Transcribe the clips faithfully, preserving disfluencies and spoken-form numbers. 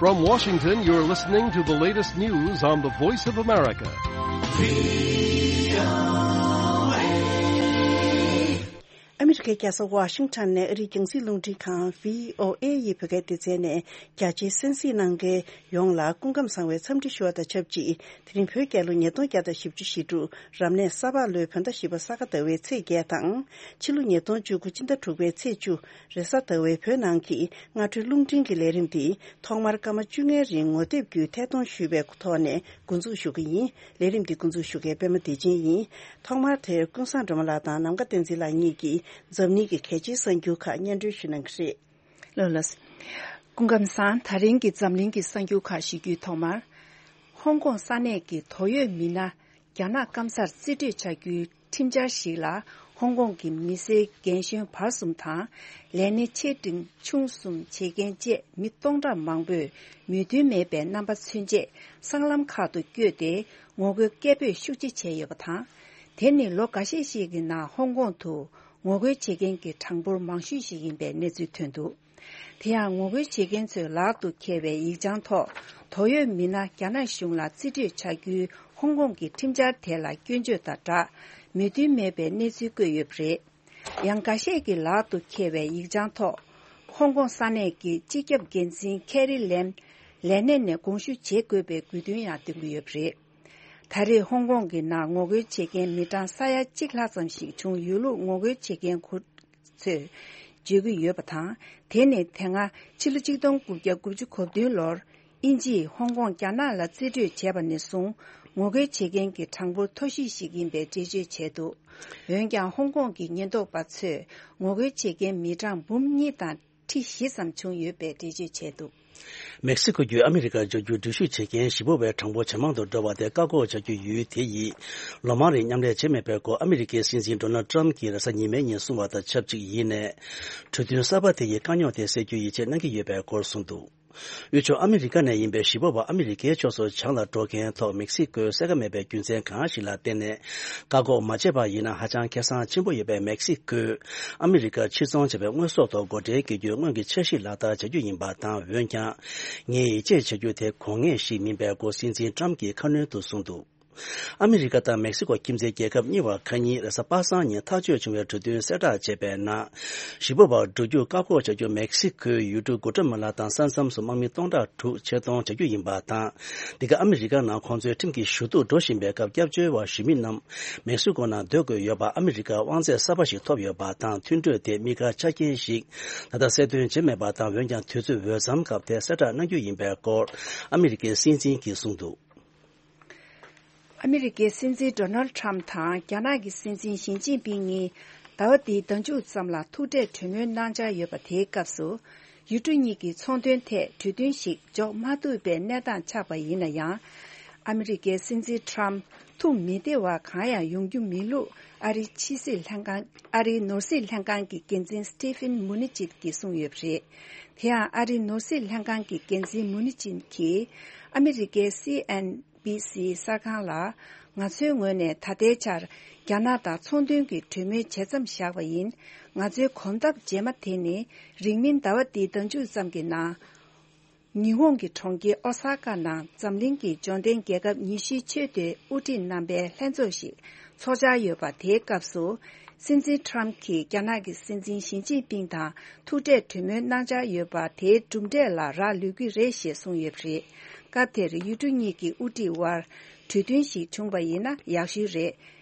From Washington, you're listening to the latest news on the Voice of America. ཨ་མི་རི་ཀའི་རྒྱལ་ས་ཝ་ཤིང་ཊོན་ནས་ཨ་རིའི་རྒྱང་སྲིང་རླུང་འཕྲིན་ཁང་བྷི་ཨོ་ཨེ་ཡི་བོད་སྐད་སྡེ་ཚན་ནས་རྒྱ་ཆེའི་གསན་གཟིགས་གནང་མཁན་ཡོངས་ལ་སྐུ་ཁམས་བཟང་བའི་འཚམས་འདྲི་ཞུ་བ་དང་ཆབས་ཅིག་དེ་རིང་བོད་རྒྱལ་ལོ་ཉིས་སྟོང་བརྒྱ་དང་བཞི་བཅུ་ཞེ་དྲུག་རབ་གནས་ས་ཕག་ལོའི་བོད་ཟླ་བཞི་པ་ས་ག་ཟླ་བའི་ཚེས་བརྒྱད་དང་། ཕྱི་ལོ་ཉིས་སྟོང་བཅུ་དགུ་སྤྱི་ཟླ་དྲུག་པའི་ཚེས་བཅུ་རེས་གཟའ་ཟླ་བའི་བོད་ནང་གི་སྔ་དྲོའི་རླུང་འཕྲིན་གྱི་ལས་རིམ་འདི་ཐོག་མར་སྐར་མ་བཅོ་ལྔའི་རིང་ངོ་དེབ་བརྒྱུད་ཐད་གཏོང་ཞུས་པའི་ཐོག་ནས་འགོ་འཛུགས་ཞུ་གི་ཡིན། ལས་རིམ་འདི་འགོ་འཛུགས་ཞུ་མཁན་པད་མ་བདེ་ཆེན་ཡིན། ཐོག་མར་དེར་ཀུན་བཟང་སྒྲོལ་མ་ལགས་དང་ནམ་མཁའ་བསྟན་འཛིན་ལགས་གཉིས་ཀྱིས་འཛམ་གླིང་གི་གལ་ཆེའི་གསར་འགྱུར་ཁག་སྙན་སྒྲོན་ཞུ་གནང་གི་རེད། ལགས་ལགས། སྐུ་ཁམས་བཟང་། ད་རིང་གི་འཛམ་གླིང་གི་གསར་འགྱུར་ཁག་ཞུ་རྒྱུའི་ཐོག་མར། ཧོང་ཀོང་ས་གནས་ཀྱི་དོགས་ཡོད་མི་སྣ་རྒྱ་ནག་སྐམ་སར་རྩིས་སྤྲོད་བྱ་རྒྱུའི་ཁྲིམས་འཆར་ཞིག་ལ་ཧོང་ཀོང་གི་མི་སེར་རྒན་གཞོན་བར་གསུམ་དང་། ལས་སྣེ་ཆེ་འབྲིང་ཆུང་གསུམ་བྱེད་མཁན་བཅས་མི་སྟོང་ཕྲག་མང་པོས་མོས་མཐུན་མེད་པའི་རྣམ་པ་མཚོན་ཆེད་སྲང་ལམ་ཁག་ཏུ་བསྐྱོད་དེ་ངོ་རྒོལ་སྐད་འབོད་ཤུགས་ཆེ་བྱས་ཡོད་པ་དང་། དེ་ནི་ལོ་འགའ་ཤས་ཤིག་གི་ནང་ཧོང་ཀོང་དུ་ངོ་རྒོལ་བྱེད་མཁན་གྱི་གྲངས་འབོར་མང་ཤོས་ཤིག་ཡིན་པའི་གནས་ཚུལ་ཐོན་འདུག་དེ་ཡང་ངོ་རྒོལ་བྱེད་མཁན་ཚོས་ལག་ཏུ་འཁྱེར་བའི་ཡིག་བྱང་ཐོག་དོགས་ཡོད་མི་སྣ་རྒྱ་ནག་གཞུང་ལ་རྩིས་སྤྲོད་བྱ་རྒྱུའི་ཧོང་ཀོང་གི་ཁྲིམས་འཆར་དེ་ལ་སྐྱོན་བརྗོད་དང་སྦྲགས་མོས་མཐུན་མེད་པའི་གནས་ཚུལ་བཀོད་ཡོད་པ་རེད། ཡང་འགའ་ཤས་ཀྱིས་ལག་ཏུ་འཁྱེར་བའི་ཡིག་བྱང་ཐོག་ཧོང་ཀོང་ས་གནས་ཀྱི་སྤྱི་ཁྱབ་འགན་འཛིན་ཁེ་རི་ལེམ་ལས་གནས་ནས་དགོངས་ཞུ་བྱེད་དགོས་པའི་དགོས་འདུན་ཡང་འདོན་གྱི་ཡོད་པ་རེད། ད་རེས་ཧོང་ཀོང་གི་ནང་ངོ་རྒོལ་བྱེད་མཁན་མི་གྲངས་ས་ཡ་གཅིག་ལྷག་ཙམ་ཞིག་བྱུང་ཡོད་ལུགས་ངོ་རྒོལ་བྱེད་མཁན་ཁོ་ཚོས་བརྗོད་ཀྱི་ཡོད་པ་དང་། དེ་ནི་དེ་སྔ་ཕྱི་ལོ་གཅིག་སྟོང་དགུ་བརྒྱ་དགུ་བཅུ་གོ་བདུན་ལོར་དབྱིན་ཇིས་ཧོང་ཀོང་རྒྱ་ནག་ལ་རྩིས་སྤྲོད་བྱས་པ་ནས་བཟུང་ངོ་རྒོལ་བྱེད་མཁན་གྱི་གྲངས་འབོར་མཐོ་ཤོས་ཤིག་ཡིན་པའི་འགྲེལ་བརྗོད་བྱས་འདུག་འོན་ཀྱང་ཧོང་ཀོང་གི་ཉེན་རྟོག་པ་ཚོས་ངོ་རྒོལ་བྱེད་མཁན་མི་གྲངས་འབུམ་གཉིས་དང་ཁྲི་བཞི་ཙམ་བྱུང་ཡོད་པའི་འགྲེལ་བརྗོད་བྱས་འདུག་མེག་སི་ཀོ་བརྒྱུད་ཨ་མི་རི་ཀར་འབྱོར་རྒྱུར་འགྲུལ་བཞུད་བྱེད་མཁན་ཞི་བ་བའི་གྲངས་འབོར་ཇེ་མང་དུ་འགྲོ་བ་དེ་བཀག་འགོག་བྱ་རྒྱུ་ཡུལ་དེ་ཡིས་ལོ་མང་རིང་མཉམ་ལས་བྱས་མེད་པའི་སྐོར་ཨ་མི་རི་ཀའི་སྲིད་འཛིན་ཌོ་ནལ་ཊམ་གྱིས་རེས་གཟའ་ཉི་མའི་ཉིན་གསུངས་པ་དང་ཆབས་ཅིག་ཡིན་ནས། གྲོས་མཐུན་གསར་པ་དེ་ཡིས་དཀའ་རྙོག་དེ་སེལ་རྒྱུའི་ཡིད་ཆེས་གནང་གི་ཡོད་པའི་སྐོར་གསུངས་འདུག་དབུས་ཕྱོགས་ཨ་མི་རི་ཀ་ནས་ཡིན་པའི་ཞི་བ་བ་ཨ་མི་རི་ཀའི་ཕྱོགས་སུ་བྱང་ལ་འགྲོ་མཁན་ཐོག་མེག་སི་ཀོའི་གསལ་ཁ་མེད་པའི་རྒྱུ་མཚན་གང་ཞིག་ལ་བརྟེན་ནས་བཀག་འགོག་མ་བྱས་པ་ཡིན་ན་ཧ་ཅང་ཁེ་བཟང་ཆེན་པོ་ཡོད་པས། མེག་སི་ཀོས་ཨ་མི་རི་ཀར་ཕྱིར་ཚོང་བྱས་པའི་དངོས་ཟོག་ཐོག་སྒོ་ཁྲལ་འགེལ་རྒྱུའི་སྔོན་གྱི་འཆར་གཞི་ལག་བསྟར་བྱ་རྒྱུ་ཡིན་པ་དང་། འོན་ཀྱང་ངས་ཡིད་ཆེས་བྱ་རྒྱུ་དེ་དགོས་ངེས་ཤིག་མིན་པའི་སྐོར་སྲིད་འཛིན་ཊམ་གྱིས་ཁ་སྣོན་དུ་གསུངས་འདུག་ཨ་མི་རི་ཀ་དང་མེག་སི་ཀོ་ཁྱིམ་མཚེས་རྒྱལ་ཁབ་གཉིས་བར་ཁ་ཉིན་རེས་གཟའ་པ་སངས་ཉིན་ཐག་གཅོད་བྱུང་བའི་གྲོས་མཐུན་གསལ་བསྒྲགས་བྱས་པའི་ནང་། ཞི་བ་བར་འགྲོ་རྒྱུར་བཀག་འགོག་བྱ་རྒྱུ་མེག་སི་ཀོའི་ཡུལ་གྲུ་གུ་ཏྲ་མ་ལ་དང་ས་མཚམས་སུ་དམག་མི་སྟོང་ཕྲག་དྲུག་ཆེད་གཏོང་བྱ་རྒྱུ་ཡིན་པ་དང་། འདི་ག་ཨ་མི་རི་ཀ་ནང་ཁོང་ཚོའི་ཁྲིམས་ཀྱི་ཞུ་གཏུག་འགྲོ་བཞིན་པའི་སྐབས་སྐྱབས་བཅོལ་བ་ཞུ་མི་རྣམས་མེག་སི་ཀོ་ནང་སྡོད་དགོས་ཡོད་པ། ཨ་མི་རི་ཀར་དབང་ཚད་གསར་པ་ཞིག་ཐོབ་ཡོད་པ་དང་། མཐུན་གྲོས་དེ་དམིགས་བཀར་ཆ་རྐྱེན་ཞིག་ད་ལྟ་གསལ་སྟོན་བྱས་མེད་པ་དང་། འོན་ཀྱང་དུས་ཚོད་འོས་འཚམ་སྐབས་དེ་གསལ་བསྒྲགས་གནང་རྒྱུ་ཡིན་པའི་སྐོར་ཨ་མི་རི་ཀའི་སྲིད་འཛིན་གྱིས་གསུངས་འདུག་ཨ་མི་རི་ཀའི་སྲིད་འཛིན་ཌོ་ནལ་ཊམ་དང་རྒྱ་ནག་གི་སྲིད་འཛིན་ཞི་ཅིན་ཕིང་གཉིས་ཟླ་བ་འདིའི་ཟླ་མཇུག་ཙམ་ལ་ཐུག་འཕྲད་གྲོས་མོལ་གནང་འཆར་ཡོད་པ་དེའི་སྐབས་སུ། ཡུལ་གྲུ་གཉིས་ཀྱི་ཚོང་དོན་ཐད་གྲོས་མཐུན་ཞིག་འཇོག་མ་ཐུབ་པའི་གནས་སྟངས་ཆགས་པ་ཡིན་ན་ཡང་། ཨ་མི་རི་ཀའི་སྲིད་འཛིན་ཊམ་ཐུགས་མི་བདེ་བ་གང་ཡང་ཡོང་རྒྱུ་མིན་ལུགས་ཨ་རིའི་ཕྱི་སྲིད་ལྷན་ཁང་། ཨ་རིའི་ནོར་སྲིད་ལྷན་ཁང་གི་འགན་འཛིན་སི་ཏི་ཕིན་མུ་ནི་ཅིད་ཀྱིས་གསུངས་ཡོད་པ་རེད། དེ་ཡང་ཨ་རིའི་ནོར་སྲིད་ལྷན་ཁང་གི་འགན་འཛིན་མུ་ནི་ཅིད་ཀྱིས་ཨ་མི་རི་ཀའི་སི་ཨེན་བྷི་སི་གསར་ཁང་ལ། ང་ཚོའི་ངོས་ནས་ད་ལྟའི་ཆར་རྒྱ་ནག་དང་ཚོང་དོན་གྱི་གྲོས་མོལ་ཇི་ཙམ་བཞག་པ་ཡིན། ང་ཚོའི་གོམ་སྟབས་རྗེས་མ་དེ་ནི་རིང་མིན་ཟླ་བ་འདིའི་ཟླ་མཇུག་ཙམ་གྱི་ནང་། ཉི་ཧོང་གི་གྲོང་ཁྱེར་ཨོ་ས་ཀ་ནང་འཛམ་གླིང་གི་འབྱོར་ལྡན་རྒྱལ་ཁབ་ཉི་ཤུའི་ཆེས་མཐོའི་དབུ་ཁྲིད་རྣམ་པའི་ལྷན་ཚོགས་ཤིག་འཚོགས་འཆར་ཡོད་པ་དེའི་སྐབས་སུ། སྲིད་འཛིན་ཊམ་གྱིས་རྒྱ་ནག་གི་སྲིད་འཛིན་ཞི་ཅིན་ཕིང་དང་ཐུག་འཕྲད་གྲོས་མོལ་གནང་འཆར་ཡོད་པ་དེའི་གྲུབ་འབྲས་ལ་རག་ལུས་ཀྱི་རེད་ཞེས་གསུངས་ཡོད་པ་རེད། སྐབས་དེར་ཡུལ་གྲུ་གཉིས་ཀྱི་དབུ་ཁྲིད་དབར་གྲོས་མཐུན་ཞིག་བྱུང་བ་ཡིན་ན་ཡག་ཤོས་རེད།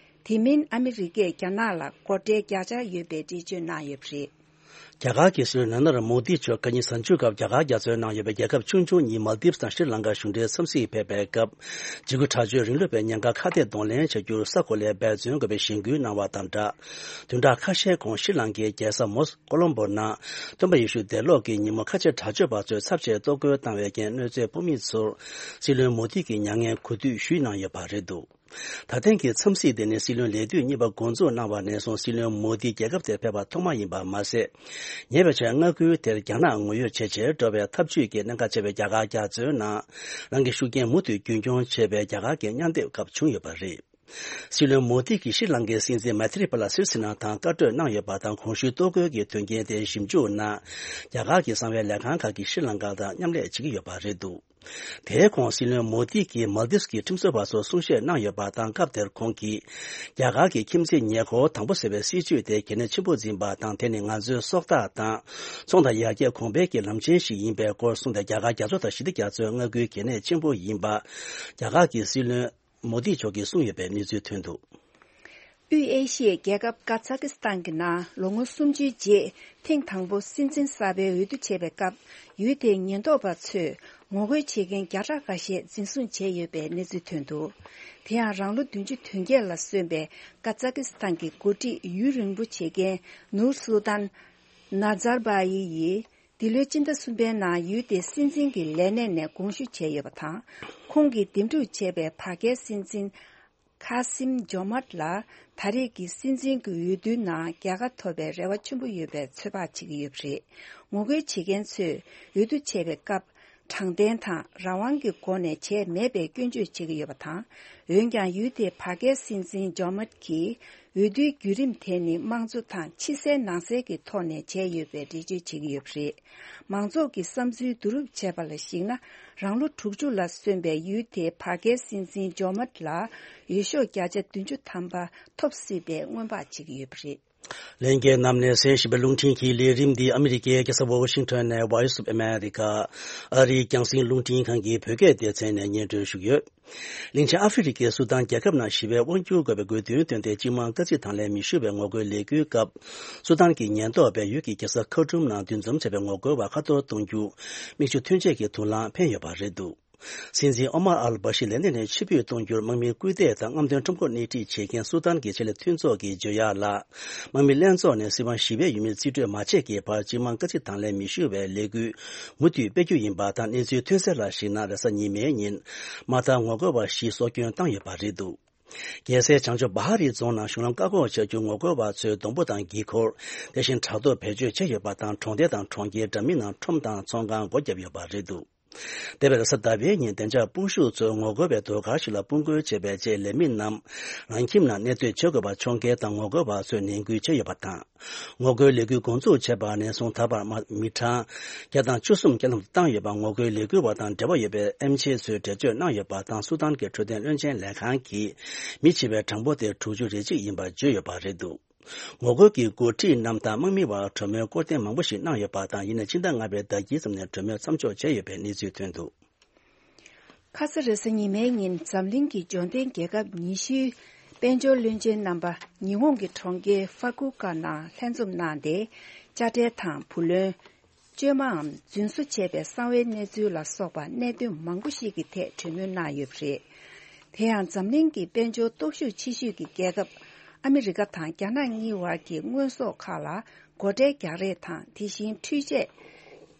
དེ་མིན་ཨ་མི་རི་ཀས་རྒྱ་ནག་ལ་སྒོ་ཁྲལ་རྒྱག་འཆར་ཡོད་པའི་འགྲེལ་བརྗོད་གནང་ཡོད་པ་རེད། རྒྱ་གར་གྱི་སྲིད་བློན་ནཱ་ན་ར་མོ་དི་མཆོག་ཁ་ཉིན་གཟའ་མཇུག་སྐབས་རྒྱ་གར་རྒྱ་མཚོའི་ནང་ཡོད་པའི་རྒྱལ་ཁབ་ཆུང་ཆུང་གཉིས་མལ་དིབ་དང་ཤྲི་ལང་ཀར་གཞུང་འབྲེལ་འཚམས་གཟིགས་ཕེབས་པའི་སྐབས། འཇིགས་སྐུལ་དྲག་སྤྱོད་རིང་ལུགས་པའི་ཉེན་ཁ་ཁ་གཏད་གདོང་ལེན་བྱ་རྒྱུར་ས་གོ་ལའི་འབད་བརྩོན་དགོས་པའི་གཞེན་སྐུལ་གནང་བ་དང་སྦྲགས། བདུན་ཕྲག་ཁ་ཤས་གོང་ཤྲི་ལང་ཀའི་རྒྱལ་ས་མོ་ཀོ་ལོམ་བོ་ནང་སྟོན་པ་ཡེ་ཤུ་འདས་ལོག་གི་ཉིན་མོ་ཁ་ཆེ་དྲག་སྤྱོད་པ་ཚོས་ཚབས་ཆེའི་གཏོར་རྒོལ་བཏང་བའི་རྐྱེན་གནོད་འཚེ་ཕོག་མི་ཚོར་སྲིད་བློན་མོ་དི་གིས་མྱ་ངན་གུས་འདུད་ཞུས་གནང་ཡོད་པ་རེད་འདུག་ད་ཐེངས་ཀྱི་འཚམས་གཟིགས་དེ་ནི་སྲིད་བློན་ལས་དུས་གཉིས་པ་འགོ་འཛུགས་གནང་བ་ནས་བཟུང་སྲིད་བློན་མོ་དི་རྒྱལ་ཁབ་དེར་ཕེབས་པ་ཐོག་མ་ཡིན་པ་མ་ཟད། ཉེ་བའི་ཆར་མངའ་ཁུལ་དེར་རྒྱ་ནག་ངོ་ཡོད་བྱེད་ཆེད་འགྲོ་བའི་འཐབ་ཇུས་ཀྱི་གནད་འགག་ཆེ་བའི་རྒྱ་གར་རྒྱ་མཚོའི་ནང་རང་གི་ཤུགས་རྐྱེན་མུ་མཐུད་རྒྱུན་འཁྱོངས་བྱེད་པའི་རྒྱ་གར་གྱི་མཉམ་སྡེབ་སྐབས་བྱུང་ཡོད་པ་རེད། སྲིད་བློན་མོ་དི་གིས་ཤྲི་ལང་ཀའི་སྲིད་འཛིན་མའི་ཐི་རི་པ་ལ་སི་རི་སི་ན་དང་བཀའ་གྲོས་གནང་ཡོད་པ་དང་། གོང་ཞུས་གཏོར་རྒོལ་གྱི་དོན་རྐྱེན་དེ་ཞིབ་འཇུག་གནང་། རྒྱ་གར་གྱི་གསང་བའི་ལས་ཁང་ཁག་གིས་ཤྲི་ལང་ཀ་དང་མཉམ་ལས་བྱེད་ཀྱི་ཡོད་པ་རེད་འདུག་དེའི་གོང་སྲིད་བློན་མོ་དི་གིས་མལ་དིབ་ཀྱི་ཁྲིམས་བཟོ་བ་ཚོར་གསུང་བཤད་གནང་ཡོད་པ་དང་། སྐབས་དེར་ཁོང་གིས་རྒྱ་གར་གྱི་ཁྱིམ་མཚེས་ཉེ་འཁོར་དང་པོ་ཟེར་བའི་སྲིད་བྱུས་དེ་གལ་གནད་ཆེན་པོ་འཛིན་པ་དང་། དེ་ནི་ང་ཚོའི་སྲོག་ཐག་དང་ཚོང་དང་ཡར་རྒྱས་གོང་འཕེལ་གྱི་ལམ་ཆེན་ཞིག་ཡིན་པའི་སྐོར་གསུངས་ཏེ། རྒྱ་གར་རྒྱ་མཚོ་དང་ཞི་བདེ་རྒྱ་མཚོའི་མངའ་ཁུལ་གལ་གནད་ཆེན་པོ་ཡིན་པ་རྒྱ་གར་གྱི་སྲིད་བློན་མོ་དི་མཆོག་གིས་གསུངས་ཡོད་པའི་གནས་ཚུལ་ཐོན་འདུག་དབུས་ཨེ་ཤི་ཡའི་རྒྱལ་ཁབ་ཀ་ཛ་ཀི་སི་ཐན་གྱི་ནང་ལོ་ངོ་སུམ་ཅུའི་རྗེས་ཐེངས་དང་པོ་སྲིད་འཛིན་གསར་པའི་འོས་བསྡུ་བྱེད་པའི་སྐབས། ཡུལ་དེའི་ཉེན་རྟོག་པ་ཚོས་ངོ་རྒོལ་བྱེད་མཁན་བརྒྱ་ཕྲག་ཁ་ཤས་འཛིན་བཟུང་བྱས་ཡོད་པའི་གནས་ཚུལ་ཐོན་འདུག་དེ་ཡང་རང་ལོ་བདུན་ཅུ་དོན་བརྒྱད་ལ་སོན་པའི་ཀ་ཛ་ཀི་སི་ཐན་གྱི་འགོ་ཁྲིད་ཡུན་རིང་པོ་བྱེད་མཁན་ནུར་སུལ་ཏན་ནཱ་ཛར་བྷ་ཡི་ཡིས། འདི་ལོའི་སྤྱི་ཟླ་གསུམ་པའི་ནང་ཡུལ་དེའི་སྲིད་འཛིན་གྱི་ལས་གནས་ནས་དགོངས་ཞུ་བྱས་ཡོད་པ་དང་། ཁོང་གིས་འདེམས་སྒྲུག་བྱས་པའི་བར་བརྒལ་སྲིད་འཛིན་ཁ་སིམ་ཇོ་མཱཏ་ལ་ད་རེས་ཀྱི་སྲིད་འཛིན་གྱི་འོས་བསྡུའི་ནང་རྒྱལ་ཁ་ཐོབ་པའི་རེ་བ་ཆེན་པོ་ཡོད་པའི་ཚོད་དཔག་བྱེད་ཀྱི་ཡོད་པ་རེད། ངོ་རྒོལ་བྱེད་མཁན་ཚོས་འོས་བསྡུ་བྱས་པའི་སྐབས། དྲང་བདེན་དང་རང་དབང་གི་སྒོ་ནས་བྱས་མེད་པའི་སྐྱོན་བརྗོད་བྱེད་ཀྱི་ཡོད་པ་དང་། འོན་ཀྱང་ཡུལ་དེའི་བར་བརྒལ་སྲིད་འཛིན་ཇོ་མཱཏ་གྱིས། འོས་བསྡུའི་བརྒྱུད་རིམ་དེ་ནི་དམངས་གཙོ་དང་ཕྱི་གསལ་ནང་གསལ་གྱི་ཐོག་ནས་བྱས་ཡོད་པའི་འགྲེལ་བརྗོད་བྱེད་ཀྱི་ཡོད་པ་རེད། མང་ཚོགས་ཀྱི་བསམ་ཚུལ་བསྡུ་རུབ་བྱས་པ་ལ་གཞིགས་ན། རང་ལོ་དྲུག་ཅུ་ལ་སོན་པའི་ཡུལ་དེའི་བར་བརྒལ་སྲིད་འཛིན་ཇོ་མཱཏ་ལ་འོས་ཤོག་བརྒྱ་ཆ་བདུན་ཅུ་ཐམ་པ་ཐོབ་སྲིད་པའི་སྔོན་དཔག་བྱེད་ཀྱི་ཡོད་པ་རེད། ལྷན་རྒྱས་རྣམས་ནས་གསན་བཞིན་པའི་རླུང་འཕྲིན་གྱི་ལས་རིམ་འདི་ཨ་མི་རི་ཀའི་རྒྱལ་ས་ཝ་ཤིང་ཊོན་ནས་Voice of America ཨ་རིའི་རྒྱང་སྲིང་རླུང་འཕྲིན་ཁང་གི་བོད་སྐད་སྡེ་ཚན་ནས་སྙན་སྒྲོན་ཞུས་ཡོད། གླིང་ཆེན་ཨ་ཧྥེ་རི་ཁའི་སུ་དཱན་རྒྱལ་ཁབ་ནང་ཞི་བའི་དབང་སྒྱུར་དགོས་པའི་དགོས་འདུན་བཏོན་ཏེ། སྤྱི་དམངས་དཀའ་ཚེགས་དང་ལེན་མི་ཞུ་བའི་ངོ་རྒོལ་ལས་འགུལ་སྐབས། སུ་དཱན་གྱི་ཉེན་རྟོག་པས་ཡུལ་གྱི་རྒྱལ་ས་ཁར་ཊུམ་ནང་འདུ་འཛོམས་བྱས་པའི་ངོ་རྒོལ་བ་ཁ་གཏོར་གཏོང་རྒྱུ། མིག་ཆུ་ཐོན་ཆས་ཀྱི་དུག་རླངས་འཕེན་ཡོད་པ་རེད་འདུག་སྲིད་འཛིན་ཨོ་མར་ཨལ་བྷ་ཤི་ལས་གནས་ནས་ཕྱིར་འབུད་གཏོང་རྒྱུར་དམག་མིའི་སྐུལ་འདེད་དང་རྔམ་སྟོན་ཁྲོམ་སྐོར་སྣེ་ཁྲིད་བྱེད་མཁན་སུ་དཱན་གྱི་ཆེད་ལས་མཐུན་ཚོགས་ཀྱི་ཇོ་ཡ་ལ། དམག་མི་ལྷན་ཚོགས་ནས་སྲིད་དབང་ཞི་བའི་ཡུལ་མིར་རྩིས་སྤྲོད་མ་བྱས་ཀྱི་བར་སྤྱི་དམངས་དཀའ་ཚེགས་དང་ལེན་མི་ཞུ་བའི་ལས་འགུལ་མུ་མཐུད་སྤེལ་རྒྱུ་ཡིན་པ་དང་། གནས་ཚུལ་ཐོན་གསལ་ལ་གཞིགས་ན། རེས་གཟའ་ཉི་མའི་ཉིན་མ་མཐའ་ངོ་རྒོལ་བ་བཞི་སྲོག་སྐྱོན་བཏང་ཡོད་པ་རེད་འདུག་རྒྱལ་སའི་བྱང་ཕྱོགས་བྷ་ཧ་རི་རྫོང་ནང་གཞུང་ལམ་བཀག་འགོག་བྱ་རྒྱུར་ངོ་རྒོལ་བ་ཚོས་སྡོང་པོ་དང་འགྱིག་འཁོར། དེ་བཞིན་དྲ་ཐོག་བེད་སྤྱོད་བྱས་ཡོད་པ་དང་། གྲོང་སྡེ་དང་གྲོང་ཁྱེར་འདྲ་མིན་ནང་ཁྲོམ་དང་ཚོང་ཁང་སྒོ་བརྒྱབ་ཡོད་པ་རེད་འདུག་འདས་པའི་རེས་གཟའ་ཟླ་བའི་ཉིན་བདེ་འཇགས་དཔུང་ཤུགས་ཚོས་ངོ་རྒོལ་བའི་ཟློས་གར་ཞིག་ལ་དཔུང་རྒོལ་བྱས་པའི་རྗེས། ལས་མི་རྣམས་རང་ཁྱིམ་ནང་གནས་སྡོད་བྱེད་དགོས་པ་འཁྱོངས་མཁན་དང་། ངོ་རྒོལ་བ་ཚོས་ནན་སྐུལ་བྱས་ཡོད་པ་དང་། ངོ་རྒོལ་ལས་འགུལ་འགོ་འཛུགས་བྱས་པ་ནས་བཟུང་ད་བར་མ་མི་གྲངས་བརྒྱ་དང་བཅུ་གསུམ་རྐྱེན་ལམ་དུ་བཏང་ཡོད་པ། ངོ་རྒོལ་ལས་འགུལ་བ་དང་འབྲེལ་བ་ཡོད་པའི་ཨེམ་ཆི་ཚོས་འགྲེལ་བརྗོད་གནང་ཡོད་པ་དང་། སུ་དཱན་གྱི་འཕྲོད་བསྟེན་བློན་ཆེན་ལས་ཁང་གིས་མི་འཆི་བའི་གྲངས་འབོར་དེ་དྲུག་ཅུ་རེ་གཅིག་ཡིན་པ་བརྗོད་ཡོད་པ་རེད་འདུག་ངོ་རྒོལ་གྱི་འགོ་ཁྲིད་རྣམས་དང་དམག་མི་བར་གྲོས་མོལ་སྐོར་ཐེངས་མང་པོ་ཞིག་གནང་ཡོད་པ་དང་། ཡིན་ནའི་ཕྱི་ཟླ་ལྔ་པའི་ཟླ་དཀྱིལ་ཙམ་ནས་གྲོས་མོལ་མཚམས་འཇོག་བྱས་ཡོད་པའི་གནས་ཚུལ་ཐོན་འདུག་ཁ་ས་རེས་གཟའ་ཉི་མའི་ཉིན་འཛམ་གླིང་གི་འབྱོར་ལྡན་རྒྱལ་ཁབ་ཉི་ཤུའི་དཔལ་འབྱོར་བློན་ཆེན་རྣམ་པ་ཉི་ཧོང་གི་གྲོང་ཁྱེར་ཧྥ་ཀུ་ཀ་ནང་ལྷན་འཛོམས་གནང་སྟེ། དཔྱ་ཁྲལ་དང་བུ་ལོན། བཅོས་མའམ་རྫུན་བཟོ་བྱས་པའི་གསང་བའི་གནས་ཚུལ་ལ་སོགས་པ་གནད་དོན་མང་པོ་ཞིག་གི་ཐད་གྲོས་མོལ་གནང་ཡོད་པ་རེད། དེ་ཡང་འཛམ་གླིང་གི་དཔལ་འབྱོར་སྟོབས་ཤུགས་ཆེ་ཤོས་ཀྱི་རྒྱལ་ཁབ་ཨ་མི་རི་ཀ་དང་རྒྱ་ནག་གཉིས་བར་གྱི་དངོས་ཟོག་ཁག་ལ་སྒོ་ཁྲལ་རྒྱག་རེས་དང་། དེ་བཞིན་འཕྲུལ་ཆས།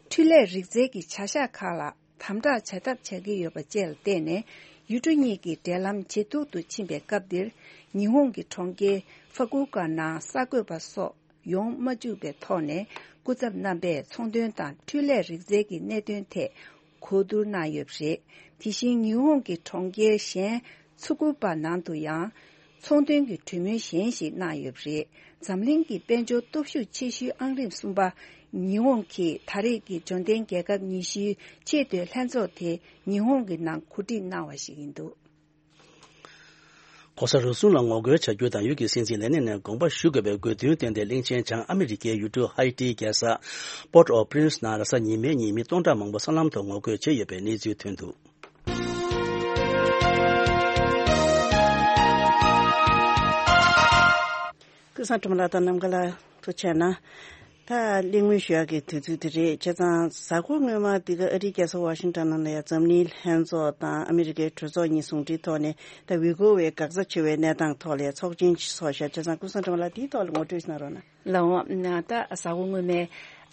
འཕྲུལ་ལས་རིག་རྩལ་གྱི་བྱ་གཞག་ཁག་ལ་དམ་དྲག་བྱ་ཐབས་བྱ་གི་ཡོད་པ་བཅས་ལ་བརྟེན་ནས། ཡུལ་གྲུ་གཉིས་ཀྱི་འབྲེལ་ལམ་ཇེ་སྡུག་ཏུ་ཕྱིན་པའི་སྐབས་འདིར། ཉི་ཧོང་གི་གྲོང་ཁྱེར་ཧྥ་ཀུ་ཀ་ནང་གསར་འགོད་པ་སོགས་ཡོང་མ་བཅུག་པའི་ཐོག་ནས། སྐུ་ཚབ་རྣམ་པས་ཚོང་དོན་དང་འཕྲུལ་ལས་རིག་རྩལ་གྱི་གནད་དོན་ཐད་གོ་བསྡུར་གནང་ཡོད་པ་རེད། དེ་བཞིན་ཉི་ཧོང་གི་གྲོང་ཁྱེར་གཞན་ཚུ་ཀུ་པ་ནང་དུ་ཡང་ཚོང་དོན་གྱི་གྲོས་མོལ་གཞན་ཞིག་གནང་ཡོད་པ་རེད། འཛམ་གླིང་གི་དཔལ་འབྱོར་སྟོབས་ཤུགས་ཆེ་ཤོས་ཨང་རིམ་གསུམ་པ་ཉི་ཧོང་གིས་ད་རེས་ཀྱི་འབྱོར་ལྡན་རྒྱལ་ཁབ་ཉི་ཤུའི་ཆེས་མཐོའི་ལྷན་ཚོགས་དེ་ཉི་ཧོང་གི་ནང་གོ་སྒྲིག་གནང་བ་ཞིག་ཡིན་འདུག ྋགོང་ས་རུ་ཟུང་ལ་ངོ་རྒོལ་བྱ་རྒྱུ་དང་། ཡུལ་གྱི་སྲིད་འཛིན་ལས་གནས་ནས་དགོངས་པ་ཞུ་དགོས་པའི་དགོས་འདུན་བཏོན་ཏེ། གླིང་ཆེན་བྱང་ཨ་མི་རི་ཀའི་ཡུལ་གྲུ་ཧའི་ཏིའི་རྒྱལ་ས་Port-au-Prince ནང་རེས་གཟའ་ཉི་མའི་ཉིན་མི་སྟོང་ཕྲག་མང་པོ་སྲང་ལམ་ཐོག་ངོ་རྒོལ་བྱས་ཡོད་པའི་གནས་ཚུལ་ཐོན་འདུག་ཀུན་བཟང་སྒྲོལ་མ་ལགས་དང་ནམ་མཁའ་ལགས་ཐུགས་རྗེ་གནང་། ད་གླེང་མོལ་ཞུ་ཡག་གི་དུས་ཚོད་དེ་རེད། བྱས་ཙང་གཟའ་འཁོར་སྔོན་མ་འདི་ག་ཨ་རིའི་རྒྱལ་ས་ཝ་ཤིང་ཊོན་ནང་ལ་ཡང་འཛམ་གླིང་ལྷན་ཚོགས་དང་ཨ་མི་རི་ཀའི་གྲོས་ཚོགས་གཉིས་ཟུང་འབྲེལ་ཐོག་ནས་ད་ཝི་གོ་ཝའི་འགག་རྩ་ཆེ་བའི་གནས་སྟངས་ཐོག་ལ་ཡང་ཚོགས་ཆེན་ཞིག་ཚོགས་ཤག་བྱས་ཙང་ཀུན་བཟང་སྒྲོལ་མ་ལགས་དེའི་ཐོག་ལ་ངོ་སྤྲོད་གནང་རོགས་གནང་། ལགས་འོང་། ད་གཟའ་འཁོར་སྔོན་མའི་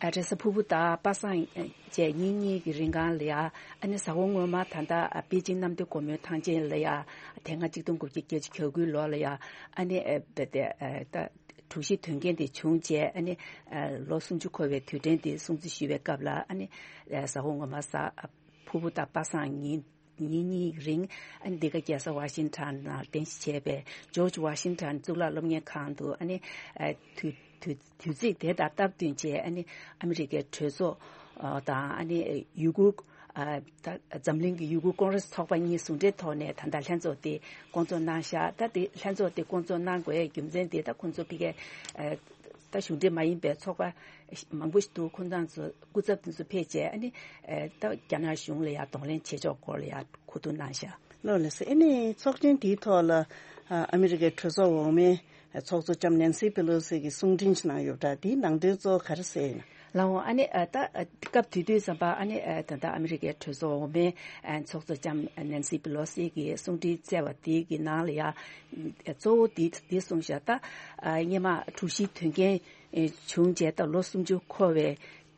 རེས་གཟའ་ཕུར་བུ་དང་པ་སངས་བཅས་ཉིན་གཉིས་ཀྱི་རིང་གང་ལ་ཡ། ཨ་ནི་གཟའ་འཁོར་སྔོན་མ་ད་ལྟ་པེ་ཅིང་གནམ་བདེ་སྒོ་མོའི་ཐང་ཆེན་ལ་ཡ། དེ་སྔ་གཅིག་སྟོང་དགུ་བརྒྱ་བརྒྱད་ཅུ་གྱ་དགུའི་ལོ་ལ་ཡ། ཨ་ནི་ད་དེ་ད་དྲུག་བཞི་དོན་རྐྱེན་དེ་བྱུང་རྗེས། ཨ་ནི་ལོ་སུམ་ཅུ་འཁོར་བའི་དུས་དྲན་དེ་སྲུང་བརྩི་ཞུ་བའི་སྐབས་ལ། ཨ་ནི་གཟའ་འཁོར་སྔོན་མ་གཟའ་ཕུར་བུ་དང་པ་སངས་ཉིན། ཉིན་གཉིས་རིང་ཨ་ནི་འདི་ག་རྒྱལ་ས་ཝ་ཤིང་ཊོན་ནང་རྟེན་གཞི་བྱས་པའི་ཇོརྗ་ཝ་ཤིང་ཊོན་གཙུག་ལག་སློབ་གཉེར་ཁང་དུ་ཨ་ནི་ཨ་དུས་དུས་དུས་ཚིགས་དེ་དང་སྟབས་བསྟུན་བྱས་ཨ་ནི་ཨ་མི་རི་ཀའི་གྲོས་ཚོགས་ཨ་དང་ཨ་ནི་ཡུ་གུར་ཨ་ད་འཛམ་གླིང་གི་ཡུ་གུར་ཀོང་རེས་ཚོགས་པ་གཉིས་ཟུང་འབྲེལ་ཐོག་ནས་ད་ལྟ་ལྷན་ཚོགས་དེ་བསྐོང་ཚོགས་གནང་ཤག་ད་དེ་ལྷན་ཚོགས་དེ་བསྐོང་ཚོགས་གནང་དགོས་རྒྱུ་མཚན་དེ་ད་ཁོང་ཚོ་ཕ་གིའི་ཨ་ད་གཞུང་འབྲེལ་མ་ཡིན་པའི་ཚོགས་པ་མང་པོ་ཞིག་འདུག་ཁོང་ཚང་ཚོ་སྐུ་ཚབ་དེ་ཚོ་ཕེབས་བྱས་ཨ་ནི་ཨ་ད་རྒྱ་ནག་གཞུང་ལ་ཡང་གདོང་ལེན་བྱེད་ཕྱོགས་སྐོར་ལ་ཡང་གོ་བསྡུར་གནང་ཤག་ལགས་ལགས་སོ། ཨ་ནི་ཚོགས་ཆེན་འདིའི་ཐོག་ལ་ཨ་ཨ་མི་རི་ཀའི་གྲོས་ཚོགས་འོག་མའི་ཚོགས་གཙོ་ལྕམ་ནན་སི་པེ་ལོ་སི་གིས་གསུང་འཕྲིན་ཞིག་གནང་ཡོད་པ་འདྲ། དེའི་ནང་དོན་གཙོ་བོ་ག་རེ་གསལ་ཡིན་ན། ལགས་འོང་། ཨ་ནི་ཨ་ད་ཨ་སྐབས་དེ་དུས་ཙམ་པ་ཨ་ནི་ཨ་ད་ལྟ་ཨ་མི་རི་ཀའི་གྲོས་ཚོགས་འོག་མའི་ཨ་ཚོགས་གཙོ་ལྕམ་ནན་སི་པེ་ལོ་སི་གིས་གསུང་འཕྲིན་བསྩལ་བ་དེ་གི་ནང་ལ་ཡང་གཙོ་བོ་དེ་དེ་གསུངས་ཤག་ད་ཨ་སྔོན་མ་དྲུག་བཞིའི་དོན་རྐྱེན་ཨེ་བྱུང་རྗེས་ད་ལོ་སུམ་ཅུ་འཁོར་བའི་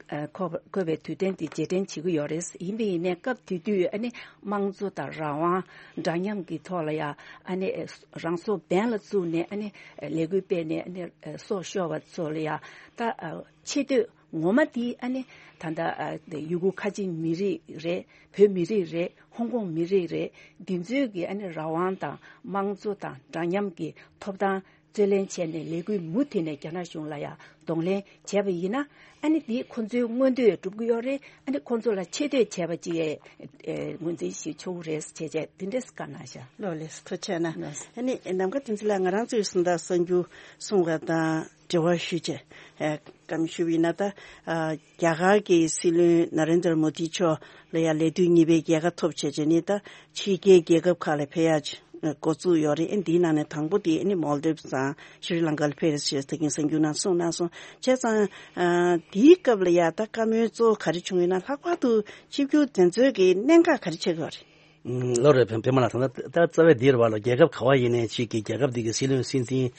ཨ་འཁོར་བ་འཁོར་བའི་དུས་དྲན་དེ་རྗེས་དྲན་བྱེད་ཀྱི་ཡོད་རེད། ཡིན་པ་ཡིན་ནའི་སྐབས་དེ་དུས་ཨ་ནི་དམངས་གཙོ་དང་རང་དབང་འདྲ་མཉམ་གྱི་ཐོག་ལ་ཡང་ཨ་ནི་ཨེ་རང་སྲོག་འབེན་ལ་བཙུགས་ནས་ཨ་ནི་ཨེ་ལས་འགུལ་སྤེལ་ནས་ཨ་ནི་ཨེ་སྲོག་ཤོར་བ་ཚོ་ལ་ཡང་ད་ཨ་ཆེ་བསྟོད་ངོ་མ་དེ་ཨ་ནི་ད་ལྟ་ཨ་ཡུ་གུར་ཁ་ཆེ་མི་རིགས་རེད། བོད་མི་རིགས་རེད། ཧོང་ཀོང་མི་རིགས་རེད། འདི་ཚོའི་གི་ཨ་ནི་རང་དབང་དང་དམངས་གཙོ་དང་འདྲ་མཉམ་གྱི་ཐོབ་ཐང་རྩོད་ལེན་བྱས་ནས་ལས་འགུལ་མུ་མཐུད་ནས་རྒྱ་ནག་གཞུང་ལ་ཡང་གདོང་ལེན་བྱས་པ་ཡིན་ན་ཨ་ནི་འདི་ཁོང་ཚོའི་མངོན་འདོད་འགྲུབ་ཀྱི་ཡོད་རེད། ཨ་ནི་ཁོང་ཚོ་ལ་ཆེ་བསྟོད་བྱས་པ་ཅིག་ཨེ་ངོས་འཛིན་ཞིག་ཆོག་གི་རེད་ཟེར་བྱས་བྱས་དེ་འདྲས་བཀའ་གནང་ཤག་ལགས་ལགས་སོ། ཐུགས་རྗེ་གནང་། ལགས་སོ། ཨ་ནི་ནམ་མཁའ་བསྟན་འཛིན་ལགས་ང་རང་ཚོའི་གསུང་དང་གསར་འགྱུར་གསུང་བ་དང་འབྲེལ་བ་ཞུས་བྱས་ཨེ་བཀའ་མོལ་ཞུ་བ་ཡིན་ན། ད་ཨ་རྒྱ་གར་གྱི་སྲིད་བློན་ན་རེན་དར་མོ་དི་མཆོག་ལ་ཡང་ལས་དུས་གཉིས་པའི་རྒྱལ་ཁ་ཐོབ་བྱས་བྱས་ནས་ད་ཕྱི་རྒྱལ་རྒྱལ་ཁབ་ཁག་ལ་ཕེབས་ཡག་འགོ་བཙུགས་ཡོད་རེད། ཨེ་འདིའི་ནང་ནས་དང་པོ་དེ་ཨ་ནི་མོལ་དིབ་དང་ཤྲི་ལང་ཀ་ལ་ཕེབས་རེད་ཅེས་ད་གིན་གསར་འགྱུར་ནང་གསུངས་གནང་སོང་། བྱས་ཙང་ཨ་དེའི་སྐབས་ལ་ཡང་ད་བཀའ་མོལ་གཙོ་བོ་ག་རེ་བྱུང་ཡོད་ན། ལྷག་པར་དུ་ཆིབས་བསྒྱུར་དེ་ཚོའི་གི་གནད་འགག་ག་རེ་ཆགས་ཀྱི་ཡོད་རེད། ལོ་རེ་བེ་བེ་མ་ལ་ད་ལྟ་ད་རྩ་བའི་འདིར་བ་ལ་རྒྱལ་ཁབ་ག་བ་ཡིན་ནའི་ཅིག་གི་རྒྱལ་ཁབ་འདི་གི་སྲིད་བློན་སྲིད་འཛིན་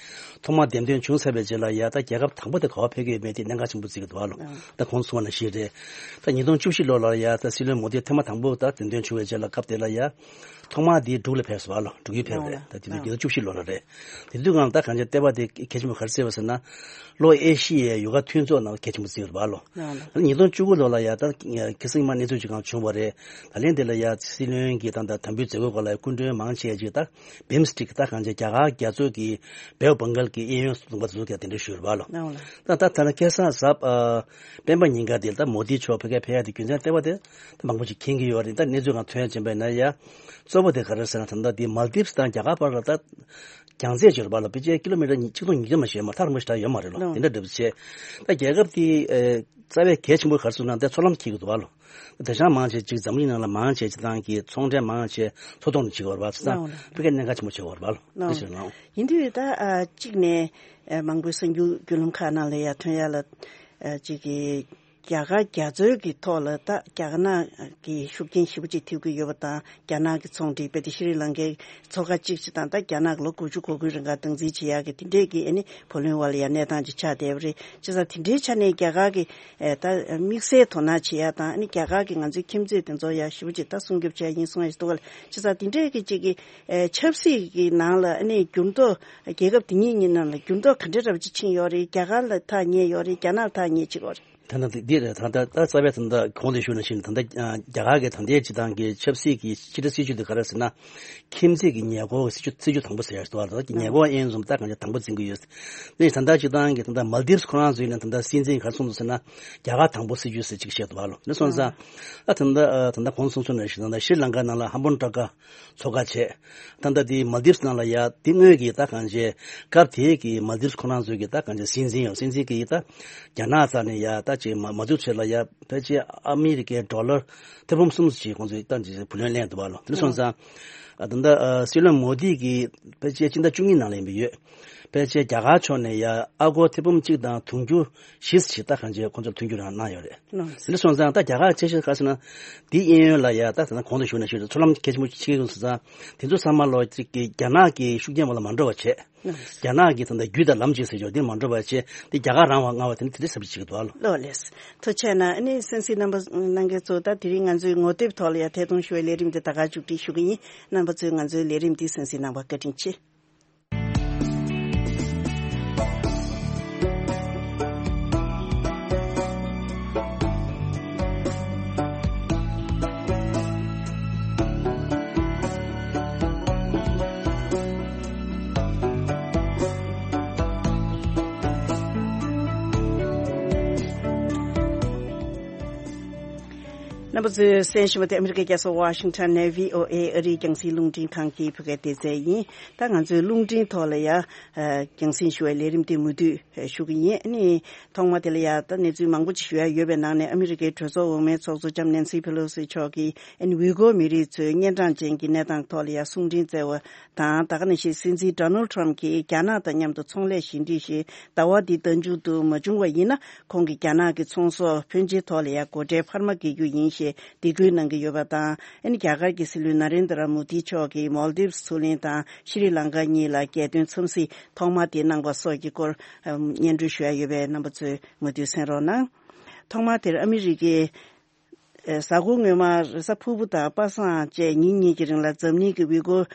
ཐོག་མ་འདེམས་ཐོན་བྱུང་ཚར་བའི་རྗེས་ལ་ཡ་ད་རྒྱལ་ཁབ་དང་པོ་དེ་ག་བ་ཕེབས་ཀྱི་ཡོད་མེད་དེ་གནད་འགག་ཆེན་པོ་བརྩི་གི་འདུག་བ་ལོ། ད་གོང་གསུངས་པ་ནང་བཞིན་རེད། ད་ཉིས་སྟོང་བཅུ་བཞི་ལོ་ལ་ཡ་ད་སྲིད་བློན་མོ་དི་ཐེངས་མ་དང་པོ་ད་འདེམས་ཐོན་བྱུང་བའི་རྗེས་ལ་སྐབས་དེ་ལ་ཡ་ཐོག་མ་དེ་འབྲུག་ལ་ཕེབས་སོང་བ་ལོ། འབྲུག་ཡུལ་ཕེབས་རེད། ད་དེ་དུས་ཉིས་སྟོང་བཅུ་བཞི་ལོ་ལ་རེད། དེ་དུས་སྒང་ད་གང་ཅི་ལྟེ་བ་དེ་གལ་ཆེན་པོ་ག་རེ་བརྩི་བ་ཟེར་ན། ལྷོ་ཨེ་ཤི་ཡའི་ཡོ་ག་མཐུན་ཚོགས་ནང་གལ་ཆེན་པོ་བརྩི་བ་ལོ། ལགས་ལགས། ཉིས་སྟོང་བཅུ་དགུ་ལོ་ལ་ཡ་ད་ཁ་སང་མ་གནས་ཚུལ་ཅིག་གང་བྱུང་བ་རེད། ད་ལན་དེ་ལ་ཡ་སྲིད་བློན་གྱི་ད་ད་དམ་འབུལ་མཛད་སྒོའི་སྐོར་ལ་སྐུ་མགྲོན་མང་ཆེ་ཅིག་ད་བིམ་སི་ཊེག་ད་གང་ཅི་རྒྱ་གར་རྒྱ་མཚོ་གི་བེའུ་བང་གལ་གྱི་གཡས་གཡོན་ལུང་པ་དེ་ཚོ་ག་དེ་འདྲ་ཞུས་རེད་བ་ལོ། ལགས་ལགས། ད་ད་ད་ལ་ཁ་སང་གཟའ་ཨ་སྤེན་པ་ཉིན་ག་དེ་ད་མོ་དི་མཆོག་ཕ་གིར་ཕེབས་ཡ་དེ་རྒྱུ་མཚན་ལྟེ་བ་དེ་ད་མང་པོ་ཅིག་མཁྱེན་གྱི་ཡོད་རེད། ད་གནས་ཚུལ་གང་ཐོན་ཡ་ཅན་པ་ཡིན་ན་ཡ་གཙོ་བོ་དེ་ག་རེ་ཟེར་ན། ད་ད་དེ་མལ་དིབ་སི་དང་རྒྱ་གར་བར་ལ་ད་རྒྱང་རྩེ་ཅིག་ཡོད་རེད་བ་ལོ། ཕལ་ཆེར་ཀི་ལོ་མི་ཊར་ཉི་ཆིག་སྟོང་ཉིས་བརྒྱ་མ་ཞིག་ཡོད་མ་རེད། ཐག་རིང་པོ་ཞིག་ད་ཡོད་མ་རེད་ལོ། ལོ། དེ་འདྲ་འདྲ་པོ་བྱས། ད་རྒྱལ་ཁབ་དེ་ཨེ་རྩ་བའི་གལ་ཆེན་པོ་ག་རེ་ཟེར་ན་ད་མཚོ་ལམ་འཁེལ་གྱི་འདུག་བ་ལོ། ད་དེང་སང་མང་ཆེ་ཅིག་འཛམ་གླིང་ནང་ལ་མང་ཆེ་སྤྱིར་བཏང་གི་ཚོང་འབྲེལ་མང་ཆེ་མཚོ་ཐོག་ནས་བྱེད་ཀྱི་ཡོད་རེད་བ། བྱས་ཙང་ལོ། ཕ་གིར་གནད་འགག་ཆེན་པོ་ཆགས་ཀྱི་ཡོད་རེད་བ་ལོ། ལོ། དེ་ཞིག་ལོ། ཡིན་དུས་ད་ཨ་གཅིག་ནས་ཨ་མང་པོའི་གསར་འགྱུར་བརྒྱུད་ལམ་ཁག་ནང་ལ་ཡ་ཐོན་ཡ་ལ་ཨ་གཅིག་གི་རྒྱ་གར་རྒྱ་མཚོའི་གི་ཐོག་ལ་ད་རྒྱ་ནག་གི་ཤུགས་རྐྱེན་ཞེ་པོ་ཅིག་ཐེབས་ཀྱི་ཡོད་པ་དང་། རྒྱ་ནག་གི་ཚོང་འབྲེལ་དཔེ་དེ་ཤྲི་ལང་ཀའི་མཚོ་ཁ་གཅིག་བྱས་དང་། ད་རྒྱ་ནག་གི་ལོ་དགུ་བཅུ་གོ་དགུའི་རིང་ག་སྟངས་འཛིན་བྱེད་ཡག་གི་དེ་འདྲས་ཀྱི་ཨ་ནི་བུ་ལོན་བ་ལ་ཡ་གནས་སྟངས་ཅིག་ཆགས་བསྡད་པ་རེད། བྱས་ཙང་དེ་འདྲའི་ཆ་ནས་རྒྱ་གར་གི་ཨེ་ད་དམིགས་བསལ་དོ་སྣང་བྱེད་ཡག་དང་། ཨ་ནི་རྒྱ་གར་གི་ང་ཚོའི་ཁྱིམ་མཚེས་དེ་ཚོ་ཡ་ཞེ་པོ་ཅིག་ད་སྲུང་སྐྱོབ་བྱེད་ཡག་ཡིན་གསུང་ཡག་ཞིག་འདུག་ག་ལ། བྱས་ཙང་དེ་འདྲས་ཀྱི་ཅིག་གི་ཨེ་ཆབ་སྲིད་ཀྱི་ནང་ལ་ཨ་ནི་འགྱུར་ལྡོག་རྒྱལ་ཁབ་དེ་གཉིས་གཉིས་ནང་ལ་འགྱུར་ལྡོག་ག་འདྲས་འདྲ་པོ་ཅིག་ཕྱིན་ཡོད་རེད། རྒྱ་གར་ལ་ཐག་ཉེ་ཡོད་རེད། རྒྱ་ནག་ལ་ཐག་ཉེ་ཅིག་ཡོད་རེད། ད་ལྟ་འདི་འདི་རེད། ད་ལྟ་ད་རྩ་བའི་ད་ལྟ་གོང་དུ་ཞུས་ནང་བཞིན་ད་ལྟ་རྒྱ་གར་གྱི་ད་ལྟའི་སྤྱིར་བཏང་གི་ཆབ་སྲིད་ཀྱི་ཕྱི་དྲིལ་སྲིད་ཇུས་དེ་ག་རེ་ཟེར་ན། ཁྱིམ་མཚེས་ཀྱི་ཉེན་འགོག་སྲིད་ཇུས་སྲིད་ཇུས་དང་པོ་ཟེར་ཡ་ཞིག་འདུག་བ། ད་ཉེན་འགོག་དབྱེ་འབྱེད་ད་གང་ཅི་དང་པོ་འཛིན་གྱི་ཡོད། ནི་ད་ལྟ་སྤྱིར་བཏང་གི་ད་ལྟ་མལ་དིབ་སི་ཁོ་རང་ཚོའི་ནང་ད་ལྟ་སྲིད་འཛིན་ག་རེ་གསུངས་འདུག་ཟེར་ན། རྒྱ་གར་དང་པོ་སྲིད་ཇུས་ཟེར་ཅིག་བཤད་འདུག་བ་ལོ། ནི་སོང་ཙང་ཨ་ད་ལྟ་ད་ལྟ་གོང་དུ་གསུངས་ནང་བཞིན་ད་ལྟ་ཤྲི་ལང་ཀ་ནང་ལ་ཧམ་པོན་ཏྲ་ཀ་མཚོ་ཁ་བྱས། ད་ལྟ་དེ་མལ་དིབ་སི་ནང་ལ་ཡ་དེ་སྔོན་གྱི་ད་གང་ཅི་སྐབས་དེའི་གི་མལ་དིབ་སི་ཁོ་རང་ཚོའི་གི་ད་གང་ཅི་སྲིད་འཛིན་ཡང་སྲིད་འཛིན་གྱི་ད་རྒྱ་ནག་རྩ་ནས་ཡ་ད་ཅིག་མ་མ་འཛུགས་བྱེད་ལ་ཡ་ཕལ་ཆེར་ཨ་མི་རི་ཀའི་ཌོ་ལར་ཐེར་འབུམ་གསུམ་ཅིག་ཁོང་ཚོས་ད་ཅིག་བུ་ལོན་ལེན་འདུག་བ་ལོ། དེ་འདྲ་སོང་ཙང་ཨ་ད་ལྟ་ཨ་སྲིད་བློན་མོ་དི་གི་ཕལ་ཆེར་སྤྱི་ཟླ་བཅུ་གཉིས་ནང་ལ་ཡིན་པ་ཡོད། ཕལ་ཆེར་རྒྱ་གར་ཕྱོགས་ནས་ཡ་ཨ་སྒོར་ཐེར་འབུམ་གཅིག་དང་དུང་ཕྱུར་བཞི་ཞིག་ད་གང་ཅི་ཁོང་ཚོར་མཐུན་འགྱུར་རང་གནང་ཡོད་རེད། ལགས། དེ་འདྲ་སོང་ཙང་ད་རྒྱ་གར་ཆེ་ཤོས་ག་ཟེར་ན། འདི་གཡས་གཡོན་ལ་ཡ་ད་ད་ལྟ་གོང་དུ་ཞུས་ནང་བཞིན་མཚོ་ལམ་གལ་ཆེན་པོ་ཆགས་ཀྱི་ཡོད་སོང་ཙང་། དེ་ཚོ་ཚང་མ་ལོ་གཅིག་གི་རྒྱ་ནག་གི་ཤུགས་རྐྱེན་འོག་ལ་མ་འགྲོ་བ་བྱས། ལགས། རྒྱ་ནག་གི་ད་ལྟ་རྒྱུད་དང་ལམ་ཅིག་ཟེར་ཆོག་འདི་མ་འགྲོ་བ་བྱས། འདི་རྒྱ་གར་རང་དབང་མངའ་བ་དེ་ནི་དེ་འདྲའི་ཟབ་ཅིག་འདུག་ཨ་ལོ། ལགས་ལགས། ཐུགས་རྗེ་གནང་། ཨ་ནི་གསན་གཟིགས་རྣམ་པ་རྣམ་པ་ཚོ་ད་དེ་རིང་ང་ཚོའི་ངོ་དེབ་ཐོག་ལ་ཡ་ཐད་གཏོང་ཞུ་བའི་ལས་རིམ་འདི་ད་ག་མཇུག་སྒྲིལ་ཞུ་གི་ཡིན། རྣམ་པ་ཚོས་ང་ཚོའི་ལས་རིམ་འདི་གསན་གཟིགས་གནང་བར་བཀའ་དྲིན་ཆེ། རྣམ་པ་ཚོས་གསན་བཞིན་པ་དེ་ཨ་མི་རི་ཀའི་རྒྱལ་ས་ཝ་ཤིང་ཊོན་ནས་བྷི་ཨོ་ཨེ་ཨ་རིའི་རྒྱང་སྲིང་རླུང་འཕྲིན་ཁང་གི་བོད་སྐད་སྡེ་ཚན་ཡིན། ད་ང་ཚོའི་རླུང་འཕྲིན་ཐོག་ལ་ཡང་རྒྱང་སྲིང་ཞུ་བའི་ལས་རིམ་དེ་མུ་མཐུད་ཞུ་གི་ཡིན། ཨ་ནི་ཐོག་མ་དེ་ལ་ཡང་ད་གནས་ཚུལ་མང་པོ་ཅིག་ཞུ་ཡ་ཡོད་པའི་ནང་ནས་ཨ་མི་རི་ཀའི་གྲོས་ཚོགས་འོག་མའི་ཚོགས་གཙོ་ལྕམ་ནེན་སི་ཕེ་ལོ་སི་མཆོག་གིས་ཨ་ནི་ཝི་གོ་མི་རིགས་ཚོའི་གཉན་འཕྲང་ཅན་གྱི་གནས་སྟངས་ཐོག་ལ་ཡང་གསུང་འཕྲིན་བསྩལ་བ་དང་། ད་ག་ནང་བཞིན་སྲིད་འཛིན་ཌོ་ནལ་ཊམ་གྱིས་རྒྱ་ནག་དང་མཉམ་དུ་ཚོང་ལས་བཞི་འགྲིག་ཞེས་ཟླ་བ་འདིའི་ཟླ་མཇུག་ཏུ་མ་བྱུང་བ་ཡིན་ན། ཁོང་གིས་རྒྱ་ནག་གི་ཚོང་ཟོག་ཕོན་ཆེའི་ཐོག་ལ་ཡང་སྒོ་ཁྲལ་འཕར་མ་འགེལ་རྒྱུ་ཡིན་ཞེས་སྡིགས་སྐུལ་གནང་གི་ཡོད་པ་དང་། ཨ་ནི་རྒྱ་གར་གྱི་སྲིད་བློན་ན་རེན་དྲ་མོ་དི་མཆོག་གིས་མོལ་དིབ་མཚོ་གླིང་དང་ཤྲི་ལང་ཀ་གཉིས་ལ་རྒྱལ་དོན་འཚམས་གཟིགས་ཐོག་མ་དེ་གནང་བ་སོགས་ཀྱི་སྐོར་སྙན་སྒྲོན་ཞུ་ཡ་ཡོད་པས་རྣམ་པ་ཚོས་མུ་མཐུད་གསན་རོགས་གནང་། ཐོག་མ་དེར་ཨ་མི་རི་ཀའི་གཟའ་འཁོར་སྔོན་མ་རེས་གཟའ་ཕུར་བུ་དང་པ་སངས་བཅས་ཉིན་གཉིས་ཀྱི་རིང་ལ་འཛམ་གླིང་གི་ཝི་གོ་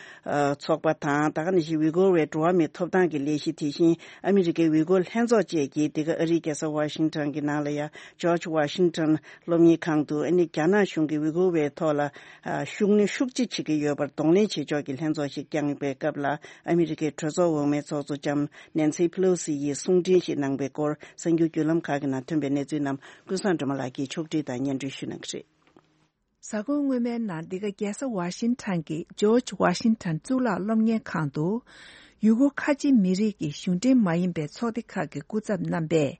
ཚོགས་པ་དང་། ད་ག་ནང་བཞིན་ཝི་གོ་བའི་འགྲོ་བ་མིའི་ཐོབ་ཐང་གི་ལས་གཞི། དེ་བཞིན་ཨ་མི་རི་ཀའི་ཝི་གོ་ལྷན་ཚོགས་བཅས་ཀྱིས་འདི་ག་ཨ་རིའི་རྒྱལ་ས་ཝ་ཤིང་ཊོན་གྱི་ནང་ལ་ཡང་ཇོརྗ་ཝ་ཤིང་ཊོན་སློབ་གཉེར་ཁང་དུ་ཨ་ནི་རྒྱ་ནག་གཞུང་གིས་ཝི་གོ་བའི་ཐོག་ལ་ཤུགས་སྣོན་ཤུགས་ཆེ་བྱེད་ཀྱི་ཡོད་པར་གདོང་ལེན་བྱེད་ཕྱོགས་ཀྱི་ལྷན་ཚོགས་ཤིག་བསྐྱངས་པའི་སྐབས་ལ། ཨ་མི་རི་ཀའི་གྲོས་ཚོགས་འོག་མའི་ཚོགས་གཙོ་ལྕམ་ནེན་སི་ཕེ་ལོ་སི་ཡིས་གསུང་འཕྲིན་ཞིག་གནང་པའི་སྐོར་གསར་འགྱུར་བརྒྱུད་ལམ་ཁག་གི་ནང་ཐོན་པའི་གནས་ཚུལ་རྣམས་ཀུན་བཟང་སྒྲོལ་མ་ལགས་ཀྱིས་ཕྱོགས་བསྒྲིགས་དང་སྙན་སྒྲོན་ཞུ་གནང་གི་རེད། གཟའ་འཁོར་སྔོན་མའི་ནང་འདི་ག་རྒྱལ་ས་ཝ་ཤིང་ཊོན་གྱི་ཇོརྗ་ཝ་ཤིང་ཊོན་གཙུག་ལག་སློབ་གཉེར་ཁང་དུ། ཡུ་གུར་ཁ་ཆེ་མི་རིགས་ཀྱི་གཞུང་འབྲེལ་མ་ཡིན་པའི་ཚོགས་སྡེ་ཁག་གི་སྐུ་ཚབ་རྣམ་པས་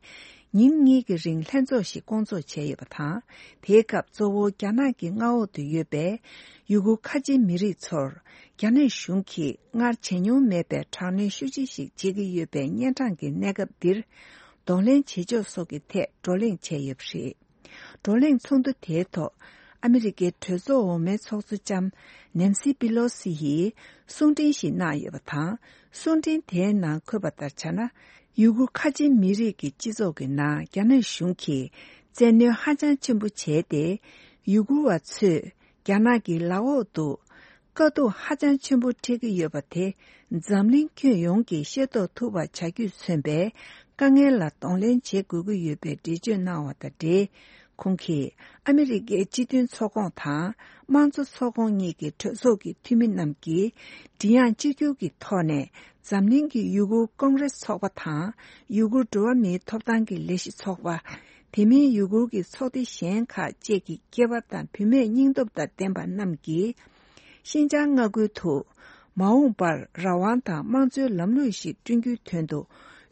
ཉིན་གཉིས་ཀྱི་རིང་ལྷན་ཚོགས་ཤིག་བསྐོང་ཚོགས་བྱས་ཡོད་པ་དང་། དེའི་སྐབས་གཙོ་བོ་རྒྱ་ནག་གི་མངའ་འོག་ཏུ་ཡོད་པའི་ཡུ་གུར་ཁ་ཆེ་མི་རིགས་ཚོར་རྒྱ་ནག་གཞུང་གིས་སྔར་བྱས་མྱོང་མེད་པའི་དྲག་གནོན་ཤུགས་ཆེ་ཞིག་བྱེད་ཀྱི་ཡོད་པའི་གཉན་འཕྲང་གི་གནས་སྐབས་འདིར་གདོང་ལེན་བྱེད་ཕྱོགས་སོགས་ཀྱི་ཐད་བགྲོ་གླེང་བྱས་ཡོད་པ་རེད། བགྲོ་གླེང་ཚོགས་འདུ་དེའི་ཐོག་ཨ་མི་རི་ཀའི་གྲོས་ཚོགས་འོག་མའི་ཚོགས་གཙོ་ལྕམ་ནན་སི་པི་ལོ་སི་ཡིས་གསུང་འཕྲིན་ཞིག་གནང་ཡོད་པ་དང་། གསུང་འཕྲིན་དེའི་ནང་འཁོད་པ་ལྟར་བྱས་ན། ཡུ་གུར་ཁ་ཆེ་མི་རིགས་ཀྱི་སྤྱི་ཚོགས་ཀྱི་ནང་རྒྱ་ནག་གཞུང་གིས་བཙན་གནོན་ཧ་ཅང་ཆེན་པོ་བྱས་ཏེ། ཡུ་གུར་བ་ཚོས་རྒྱ་ནག་གི་ལག་འོག་ཏུ་དཀའ་སྡུག་ཧ་ཅང་ཆེན་པོ་འཕྲད་ཀྱི་ཡོད་པ་དེ་འཛམ་གླིང་ཁྱོན་ཡོངས་ཀྱིས་ཤེས་རྟོགས་ཐུབ་པ་བྱ་རྒྱུས་མཚོན་པའི་དཀའ་ངལ་ལ་གདོང་ལེན་བྱེད་དགོས་ཀྱི་ཡོད་པའི་འགྲེལ་བརྗོད་གནང་བ་དང་འབྲེལ། ཁོང་གིས་ཨ་མི་རི་ཀའི་སྤྱི་མཐུན་ཚོགས་ཁོངས་དང་དམངས་གཙོ་ཚོགས་ཁོངས་གཉིས་ཀྱི་གྲོས་ཚོགས་ཀྱི་འཐུས་མི་རྣམས་ཀྱིས་མགྲིན་དབྱངས་གཅིག་གྱུར་གྱི་ཐོག་ནས་འཛམ་གླིང་གི་ཡུ་གུར་ཀོང་རེས་ཚོགས་པ་དང་། ཡུ་གུར་འགྲོ་བ་མིའི་ཐོབ་ཐང་གི་ལས་གཞི་ཚོགས་པ། དེ་མིན་ཡུ་གུར་གྱི་ཚོགས་སྡེ་གཞན་ཁག་བཅས་ཀྱི་སྐྱེས་པ་དང་བུད་མེད་སྙིང་སྟོབས་དང་ལྡན་པ་རྣམས་ཀྱིས། ཤིན་ཅང་མངའ་ཁུལ་དུ་མ་འོངས་པར་རང་དབང་དང་དམངས་གཙོའི་ལམ་ལུགས་ཤིག་བསྐྲུན་རྒྱུའི་དོན་དུ་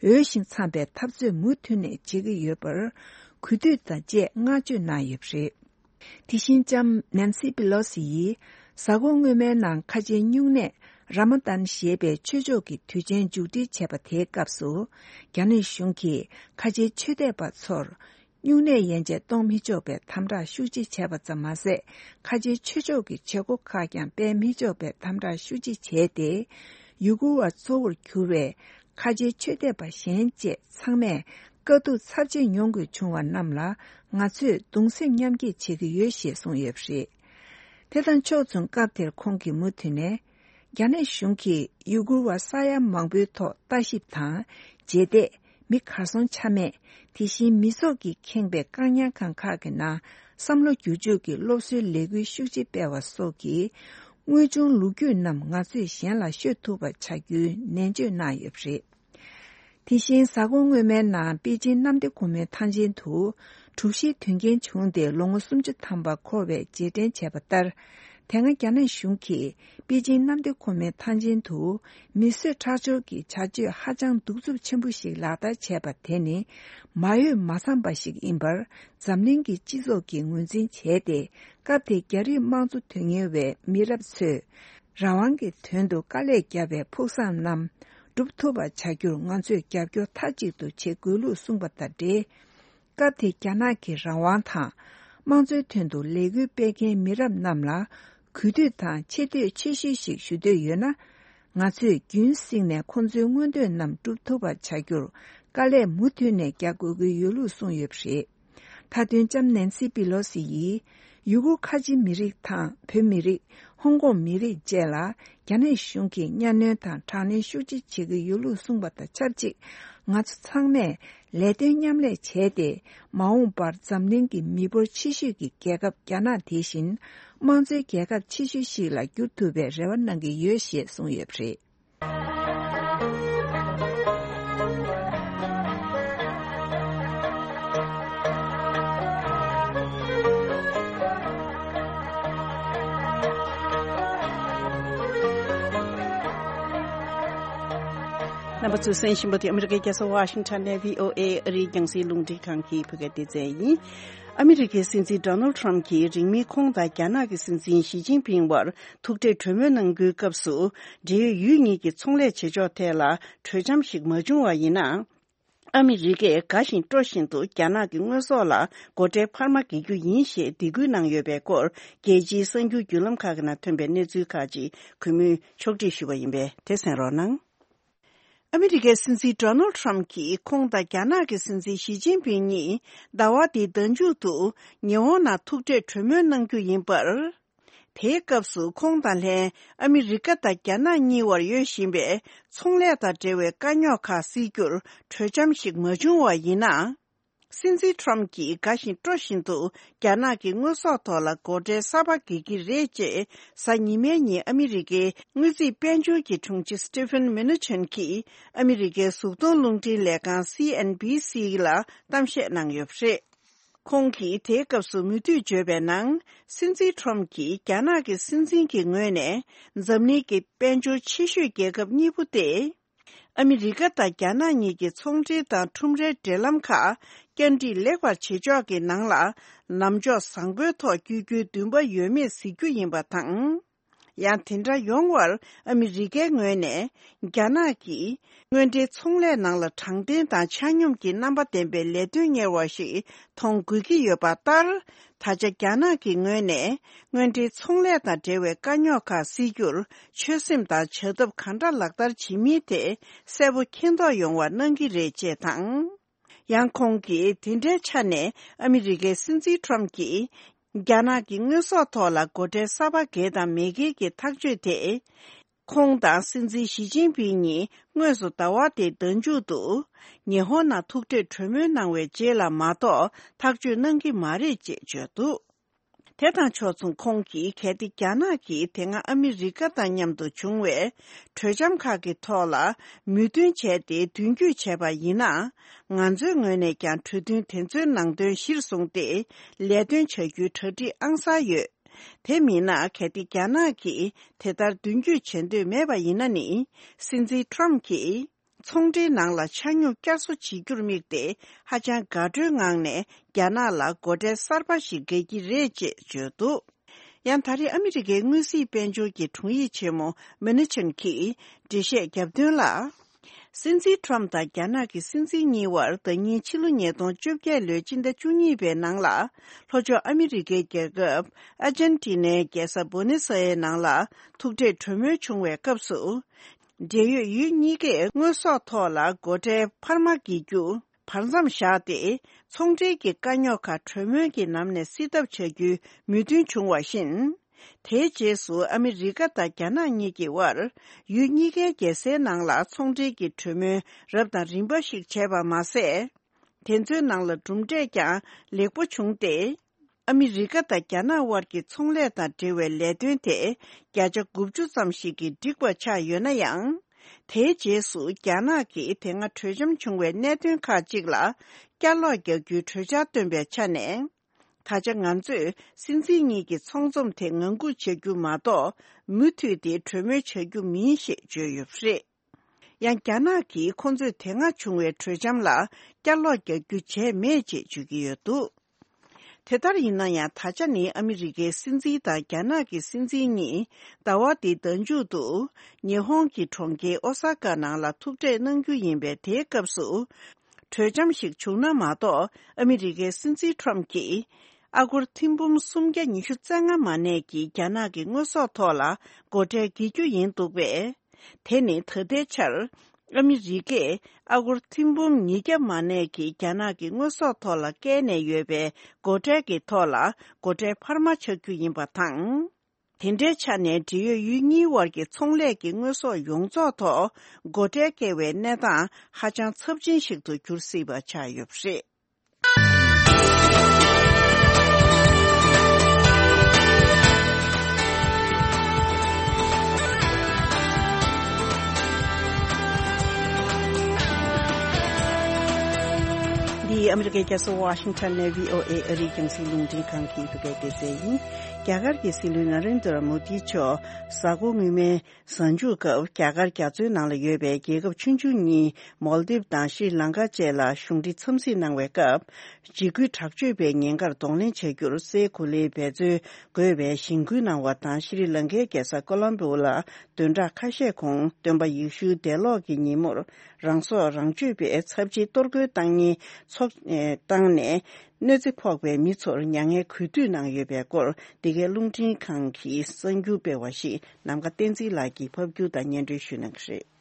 འོས་ཤིང་འཚམས་པའི་འཐབ་རྩོད་མུ་མཐུད་ནས་བྱེད་ཀྱི་ཡོད་པར་གུས་འདུད་དང་བཅས་བསྔགས་བརྗོད་གནང་ཡོད་པ་རེད། དེ་བཞིན་ལྕམ་ནན་སི་པི་ལོ་སི་ཡིས་གཟའ་འཁོར་སྔོན་མའི་ནང་ཁ་ཆེའི་སྨྱུང་གནས་ར་མ་ཏན་ཞེས་པའི་ཆོས་ཕྱོགས་ཀྱི་དུས་ཆེན་མཇུག་སྒྲིལ་བྱས་པ་དེའི་སྐབས་སུ། རྒྱ་ནག་གཞུང་གིས་ཁ་ཆེའི་ཆོས་དད་པ་ཚོར་སྨྱུང་གནས་ཡན་ཆད་གཏོང་མི་ཆོག་པའི་དམ་དྲག་ཤུགས་ཆེ་བྱས་པ་ཙམ་མ་ཟད། ཁ་ཆེའི་ཆོས་ཕྱོགས་ཀྱི་བྱེད་སྒོ་ཁག་ཀྱང་སྤེལ་མི་ཆོག་པའི་དམ་དྲག་ཤུགས་ཆེ་བྱས་ཏེ། ཡུ་གུར་བ་གཙོ་བོར་གྱུར་བའི་ཁ་ཆེའི་ཆོས་དད་པ་གཞན་བཅས་ཚང་མས་དཀའ་སྡུག་ཚབས་ཆེ་མྱོང་དགོས་བྱུང་བ་རྣམས་ལ་ང་ཚོས་གདུང་སེམས་མཉམ་སྐྱེད་བྱེད་ཀྱི་ཡོད་ཞེས་གསུངས་ཡོད་པ་རེད། དེ་དང་ཕྱོགས་མཚུངས་སྐབས་དེར་ཁོང་གིས་མུ་མཐུད་ནས། རྒྱ་ནག་གཞུང་གིས་ཡུ་གུར་བ་ས་ཡ་མང་པོའི་ཐོག་ལྟ་ཞིབ་དང་རྗེས་འདེད། མི་གར་སོང་ཆ་མེད། དེ་བཞིན་མི་ཚོགས་ཀྱིས་ཁེངས་པའི་བཀག་ཉར་ཁང་ཁག་གི་ནང་བསམ་བློ་བསྒྱུར་བཅོས་ཀྱི་སློབ་གསོའི་ལས་འགུལ་ཤུགས་ཆེ་སྤེལ་བ་སོགས་ཀྱིས། དངོས་བྱུང་ལོ་རྒྱུས་རྣམས་ང་ཚོས་གཞན་ལ་ཤོད་ཐུབ་པ་བྱ་རྒྱུའི་ནན་བརྗོད་གནང་ཡོད་པ་རེད། དེ་བཞིན་གཟའ་འཁོར་སྔོན་མའི་ནང་པེ་ཅིན་གནམ་བདེ་སྒོ་མོའི་ཐང་ཆེན་དུ་གྲུ་བཞིའི་དོན་རྐྱེན་བྱུང་སྟེ་ལོ་ངོ་སུམ་ཅུ་ཐམ་པ་འཁོར་བའི་རྗེས་དྲན་བྱས་པ་ལྟར། དེ་སྔ་རྒྱ་ནག་གཞུང་གིས་པེ་ཅིན་གནམ་བདེ་སྒོ་མོའི་ཐང་ཆེན་དུ་མི་གསོད་ཁྲག་སྦྱོར་གྱི་བྱ་སྤྱོད་ཧ་ཅང་གདུག་རྩུབ་ཆེན་པོ་ཞིག་ལག་བསྟར་བྱས་པ་དེ་ནི་མ་འོས་མ་འཚམས་པ་ཞིག་ཡིན་པར་འཛམ་གླིང་གི་སྤྱི་ཚོགས་ཀྱིས་ངོས་འཛིན་བྱས་ཏེ། སྐབས་དེའི་རྒྱ་རིགས་དམངས་གཙོ་དོན་གཉེར་བའི་མི་རབས་ཚོས་རང་དབང་གི་དོན་དུ་དཀའ་ལས་བརྒྱབ་པའི་ཕུགས་བསམ་རྣམས་འགྲུབ་ཐུབ་པ་བྱ་རྒྱུར་ང་ཚོས་རྒྱབ་སྐྱོར་མཐའ་གཅིག་ཏུ་བྱེད་དགོས་ལུགས་གསུངས་པ་དང་འབྲེལ། སྐབས་དེ་རྒྱ་ནག་གི་རང་དབང་དང་དམངས་གཙོའི་དོན་དུ་ལས་འགུལ་སྤེལ་མཁན་མི་རབས་རྣམས་ལ་གུས་འདུད་དང་ཆེ་བསྟོད་ཆེ་ཤོས་ཤིག་ཞུ་འདོད་ཡོད་ན། ང་ཚོས་རྒྱུན་བསྲིངས་ནས་ཁོང་ཚོའི་མངོན་འདོད་རྣམས་འགྲུབ་ཐུབ་པ་བྱ་རྒྱུར་དཀའ་ལས་མུ་མཐུད་ནས་རྒྱག་དགོས་ཀྱི་ཡོད་ལུགས་གསུངས་ཡོད་པ་རེད། མཐའ་དོན་ལྕམ་ནན་སི་པི་ལོ་སི་ཡིས་ཡུ་གུར་ཁ་ཆེ་མི་རིགས་དང་བོད་མི་རིགས། ཧོང་ཀོང་མི་རིགས་བཅས་ལ་རྒྱ་ནག་གཞུང་གིས་གཉའ་གནོན་དང་དྲག་གནོན་ཤུགས་ཆེ་བྱེད་ཀྱི་ཡོད་ལུགས་གསུངས་པ་དང་ཆབས་ཅིག་ང་ཚོ་ཚང་མས་ལས་དོན་མཉམ་ལས་བྱས་ཏེ། མ་འོངས་པར་འཛམ་གླིང་གི་མི་འབོར་ཆེ་ཤོས་ཀྱི་རྒྱལ་ཁབ་རྒྱ་ནག་དེ་བཞིན་དམངས་གཙོའི་རྒྱལ་ཁབ་ཆེ་ཤོས་ཤིག་ལ་འགྱུར་ཐུབ་པའི་རེ་བ་གནང་གི་ཡོད་ཞེས་གསུངས་ཡོད་པ་རེད། རྣམ་པ་ཚོས་གསན་བཞིན་པ་དེ་ཨ་མི་རི་ཀའི་རྒྱལ་ས་ཝ་ཤིང་ཊོན་ནས་བྷི་ཨོ་ཨེ་ཨ་རིའི་རྒྱང་སྲིང་རླུང་འཕྲིན་ཁང་གི་བོད་སྐད་སྡེ་ཚན་ཡིན། ཨ་མི་རི་ཀའི་སྲིད་འཛིན་ཌོ་ནལ་ཊམ་གྱིས་རིང་མིན་ཁོང་དང་རྒྱ་ནག་གི་སྲིད་འཛིན་ཞི་ཅིན་ཕིང་བར་ཐུག་འཕྲད་གྲོས་མོལ་གནང་རྒྱུའི་སྐབས་སུ། འབྲེལ་ཡོད་ཡུལ་གཉིས་ཀྱི་ཚོང་ལས་བྱེད་ཕྱོགས་ཐད་ལ་གྲོས་འཆམ་ཞིག་མ་བྱུང་བ་ཡིན་ན། ཨ་མི་རི་ཀས་དགའ་བཞིན་སྤྲོ་བཞིན་དུ་རྒྱ་ནག་གི་དངོས་ཟོག་ལ་སྒོ་ཁྲལ་འཕར་མ་འགེལ་རྒྱུ་ཡིན་ཞེས་སྡིགས་སྐུལ་གནང་ཡོད་པའི་སྐོར། རྒྱལ་སྤྱིའི་གསར་འགྱུར་བརྒྱུད་ལམ་ཁག་གི་ནང་ཐོན་པའི་གནས་ཚུལ་ཁག་ཅིག་གུས་མོས་ཕྱོགས་སྒྲིག་ཞུས་པ་ཡིན་པས། དེ་གསན་རོགས་གནང་། ཨ་མི་རི་ཀའི་སྲིད་འཛིན་ཌོ་ནལ་ཊམ་གྱིས་ཁོང་དང་རྒྱ་ནག་གི་སྲིད་འཛིན་ཞི་ཅིན་ཕིང་གཉིས་ཟླ་བ་འདིའི་ཟླ་མཇུག་ཏུ་ཉི་ཧོང་ནང་ཐུག་འཕྲད་གྲོས་མོལ་གནང་རྒྱུ་ཡིན་པར། དེའི་སྐབས་སུ་ཁོང་དང་ལྷན་ཨ་མི་རི་ཀ་དང་རྒྱ་ནག་གཉིས་བར་ཡོད་བཞིན་པའི་ཚོང་ལས་དང་འབྲེལ་བའི་དཀའ་རྙོག་ཁག་སེལ་རྒྱུར་གྲོས་འཆམ་ཞིག་མ་བྱུང་བ་ཡིན་ན། སྲིད་འཛིན་ཊམ་གྱིས་དགའ་བཞིན་སྤྲོ་བཞིན་དུ་རྒྱ་ནག་གི་དངོས་ཟོག་ཐོག་ལ་སྒོ་ཁྲལ་གསར་པ་འགེལ་གྱི་རེད་ཅེས། གཟའ་ཉི་མའི་ཉིན་ཨ་མི་རི་ཀའི་དངུལ་རྩིས་དཔལ་འབྱོར་གྱི་དྲུང་ཆེ་སི་ཊི་ཕན་མི་ནུ་ཆན་གྱིས་ཨ་མི་རི་ཀའི་གཟུགས་མཐོང་རླུང་འཕྲིན་ལས་ཁང་སི་ཨེན་བྷི་སི་ལ་གཏམ་བཤད་གནང་ཡོད་པ་རེད། ཁོང་གིས་དེའི་སྐབས་སུ་མུ་མཐུད་བརྗོད་པའི་ནང་། སྲིད་འཛིན་ཊམ་གྱིས་རྒྱ་ནག་གི་སྲིད་འཛིན་གྱི་ངོས་ནས་འཛམ་གླིང་གི་དཔལ་འབྱོར་ཆེ་ཤོས་རྒྱལ་ཁབ་གཉིས་པོ་སྟེ། ཨ་མི་རི་ཀ་དང་རྒྱ་ནག་གཉིས་ཀྱི་ཚོང་འབྲེལ་དང་ཁྲོམ་རའི་འབྲེལ་ལམ་ཁག་བསྐྱར་སྒྲིག་ལེགས་པར་བྱེད་ཕྱོགས་ཀྱི་ནང་ལ་ལམ་ཕྱོགས་བཟང་པོའི་ཐོག་བསྐྱོད་རྒྱུའི་འདུན་པ་ཡོད་མེད་གཟིགས་རྒྱུ་ཡིན་པ་དང་། ཡང་དེ་འདྲ་ཡོང་བར་ཨ་མི་རི་ཀའི་ངོས་ནས་རྒྱ་ནག་གིས་དངོས་འབྲེལ་ཚོང་ལས་ནང་ལ་དྲང་བདེན་དང་ཆ་སྙོམས་ཀྱི་རྣམ་པ་ལྡན་པའི་ལས་དོན་གཉེར་བ་ཞིག་མཐོང་དགོས་ཀྱི་ཡོད་པ་ལྟར། ད་ཆ་རྒྱ་ནག་གི་ངོས་ནས་དངོས་འབྲེལ་ཚོང་ལས་དང་འབྲེལ་བའི་དཀའ་རྙོག་ཁག་སེལ་རྒྱུར་ཆོད་སེམས་དང་བྱ་ཐབས་གང་འདྲ་ལག་བསྟར་བྱེད་མིན་དེ་གསལ་པོ་མཁྱེན་རྟོགས་ཡོང་བ་གནང་གི་རེད་ཅེས་དང་། ཡང་ཁོང་གིས་དེ་འདྲའི་ཆ་ནས་ཨ་མི་རི་ཀའི་སྲིད་འཛིན་ཊམ་གྱིས་རྒྱ་ནག་གི་དངོས་ཟོག་ཐོག་ལ་སྒོ་ཁྲལ་གསར་པ་འགེལ་དང་མི་འགེལ་གྱི་ཐག་གཅོད་དེ། ཁོང་དང་སྲིད་འཛིན་ཞི་ཅིན་ཕིང་གཉིས་དངོས་སུ་ཟླ་བ་འདིའི་ཟླ་མཇུག་ཏུ་ཉི་ཧོང་ནང་ཐུག་འཕྲད་གྲོས་མོལ་གནང་བའི་རྗེས་ལ་མ་གཏོགས་ཐག་གཅོད་གནང་གི་མ་རེད་ཅེས་བརྗོད་འདུག་དེ་དང་ཕྱོགས་མཚུངས་ཁོང་གིས་གལ་ཏེ་རྒྱ་ནག་གིས་དེ་སྔ་ཨ་མི་རི་ཀ་དང་མཉམ་དུ་བྱུང་བའི་གྲོས་འཆམ་ཁག་གི་ཐོག་ལ་མོས་མཐུན་བྱས་ཏེ་མདུན་སྐྱོད་བྱས་པ་ཡིན་ན། ང་ཚོའི་ངོས་ནས་ཀྱང་གྲོས་མཐུན་དེ་ཚོའི་ནང་དོན་གཞིར་བཟུང་སྟེ་ལས་དོན་བྱ་རྒྱུའི་གྲ་སྒྲིག་ཨང་གསར་ཡོད། དེ་མིན་ན་གལ་ཏེ་རྒྱ་ནག་གིས་དེ་ལྟར་མདུན་སྐྱོད་བྱེད་འདོད་མེད་པ་ཡིན་ན་ནི། སྲིད་འཛིན་ཊམ་གྱིས་ཚོང་འབྲེལ་ནང་ལ་ཆ་སྙོམས་བསྐྱར་གསོ་བྱེད་རྒྱུར་དམིགས་ཏེ་ཧ་ཅང་དགའ་སྤྲོའི་ངང་ནས་རྒྱ་ནག་ལ་སྒོ་ཁྲལ་གསར་པ་ཞིག་འགེལ་གྱི་རེད་ཅེས་བརྗོད་འདུག་ཡང་ད་རེས་ཨ་མི་རི་ཀའི་དངུལ་རྩིས་དཔལ་འབྱོར་གྱི་དྲུང་ཡིག་ཆེན་མོ་མི་ནི་ཆན་གྱིས་འགྲེལ་བཤད་བརྒྱབ་དོན་ལ། སྲིད་འཛིན་ཊམ་དང་རྒྱ་ནག་གི་སྲིད་འཛིན་གཉིས་བར་ཟླ་ཉིན་ཕྱི་ལོ་ཉིས་སྟོང་བཅོ་བརྒྱད་ལོའི་སྤྱི་ཟླ་བཅུ་གཉིས་པའི་ནང་ལ། ལྷོ་ཕྱོགས་ཨ་མི་རི་ཀའི་རྒྱལ་ཁབ་ཨར་ཇན་ཊི་ནའི་རྒྱལ་ས་བུ་ནེ་སི་ཨེ་ནང་ལ་ཐུག་འཕྲད་གྲོས་མོལ་བྱུང་བའི་སྐབས་སུ། འབྲེལ་ཡོད་ཡུལ་གཉིས་ཀས་དངོས་ཟོག་ཐོག་ལ་སྒོ་ཁྲལ་འཕར་མ་འགེལ་རྒྱུ་བར་མཚམས་བཞག་སྟེ། ཚོང་འབྲེལ་གྱི་དཀའ་རྙོག་ཁག་གྲོས་མོལ་གྱི་ལམ་ནས་སེལ་ཐབས་བྱ་རྒྱུའི་མོས་མཐུན་བྱུང་བ་བཞིན། དེའི་རྗེས་སུ་ཨ་མི་རི་ཀ་དང་རྒྱ་ནག་གཉིས་ཀྱི་དབར་ཡུལ་གཉིས་ཀའི་རྒྱལ་སའི་ནང་ལ་ཚོང་འབྲེལ་གྱི་གྲོས་མོལ་རབ་དང་རིམ་པ་ཞིག་བྱས་པ་མ་ཟད། དེ་ཚོའི་ནང་ལ་གྲུབ་འབྲས་ཀྱང་ལེགས་པོ་བྱུང་སྟེ། ཨ་མི་རི་ཀ་དང་རྒྱ་ནག་དབར་གྱི་ཚོང་ལས་དང་འབྲེལ་བའི་ལས་དོན་དེ་བརྒྱ་ཆ་དགུ་བཅུ་ཙམ་ཞིག་གིས་འགྲིག་པ་ཆགས་ཡོད་ན་ཡང་། དེའི་རྗེས་སུ་རྒྱ་ནག་གིས་དེ་སྔ་གྲོས་འཆམ་བྱུང་བའི་གནད་དོན་ཁག་ཅིག་ལ་བསྐྱར་ལོག་རྒྱག་རྒྱུའི་གྲོས་འཆར་བཏོན་པའི་ཆ་ནས། ད་ཆ་ང་ཚོས་སྲིད་འཛིན་གཉིས་ཀྱི་ཚོང་འཛོམས་དེ་ངང་སྒུག་བྱ་རྒྱུ་མ་གཏོགས། མུ་མཐུད་དེ་གྲོས་མོལ་བྱ་རྒྱུ་མིན་ཞེས་བརྗོད་ཡོད་པ་རེད། ཡང་རྒྱ་ནག་གིས་ཁོ་ཚོས་དེ་སྔ་བྱུང་བའི་གྲོས་འཆམ་ལ་བསྐྱར་ལོག་རྒྱག་རྒྱུ་བྱས་མེད་ཅེས་བརྗོད་ཀྱི་ཡོད་འདུག་དེ་ལྟར་ཡིན་ན་ཡང་། ད་ཆ་ནི་ཨ་མི་རི་ཀའི་སྲིད་འཛིན་དང་རྒྱ་ནག་གི་སྲིད་འཛིན་གཉིས་ཟླ་བ་འདིའི་ཟླ་མཇུག་ཏུ་ཉི་ཧོང་གི་གྲོང་ཁྱེར་ཨོ་ས་ཀ་ནང་ལ་ཐུག་འཕྲད་གནང་རྒྱུ་ཡིན་པས། དེའི་སྐབས་སུ་གྲོས་འཆམ་ཞིག་བྱུང་ན་མ་གཏོགས། ཨ་མི་རི་ཀའི་སྲིད་འཛིན་ཊམ་གྱིས་ཨ་སྒོར་ཐེར་འབུམ་སུམ་བརྒྱ་ཉི་ཤུ་རྩ་ལྔ་མ་གནས་ཀྱི་རྒྱ་ནག་གི་དངོས་ཟོག་ཐོག་ལ་སྒོ་ཁྲལ་འགེལ་རྒྱུ་ཡིན་འདུག་པས། དེ་ནི་ད་ལྟའི་ཆར་ཨ་མི་རི་ཀས་ཨ་སྒོར་ཐེར་འབུམ་ཉིས་བརྒྱ་མ་གནས་ཀྱི་རྒྱ་ནག་གི་དངོས་ཟོག་ཐོག་ལ་བཀལ་ནས་ཡོད་པའི་སྒོ་ཁྲལ་གྱི་ཐོག་ལ་སྒོ་ཁྲལ་འཕར་མ་ཆགས་རྒྱུ་ཡིན་པ་དང་། དེ་འདྲའི་ཆ་ནས་འབྲེལ་ཡོད་ཡུལ་གཉིས་དབར་གྱི་ཚོང་ལས་ཀྱི་དངོས་ཟོག་ཡོངས་རྫོགས་ཐོག་སྒོ་ཁྲལ་བཀལ་བའི་གནས་སྟངས་ཧ་ཅང་ཚབས་ཆེན་ཞིག་ཏུ་འགྱུར་སྲིད་པ་ཆགས་ཡོད་པ་རེད། འདི་ཨ་མི་རི་ སྐད་ཆ་སོ་ཝ་ཤིང་ཊོན་ནས་བྷི་ཨོ་ཨེ་ཨ་རིའི་རྒྱང་སྲིང་རླུང་འཕྲིན་ཁང་གི་འདུག་སྐད་སྡེ་ཚན་ཡིན། རྒྱ་གར་གྱི་སྲིད་བློན་ན་རེན་དྲ་མོ་དི་མཆོག་གཟའ་འཁོར་སྔོན་མའི་གཟའ་མཇུག་སྐབས་རྒྱ་གར་རྒྱ་མཚོའི་ནང་ལ་ཡོད་པའི་རྒྱལ་ཁབ་ཆུང་ཆུང་གཉིས་མོལ་དིབ་དང་ཤྲི་ལང་ཀ་བཅས་ལ་གཞུང་འབྲེལ་འཚམས་གཟིགས་གནང་བའི་སྐབས། འཇིགས་སྐུལ་དྲག་སྤྱོད་པའི་ཉེན་ཁར་གདོང་ལེན་བྱ་རྒྱུར་སའི་གོ་ལའི་འབད་བརྩོན་དགོས་པའི་གཞེན་སྐུལ་གནང་བ་དང་། ཤྲི་ལང་ཀའི་རྒྱལ་ས་ཀོ་ལོམ་བོ་ལ་བདུན་ཕྲག་ཁ་ཤས་གོང་སྟོན་པ་ཡེ་ཤུའི་འདས་ལོག་གི་ཉིན་མོར་རང་སྲོག་རང་གཅོད་པའི་ཚབས་ཆེའི་གཏོར་རྒོལ་བཏང་མཁན་ཚོགས་བཏང་ནས་གནོད་འཚེ་ཕོག་པའི་མི་ཚོར་མྱ་ངན་གུས་འདུད་གནང་ཡོད་པའི་སྐོར། འདི་གའི་རླུང་འཕྲིན་ཁང་གི་གསར་འགྱུར་སྤེལ་བ་ཞིག་ནམ་མཁའ་བསྟན་འཛིན་ལགས་ཀྱིས་ཕབ་སྒྱུར་དང་སྙན་སྒྲོན་ཞུ་གནང་གི་རེད།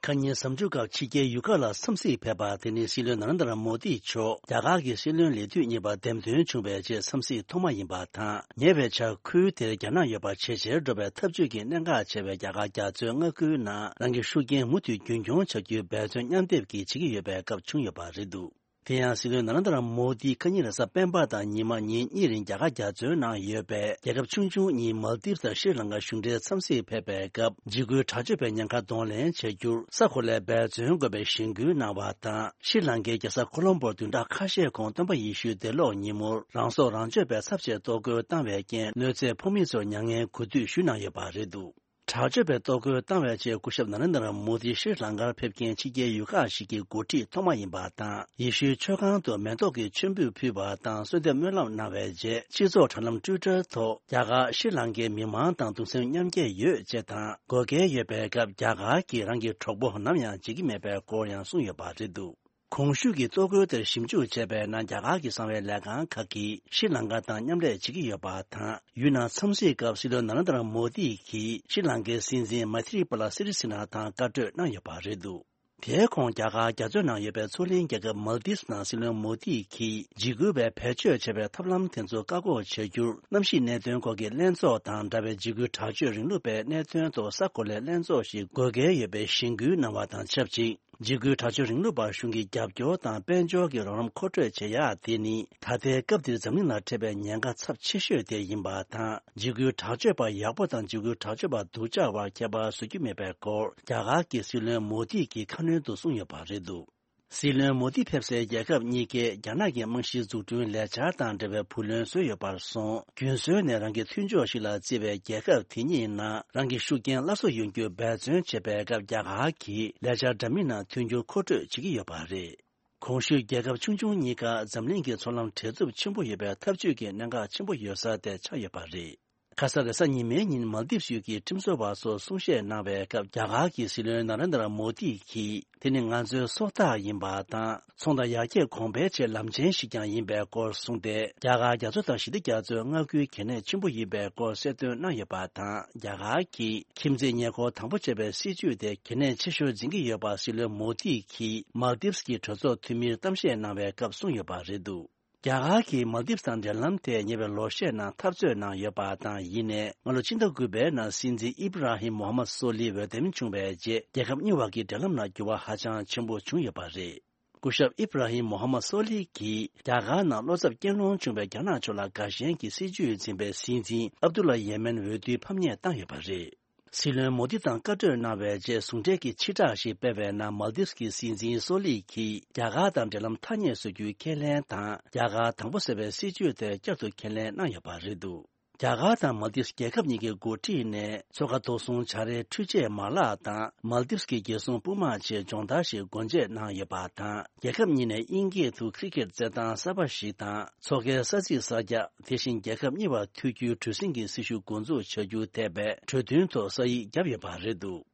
ཁ་ཉིན་གཟའ་མཇུག་སྐབས་ཕྱི་རྒྱལ་ཡུལ་ཁག་ལ་འཚམས་གཟིགས་ཕེབས་པ་དེ་ནི་སྲིད་བློན་ན་རེན་དྲ་མོ་དི་མཆོག་རྒྱ་གར་གྱི་སྲིད་བློན་ལས་དུས་གཉིས་པ་འདེམས་ཐོན་བྱུང་བའི་རྗེས་འཚམས་གཟིགས་ཐོག་མ་ཡིན་པ་དང་། ཉེ་བའི་ཆར་ཁུལ་དེར་རྒྱ་ནག་ཡོད་པ་ཇེ་ཆེར་འགྲོ་བའི་འཐབ་ཇུས་ཀྱི་གནད་འགག་ཆེ་བའི་རྒྱ་གར་རྒྱ་མཚོའི་མངའ་ཁུལ་ནང་རང་གི་ཤུགས་རྐྱེན་མུ་མཐུད་རྒྱུན་འཁྱོངས་བྱ་རྒྱུའི་འབད་བརྩོན་མཉམ་སྡེབ་ཀྱིས་བྱེད་ཀྱི་ཡོད་པའི་སྐབས་བྱུང་ཡོད་པ་རེད་འདུག་དེ་ཡང་སྲིད་བློན་ན་རེན་དྲ་མོ་དི་ཁ་ཉིན་རེས་གཟའ་སྤེན་པ་དང་ཉི་མ་ཉིན་གཉིས་རིང་རྒྱ་གར་རྒྱ་མཚོའི་ནང་ཡོད་པའི་རྒྱལ་ཁབ་ཆུང་ཆུང་གཉིས་མལ་དིབ་དང་ཤྲི་ལང་ཀ་གཞུང་འབྲེལ་འཚམས་གཟིགས་ཕེབས་པའི་སྐབས། འཇིགས་སྐུལ་དྲག་སྤྱོད་པའི་ཉེན་ཁ་གདོང་ལེན་བྱ་རྒྱུར་ས་གོ་ལའི་འབད་བརྩོན་དགོས་པའི་གཞེན་སྐུལ་གནང་བ་དང་། ཤྲི་ལང་ཀའི་རྒྱལ་ས་ཀོ་ལོམ་བོར་བདུན་ཕྲག་ཁ་ཤས་གོང་སྟོན་པ་ཡེ་ཤུའི་འདས་ལོག་ཉིན་མོར་རང་སྲོག་རང་གཅོད་པའི་ཚབས་ཆེའི་གཏོར་རྒོལ་བཏང་བའི་རྐྱེན་གནོད་འཚེ་ཕོག་མི་ཚོར་མྱ་ངན་གུས་འདུད་ཞུས་གནང་ཡོད་པ་རེད་འདུག་དྲག་སྤྱོད་པའི་གཏོར་རྒོལ་བཏང་བའི་རྗེས། སྐུ་ཞབས་ན་རེན་དྲ་མོ་དི་ཤྲི་ལང་ཀར་ཕེབས་མཁན་ཕྱི་རྒྱལ་ཡུལ་ཁག་ཞིག་གི་འགོ་ཁྲིད་ཐོག་མ་ཡིན་པ་དང་། ཡེ་ཤུའི་མཆོད་ཁང་དུ་མེ་ཏོག་གི་མཆོད་འབུལ་ཕུལ་བ་དང་། གསོལ་འདེབས་སྨོན་ལམ་གནང་བའི་རྗེས། སྤྱི་ཚོགས་དྲ་ལམ་ཊུའི་ཊར་ཐོག་རྒྱ་གར་ཤྲི་ལང་ཀའི་མི་མང་དང་གདུང་སེམས་མཉམ་སྐྱེད་ཡོད་ཅེས་དང་། དགོས་གལ་ཡོད་པའི་སྐབས་རྒྱ་གར་གྱིས་རང་གི་གྲོགས་པོ་ནམ་ཡང་བརྗེད་ཀྱི་མེད་པའི་སྐོར་ཡང་གསུངས་ཡོད་པ་རེད་འདུག་གོང་ཞུས་ཀྱི་གཏོར་རྒོལ་དེར་ཞིབ་འཇུག་བྱས་པའི་ནང་། རྒྱ་གར་གྱི་གསང་བའི་ལས་ཁང་ཁག་གིས་ཤྲི་ལང་ཀ་དང་མཉམ་ལས་བྱེད་ཀྱི་ཡོད་པ་དང་། ཡུལ་ནང་འཚམས་གཟིགས་སྐབས་སྲིད་བློན་ན་རེན་དྲ་མོ་དི་གིས་ཤྲི་ལང་ཀའི་སྲིད་འཛིན་མཱི་ཐི་རི་པ་ལ་སི་རི་སི་ན་དང་བཀའ་གྲོས་གནང་ཡོད་པ་རེད་འདུག་དེའི་གོང་རྒྱ་གར་རྒྱ་མཚོའི་ནང་ཡོད་པའི་མཚོ་གླིང་རྒྱལ་ཁབ་མལ་དིབ་ནང་སྲིད་བློན་མོ་དི་གིས་འཇིགས་སྐུལ་བས་བེད་སྤྱོད་བྱས་པའི་ཐབས་ལམ་དེ་ཚོ་བཀག་འགོག་བྱ་རྒྱུར། གནམ་གཤིས་གནད་དོན་སྐོར་གྱི་ལྷན་ཚོགས་དང་འདྲ་བའི་འཇིགས་སྐུལ་དྲག་སྤྱོད་རིང་ལུགས་པའི་གནད་དོན་ཐོག་ས་གོ་ལའི་ལྷན་ཚོགས་ཤིག་དགོས་གལ་ཡོད་པའི་གཞེན་སྐུལ་གནང་བ་དང་ཆབས་ཅིག་འཇིགས་སྐུལ་དྲག་སྤྱོད་རིང་ལུགས་པར་གཞུང་གི་རྒྱབ་སྐྱོར་དང་དཔལ་འབྱོར་གྱི་རོགས་རམ་མཁོ་སྤྲོད་བྱེད་ཡག་དེ་ནི་ད་ལྟའི་སྐབས་འདིར་འཛམ་གླིང་ལ་འཕྲད་པའི་ཉེན་ཁ་ཚབས་ཆེ་ཤོས་དེ་ཡིན་པ་དང་། འཇིགས་སྐུལ་དྲག་སྤྱོད་པ་ཡག་པོ་དང་འཇིགས་སྐུལ་དྲག་སྤྱོད་པ་སྡུག་ཅག་བར་ཁྱད་པར་བཟོ་རྒྱུ་མེད་པའི་སྐོར་རྒྱ་གར་གྱི་སྲིད་བློན་མོ་དི་གིས་ཁ་སྣོན་དུ་གསུངས་ཡོད་པ་རེད་འདུག་སྲིད་བློན་མོ་དི་ཕེབས་སའི་རྒྱལ་ཁབ་གཉིས་ཀས་རྒྱ་ནག་གི་རྨང་གཞིའི་འཛུགས་སྐྲུན་ལས་འཆར་དང་འབྲེལ་བའི་བུ་ལོན་བཟོས་ཡོད་པར་སོང་། རྒྱུན་སྲོལ་ནས་རང་གི་མཐུན་ཕྱོགས་ཤིག་ལ་བརྩི་བའི་རྒྱལ་ཁབ་དེ་གཉིས་ནང་རང་གི་ཤུགས་རྐྱེན་སླར་གསོ་ཡོང་རྒྱུར་འབད་བརྩོན་བྱེད་པའི་སྐབས། རྒྱ་གར་གྱིས་ལས་འཆར་འདྲ་མིན་ནང་མཐུན་འགྱུར་མཁོ་སྤྲོད་བྱེད་ཀྱི་ཡོད་པ་རེད། གོང་ཞུས་རྒྱལ་ཁབ་ཆུང་ཆུང་གཉིས་ཀ་འཛམ་གླིང་གི་མཚོ་ལམ་བྲེལ་འཚུབ་ཆེན་པོ་ཡོད་པའི་འཐབ་ཇུས་ཀྱི་གནད་འགག་ཆེན་པོ་ཡོད་ས་དེ་ཆགས་ཡོད་པ་རེད། ཁ་ས་རེས་གཟའ་ཉི་མའི་ཉིན་མལ་དིབ་ཡུལ་གྱི་ཁྲིམས་བཟོ་བ་ཚོར་གསུང་བཤད་གནང་བའི་སྐབས། རྒྱ་གར་གྱི་སྲིད་བློན་ན་རེན་དྲ་མོ་དི་གིས། དེ་ནི་ང་ཚོའི་སྲོག་རྟགས་ཡིན་པ་དང་། ཚོང་དང་ཡར་རྒྱས་གོང་འཕེལ་ཆེད་ལམ་ཆེན་ཞིག་ཀྱང་ཡིན་པའི་སྐོར་གསུངས་ཏེ། རྒྱ་གར་རྒྱ་མཚོ་དང་ཞི་བདེ་རྒྱ་མཚོའི་མངའ་ཁུལ་གལ་གནད་ཆེན་པོ་ཡིན་པའི་སྐོར་གསལ་སྟོན་གནང་ཡོད་པ་དང་། རྒྱ་གར་གྱིས་ཁྱིམ་མཚེས་ཉེ་འཁོར་དང་པོ་བྱས་པའི་སྲིད་ཇུས་དེ་གལ་གནད་ཆེ་ཤོས་འཛིན་གྱི་ཡོད་པ་སྲིད་བློན་མོ་དི་གིས་མལ་དིབ་ཀྱི་གྲོས་ཚོགས་འཐུས་མིར་གཏམ་བཤད་གནང་བའི་སྐབས་གསུངས་ཡོད་པ་རེད་འདུག་རྒྱ་གར་གྱིས་མལ་དིབ་དང་འབྲེལ་ལམ་དེ་ཉེ་བའི་ལོ་ཤས་ནང་འཐབ་རྩོད་གནང་ཡོད་པ་དང་། ཡིན་ནའི་སྔ་ལོ་ཕྱི་ཟླ་དགུ་པའི་ནང་སྲིད་འཛིན་ཨིབ་ར་ཧིམ་མོ་ཧམ་མད་སོ་ལི་འོས་འདེམས་བྱུང་བའི་རྗེས། རྒྱལ་ཁབ་གཉིས་བར་གྱི་འབྲེལ་ལམ་ལ་འགྱུར་བ་ཧ་ཅང་ཆེན་པོ་བྱུང་ཡོད་པ་རེད། སྐུ་ཞབས་ཨིབ་ར་ཧིམ་མོ་ཧམ་མད་སོ་ལི་གིས་རྒྱ་གར་ནང་བློ་འཚབ་སྐྱེ་སློང་བྱུང་བའི་རྒྱ་ནག་ཕྱོགས་ལ་དགའ་ཞེན་གྱི་སྲིད་ཇུས་འཛིན་པའི་སྲིད་འཛིན་ཨབ་དུ་ལ་ཡེ་མེན་འོས་བསྡུའི་ཕམ་ཉེས་བཏང་ཡོད་པ་རེད། སྲིད་བློན་མོ་དི་དང་བཀའ་གྲོས་གནང་བའི་རྗེས། ཟུང་འབྲེལ་གྱི་ཕྱི་བསྒྲགས་ཤིག་སྤེལ་བའི་ནང་། མལ་དིབ་ཀྱི་སྲིད་འཛིན་སོ་ལི་གིས་རྒྱ་གར་དང་འབྲེལ་ལམ་ཐག་ཉེ་བཟོ་རྒྱུའི་ཁས་ལེན་དང་། རྒྱ་གར་དང་པོ་ཟེར་བའི་སྲིད་ཇུས་དེ་བསྐྱར་དུ་ཁས་ལེན་གནང་ཡོད་པ་རེད་འདུག་རྒྱ་གར་དང་མལ་དིབ་རྒྱལ་ཁབ་གཉིས་ཀྱི་འགོ་ཁྲིད་ནས་མཚོ་ཁ་ཐོག་སྲུང་བྱ་རའི་འཕྲུལ་ཆས་མ་ལག་དང་། མལ་དིབ་ཀྱི་རྒྱལ་སྲུང་དཔུང་དམག་ཆེད་སྦྱོང་བརྡར་ཞིག་སྒོ་འབྱེད་གནང་ཡོད་པ་དང་། རྒྱལ་ཁབ་གཉིས་ནས་དབྱིན་སྐད་དུ་ཁི་རི་ཀེད་རྩེད་ཐང་གསར་པ་ཞིག་དང་། མཚོ་ཁའི་ས་ཚིགས་གསར་རྒྱག་དེ་བཞིན་རྒྱལ་ཁབ་གཉིས་བར་མཐུད་རྒྱུའི་གྲུ་གཟིངས་ཀྱི་སྲི་ཞུ་འགོ་འཛུགས་བྱ་རྒྱུ་ཐད་པའི་གྲོས་མཐུན་ཐོག་ས་ཡིག་བརྒྱབ་ཡོད་པ་རེད་འདུག་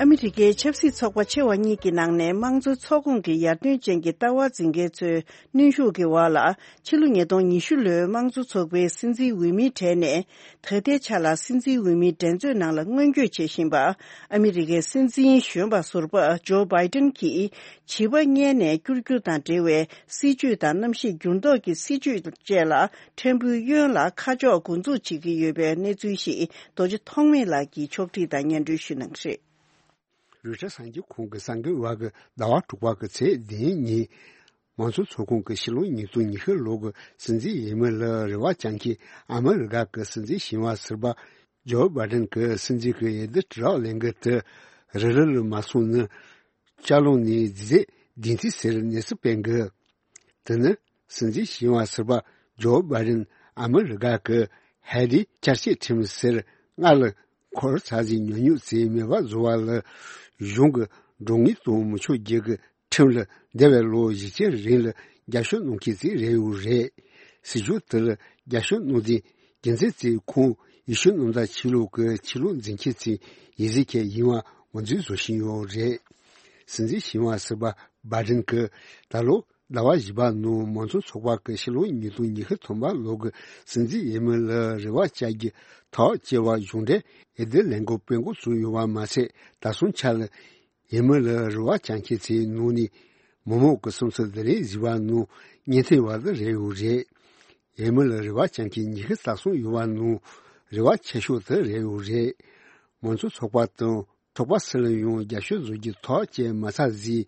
ཨ་མི་རི་ཀའི་ཆབ་སྲིད་ཚོགས་པ་ཆེ་བ་གཉིས་ཀྱི་ནང་ནས་དམངས་གཙོ་ཚོགས་ཁོངས་ཀྱི་ཡར་ཐོན་ཅན་གྱི་ལྟ་བ་འཛིན་མཁན་ཚོའི་གནོན་ཤུགས་ཀྱི་འོག་ལ། ཕྱི་ལོ་ཉིས་སྟོང་ཉི་ཤུ་ལོའི་དམངས་གཙོ་ཚོགས་པའི་སྲིད་འཛིན་འོས་མིའི་གྲས་ནས། ད་ལྟའི་ཆ་ལ་སྲིད་འཛིན་འོས་མིའི་འགྲན་རྩོད་ནང་ལ་སྔོན་སྐྱོད་བྱེད་བཞིན་པ། ཨ་མི་རི་ཀའི་སྲིད་འཛིན་གཞོན་པ་ཟུར་པ་ཇོ་བྷའི་ཏན་གྱིས། བྱིས་པ་མངལ་ནས་སྐྱུར་རྒྱུ་དང་འབྲེལ་བའི་སྲིད་ཇུས་དང་གནམ་གཤིས་འགྱུར་ལྡོག་གི་སྲིད་ཇུས་བཅས་ལ་ཕྲན་བུའི་གཡོན་ལ་ཁ་ཕྱོགས་འགོ་འཛུགས་བྱེད་ཀྱི་ཡོད་པའི་གནས་ཚུལ་ཞིག་རྡོ་རྗེ་ཐོགས་མེད་ལགས་ཀྱིས་ཕྱོགས་སྒྲིག་དང་སྙན་སྒྲོན་ཞུ་གནང་གི་རེད། རུ་ཤ་གསར་འགྱུར་ཁང་གི་གསར་འགོད་པ་གིས་ཟླ་བ་དྲུག་པ་གི་ཚེས་བདུན་ཉིན། མང་གཙོ་ཚོགས་ཁོངས་ཀྱི་ཕྱི་ལོ་ཉིས་སྟོང་ཉི་ཤུ་ལོ་གི་སྲིད་འཛིན་འོས་མི་ལ་རེ་བ་བཅངས་མཁན་ཨ་མི་རི་ཀ་གི་སྲིད་འཛིན་ཞི་བ་ཟུར་པ་ཇོ་བྷའི་ཌེན་གྱིས་སྲིད་འཛིན་གྱི་འོས་བསྡུ་དྲི་རག་ལས་འགུལ་དེ་རི་རི་ལ་མ་སོང་ནི། ལྕགས་ལམ་ནས་རྫས་བདུན་ཐིག་ཟེར་གནས་ཚུལ་སྤེལ་འདུག་དེ་ནི་སྲིད་འཛིན་ཞི་བ་ཟུར་པ་ཇོ་བྷའི་ཌེན་ཨ་མི་རི་ཀ་གི་ཧའེ་ཏི་བསྐྱར་དཔྱད་ཁྲིམས་ཟེར་སྔར་ལ་འཁོར་ཚར་ཟིན་ཉོ་སྙོམས་བྱས་མེད་པ་བཟོ་བ་ལ་གཞུང་གི་མགྲོན་གཉེར་གཏོང་མི་ཆོག་རྒྱུ་གི་ཁྲིམས་ལ་འདས་པའི་ལོ་བཞི་བཅུ་རིང་ལ་རྒྱབ་སྐྱོར་གནང་མཁན་ཞིག་རེད་ཡོད་རེད། སྲིད་ཇུས་དེ་ལ་རྒྱབ་སྐྱོར་གནང་མཁན་རྒྱུ་མཚན་གཙོ་བོ་ཁོང་ཡེ་ཤུ་གནམ་བདག་ཆོས་ལུགས་ཀྱི་ཆོས་ལུགས་འཛིན་མཁན་ཞིག་ཡིན་ཟེར་མཁན་ཡིན་པ་ངོས་འཛིན་བཟོ་བཞིན་ཡོད་རེད། སྲིད་འཛིན་ཞི་བ་ཟུར་པ་བྷའི་ཌེན་གྱིས་ད་ལོ་ཟླ་བ་བཞི་པ་ནང་མང་གཙོ་ཚོགས་པ་གི་ཕྱི་ལོ་ཉིས་སྟོང་ཉི་ཤུ་ཐོག་མ་ལོ་གི་སྲིད་འཛིན་འོས་མི་ལ་རེ་བ་བཅའ་རྒྱུ་ཐག་བཅད་པ་གཞུང་འབྲེལ་འོས་བསྡུ་ལས་འགུལ་སྤེལ་འགོ་བཙུགས་ཡོད་པ་མ་ཟད། ད་སོང་ཆ་ལ་འོས་མི་ལ་རེ་བ་བཅངས་མཁན་ཚོའི་ནང་ནས་མི་མང་གི་བསམ་ཚུལ་བསྡུ་ལེན་བྱས་པ་ནང་སྙན་ཐོས་པ་དེ་རེད་ཡོད་རེད། འོས་མི་ལ་རེ་བ་བཅངས་མཁན་ཉི་ཤུ་རྩ་གསུམ་ཡོད་པ་ནང་རེ་བ་ཆེ་ཤོས་དེ་རེད་ཡོད་རེད། མང་གཙོ་ཚོགས་པ་དང་ཚོགས་པ་སུ་ལ་ཡང་རྒྱབ་སྐྱོར་བཟོ་རྒྱུ་ཐག་བཅད་མ་ཚར་ཟིན་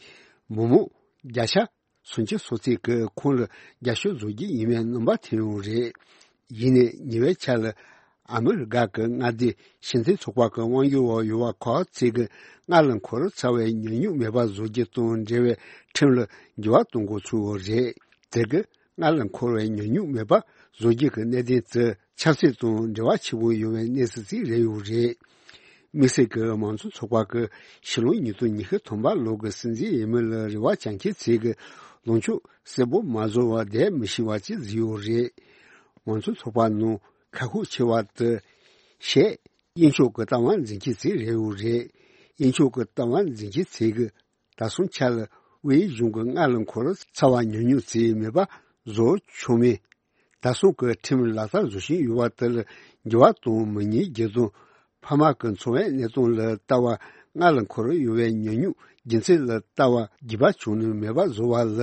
མི་མང་བརྒྱ་ཆ་སུམ་ཅུ་སོ་གཅིག་གིས་ཁོང་ལ་རྒྱབ་སྐྱོར་བཟོ་རྒྱུ་ཡིན་པའི་རྣམ་པ་ཐོན་ཡོད་རེད། ཡིན་ནའི་ཉེ་བའི་ཆར་ལ་ཨ་མི་རི་ཀ་གི་མངའ་སྡེ་ཕྱི་འཐེན་ཚོགས་པ་གི་དབང་སྒྱུར་འོག་ཡོད་པ་ཁག་ཅིག་གིས་སྔར་ལ་འཁོར་ཚར་བའི་ཉོ་སྙོམས་མེད་པ་བཟོ་རྒྱུ་དང་འབྲེལ་བའི་ཁྲིམས་ལ་འགྱུར་བ་གཏོང་འགོ་ཚུགས་ཡོད་རེད། དེ་གིས་སྔར་ལ་འཁོར་བའི་ཉོ་སྙོམས་མེད་པ་བཟོ་རྒྱུ་གི་གནད་དོན་དེ་ཆབ་སྲིད་དང་འབྲེལ་བ་ཆེན་པོ་ཡོད་པའི་གནས་ཚུལ་ཅིག་རེད་ཡོད་རེད། དམིགས་བསལ་གྱི་མང་གཙོ་ཚོགས་པ་གི་ཕྱི་ལོ་ཉིས་སྟོང་ཉི་ཤུ་ཐོག་མ་ལོ་གི་སྲིད་འཛིན་འོས་མི་ལ་རེ་བ་བཅངས་མཁན་ཚོས་གི་ལངས་ཕྱོགས་གསལ་པོ་མ་བཟོ་བར་བསྡད་མི་ཤེས་པ་ཅིག་བཟོས་ཡོད་རེད། མང་གཙོ་ཚོགས་པ་ནང་ཁག་ཤུགས་ཆེ་བ་དེ་ཤེས་དབྱིན་ཕྱོགས་ཀྱི་ལྟ་བ་འཛིན་མཁན་ཚོ་རེད་ཡོད་རེད། དབྱིན་ཕྱོགས་ཀྱི་ལྟ་བ་འཛིན་མཁན་ཚོས་གི་ད་སོང་ཆ་ལ་དབུས་གཞུང་གི་སྔར་ལ་འཁོར་ཚར་བ་ཉོ་སྙོམས་བྱས་མེད་པ་བཟོ་ཆོག་མིན། ད་སོང་གི་ཁྲིམས་ལག་བསྟར་བཟོ་བཞིན་ཡོད་པ་དེ་ལ་འགྱུར་བ་གཏོང་མི་ཉན་རྒྱུ་དང་། ཕ་མ་གི་འཚོ་བའི་གནས་སྟངས་ལ་ལྟ་བ་སྔར་ལ་འཁོར་ཡོད་པའི་ཉོ་སྙོམས་རྒྱུ་མཚན་ལ་ལྟ་བ་འགྱུར་བ་བྱུང་ནས་མེད་པ་བཟོ་བ་ལ་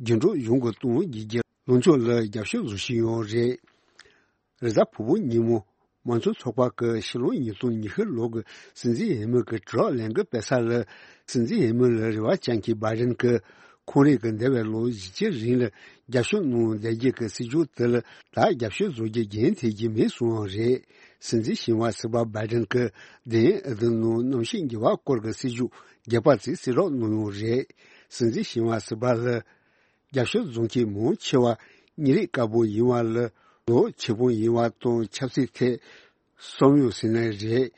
རྒྱུན་སྒྲོག་གཞུང་གི་གཏོང་རྒྱུའི་ལངས་ཕྱོགས་ལ་རྒྱབ་སྐྱོར་བཟོ་བཞིན་ཡོད་རེད། རེས་གཟའ་ཕུར་བུ་ཉིན་མོ་མང་གཙོ་ཚོགས་པ་གི་ཕྱི་ལོ་ཉིས་སྟོང་ཉི་ཤུ་ལོ་གི་སྲིད་འཛིན་འོས་མི་གི་དྲི་རགས་ལས་འགུལ་སྤེལ་ས་ལ་སྲིད་འཛིན་འོས་མི་ལ་རེ་བ་བཅངས་མཁན་བྷའི་ཌེན་གྱིས་ཁོང་རང་གི་འདས་པའི་ལོ་བཞི་བཅུ་རིང་ལ་རྒྱབ་སྐྱོར་གནང་བསྡད་རྒྱུ་གི་སྲིད་ཇུས་དེ་ལ་ད་རྒྱབ་སྐྱོར་བཟོ་རྒྱུ་རྒྱུན་མཐུད་རྒྱུ་མིན་གསུངས་པ་རེད། སྲིད་འཛིན་ཞི་བ་ཟུར་པ་བྷའི་ཌེན་གྱིས་དེ་ཡང་འོས་བསྡུ་ནང་གནམ་གཤིས་འགྱུར་བ་སྐོར་གྱི་སྲིད་ཇུས་རྒྱས་པ་ཅིག་གསལ་བསྒྲགས་གནང་ཡོད་རེད། སྲིད་འཛིན་ཞི་བ་ཟུར་པ་ལ། རྒྱབ་སྐྱོར་བཟོ་མཁན་མང་ཆེ་བ་གཉིས་རིགས་དཀར་པོ་ཡིན་པ་ལ་ལོ་ཆེ་ཕོ་ཡིན་པ་དང་ཆབ་སྲིད་ཐད་བསམ་ཡོད་ཟེར་ན་རེད།